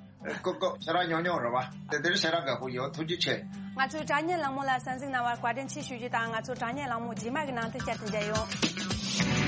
ཀོ་ཀོ་ཞེ་དྲག་ཉོབ་ཉོབ་རེད་བ། དེ་འདིར་ཞེ་དྲག་དགའ་པོ་ཡོད། ཐུགས་རྗེ་ཆེ། ང་ཚོའི་དྲ་བརྙན་གླེང་མོལ་ལ་གསན་གཟིགས་གནང་བར་བཀའ་དྲིན་ཆེ་ཞུ་རྒྱུ་དང་། ང་ཚོ་དྲ་བརྙན་གླེང་མོལ་རྗེས་མ་གི་ནང་དུ་བསྐྱར་དུ་མཇལ་ཡོང་།